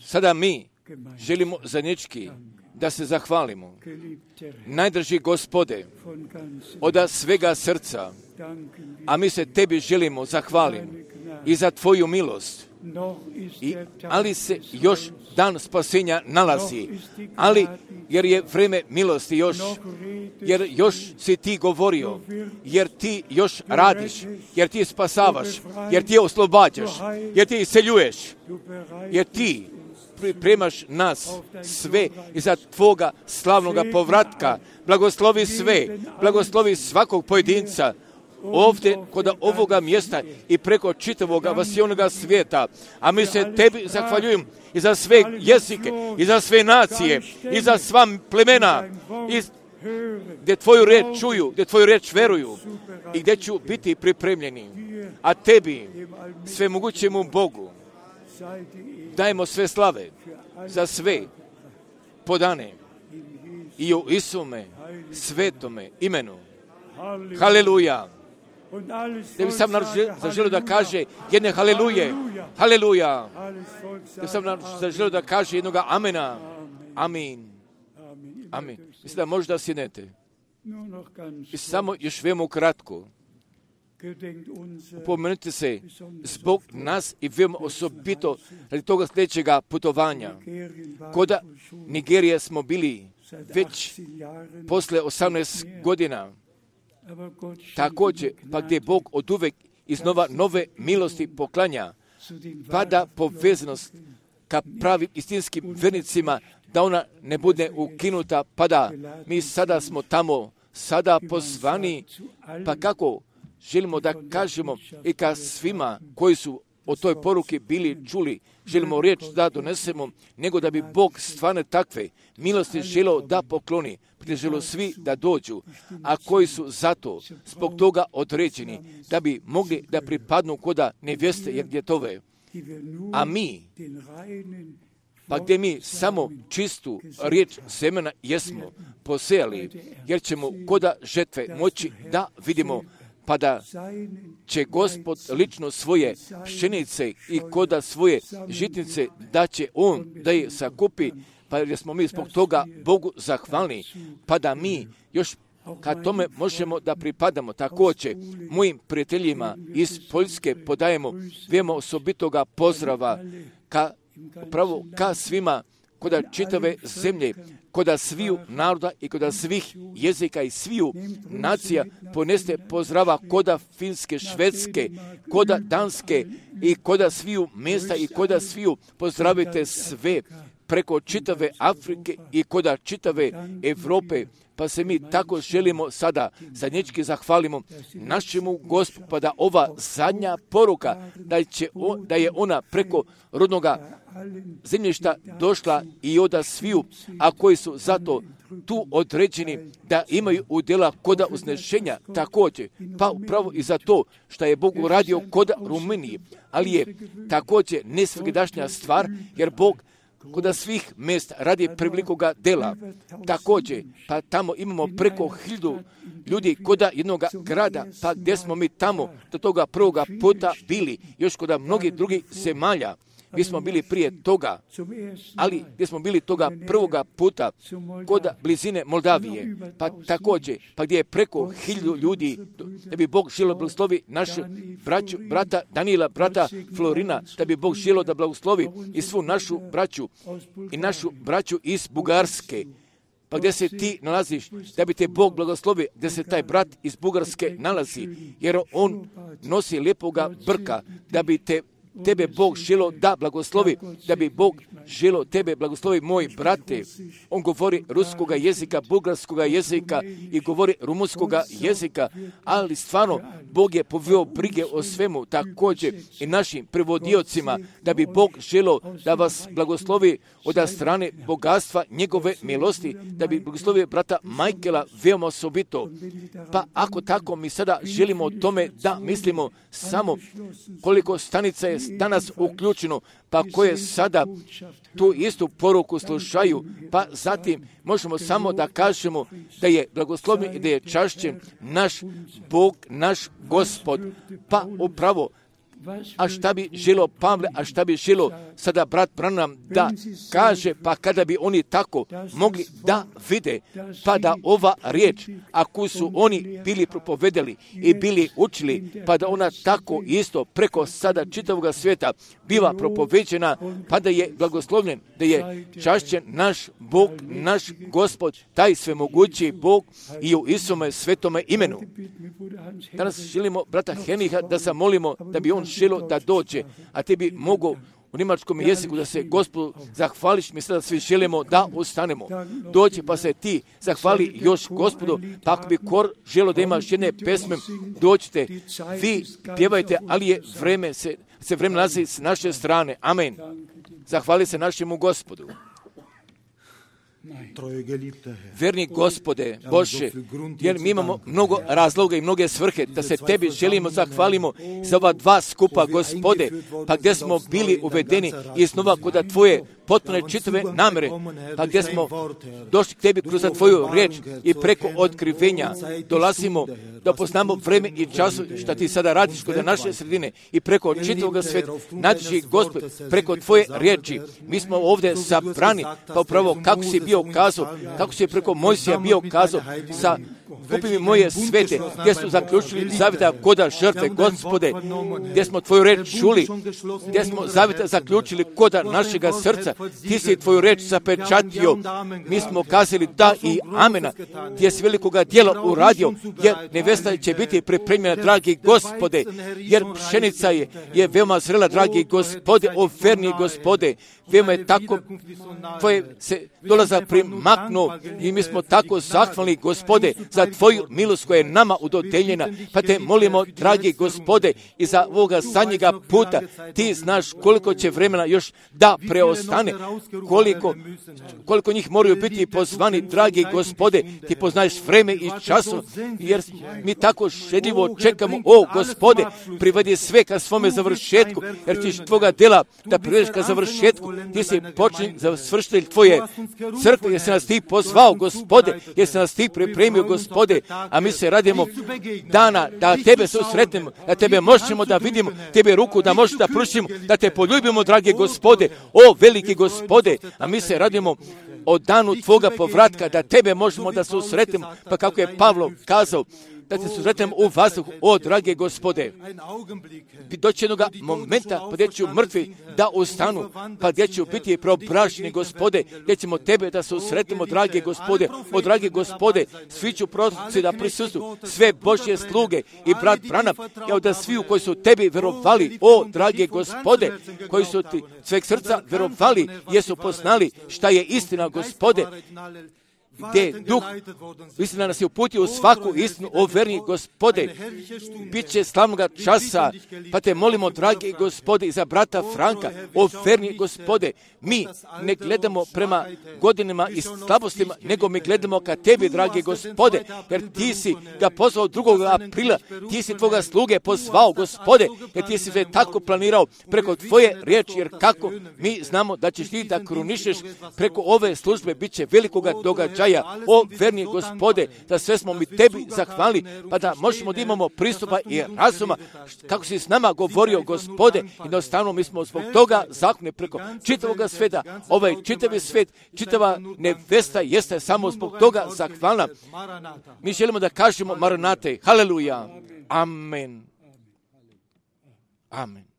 Sada mi želimo zajednički da se zahvalimo. Najdraži Gospode, od svega srca, a mi se tebi želimo zahvaliti i za tvoju milost. I, ali se još dan spasenja nalazi, ali jer je vreme milosti još, jer još si ti govorio, jer ti još radiš, jer ti spasavaš, jer ti oslobađaš, jer ti iseljuješ, jer ti pripremaš nas sve iza tvoga slavnoga povratka. Blagoslovi sve, blagoslovi svakog pojedinca ovdje kod ovoga mjesta i preko čitavoga vasijonoga svijeta. A mi se tebi zahvaljujem i za sve jezike, i za sve nacije, i za sva plemena, i gdje tvoju reč čuju, gdje tvoju reč veruju i gdje ću biti pripremljeni. A tebi, svemogućemu Bogu, dajemo sve slave za sve podane i u Isume svetome imenu. Haleluja. Da bi sam zaželio da kaže jedne haleluje. Haleluja. Da bi sam zaželio da kaže jednoga amena. Amin. Amin. Mislim da možda sjednete. I samo još veoma kratko. Upomenite se zbog nas i veoma osobito radi toga sljedećega putovanja. Koda Nigerije smo bili već posle osamnaest godina. Također, pa gdje Bog od uvek iznova nove milosti poklanja, pada povezanost ka pravim istinskim vernicima, da ona ne bude ukinuta, pada. Mi sada smo tamo, sada pozvani, pa kako želimo da kažemo i ka svima koji su o toj poruki bili čuli, želimo riječ da donesemo, nego da bi Bog stvarno takve milosti želio da pokloni, želio svi da dođu, a koji su zato zbog toga određeni, da bi mogli da pripadnu koda nevjeste jer djetove. A mi pa gdje mi samo čistu riječ semena jesmo posejali, jer ćemo koda žetve moći da vidimo, pa da će Gospod lično svoje pšenice i koda svoje žitnice, da će On da je sakupi, pa jer smo mi zbog toga Bogu zahvalni, pa da mi još kad tome možemo da pripadamo. Također, mojim prijateljima iz Poljske podajemo vijemo osobitoga pozdrava ka, upravo ka svima koda čitave zemlje, koda sviju naroda i koda svih jezika i sviju nacija poneste pozdrava koda Finske, Švedske, koda Danske i koda sviju mjesta i koda sviju pozdravite sve preko čitave Afrike i koda čitave Europe, pa se mi tako želimo sada zadnječki zahvalimo našemu Gospodu, pa da ova zadnja poruka, da, će on, da je ona preko rodnoga zemljišta došla i oda sviju, a koji su zato tu određeni da imaju udjela koda uznešenja također, pa upravo i za to što je Bog uradio koda Rumuniji, ali je također nesvjedašnja stvar, jer Bog koda svih mjesta radi prevelikoga dela. Također, pa tamo imamo preko hiljadu ljudi koda jednog grada, pa gdje smo mi tamo do toga prvoga puta bili, još koda mnogih drugih zemalja. Mi smo bili prije toga, ali gdje smo bili toga prvoga puta kod blizine Moldavije, pa također, pa gdje je preko hiljadu ljudi, da bi Bog želio blagoslovi našu braću, brata Danila, brata Florina, da bi Bog želio da blagoslovi i svu našu braću i našu braću iz Bugarske. Pa gdje se ti nalaziš, da bi te Bog blagoslovi, gdje se taj brat iz Bugarske nalazi, jer on nosi lijepoga brka, da bi te tebe Bog želo da blagoslovi, da bi Bog želo tebe blagoslovi, moj brate. On govori ruskoga jezika, bugarskoga jezika i govori rumunskoga jezika, ali stvarno Bog je poveo brige o svemu, također i našim prevodiocima, da bi Bog želo da vas blagoslovi od strane bogatstva njegove milosti, da bi blagoslovio brata Majkela veoma osobito. Pa ako tako mi sada želimo o tome da mislimo samo koliko stanica je danas uključeno, pa koje sada tu istu poruku slušaju, pa zatim možemo samo da kažemo da je blagoslovljen i da je čašćen naš Bog, naš Gospod, pa upravo. A šta bi želo Pavle, a šta bi želo sada brat Branham da kaže, pa kada bi oni tako mogli da vide, pa da ova riječ, ako su oni bili propovedali i bili učili, pa da ona tako isto preko sada čitavog svijeta biva propoveđena, pa da je blagoslovljen, da je čašćen naš Bog, naš Gospod, taj svemogući Bog i u Isome svetome imenu. Danas želimo brata Heniha da zamolimo da bi on želo da dođe, a ti bi mogo u njemačkom jeziku da se Gospodu zahvališ. Mi sada svi želimo da ustanemo. Dođi pa se ti zahvali još Gospodu, pa ako bi kor želo da imaš jedne pesme, dođite, vi pjevajte, ali je vreme se, se vreme nalazi s naše strane. Amen. Zahvali se našemu Gospodu. Verni Gospode, Bože, jer mi imamo mnogo razloga i mnoge svrhe da se tebi želimo zahvalimo za ova dva skupa, Gospode, pa gdje smo bili uvedeni iznova kod tvoje potpune čitave namere, pa gdje smo došli k tebi kroz tvoju riječ i preko otkrivenja dolazimo da poznamo vreme i času što ti sada radiš kod naše sredine i preko čitavog sveta. Nađi Gospod preko tvoje riječi. Mi smo ovdje sabrani, pa upravo kako si bio kazao, kako si preko Mojsija bio kazao sa kupi mi moje svete, gdje su zaključili zavjeta koda žrtve, Gospode, gdje smo tvoju reč čuli, gdje smo zavjeta zaključili koda našega srca, ti si tvoju reč zapečatio, mi smo kazali da i amena, gdje si velikoga djela uradio, jer nevesta će biti pripremljena, dragi Gospode, jer pšenica je, je veoma zrela, dragi Gospode, o verni Gospode, veoma je tako, tvoje se dolaza primaknuo i mi smo tako zahvalni, Gospode, za tvoju milost koja je nama udodeljena. Pa te molimo, dragi Gospode, i za ovoga zadnjega puta, ti znaš koliko će vremena još da preostane, koliko, koliko njih moraju biti pozvani, dragi Gospode, ti poznaješ vreme i času, jer mi tako šedljivo čekamo, o Gospode, privedi sve ka svome završetku, jer ćeš tvoga dela da privedeš ka završetku, ti si počin završitelj tvoje crkve, jer si nas ti pozvao, Gospode, jer si nas ti pripremio, Gospode, a mi se radimo dana da tebe susretnemo, da tebe možemo da vidimo, tebe ruku da možemo da pružimo, da te poljubimo, dragi Gospode, o veliki Gospode, a mi se radimo o danu tvoga povratka, da tebe možemo da susretnemo, pa kako je Pavlo kazao, da te susretnem u vazduhu, o drage Gospode. Doći jednog momenta, pa gdje ću mrtvi da ustanu, pa gdje ću biti preobraženi, Gospode, gdje ćemo tebe da susretnemo, drage Gospode, o drage Gospode, svi ću proroci da prisustvu, sve Božje sluge i brat Branham, evo da svi koji su tebi verovali, o drage Gospode, koji su ti sveg srca verovali, jesu poznali šta je istina, Gospode, gdje duh istina nas je uputio u svaku istinu, o verni Gospode, bit će slavnoga časa, pa te molimo, dragi Gospode, i za brata Franka, o verni Gospode, mi ne gledamo prema godinama i slabostima, nego mi gledamo ka tebi, dragi Gospode, jer ti si ga pozvao drugog aprila, ti si tvoga sluge pozvao, Gospode, jer ti si sve tako planirao preko tvoje riječi, jer kako mi znamo da ćeš ti da krunišeš preko ove službe, bit će velikoga događaja. O verni Gospode, da sve smo mi tebi zahvali, pa da možemo da imamo pristupa i razuma, kako si s nama govorio, Gospode, i jednostavno mi smo zbog toga zahvalni preko čitavog sveta, ovaj čitavi svet, čitava nevesta jeste samo zbog toga zahvalna. Mi želimo da kažemo Maranate, haleluja, amen, amen.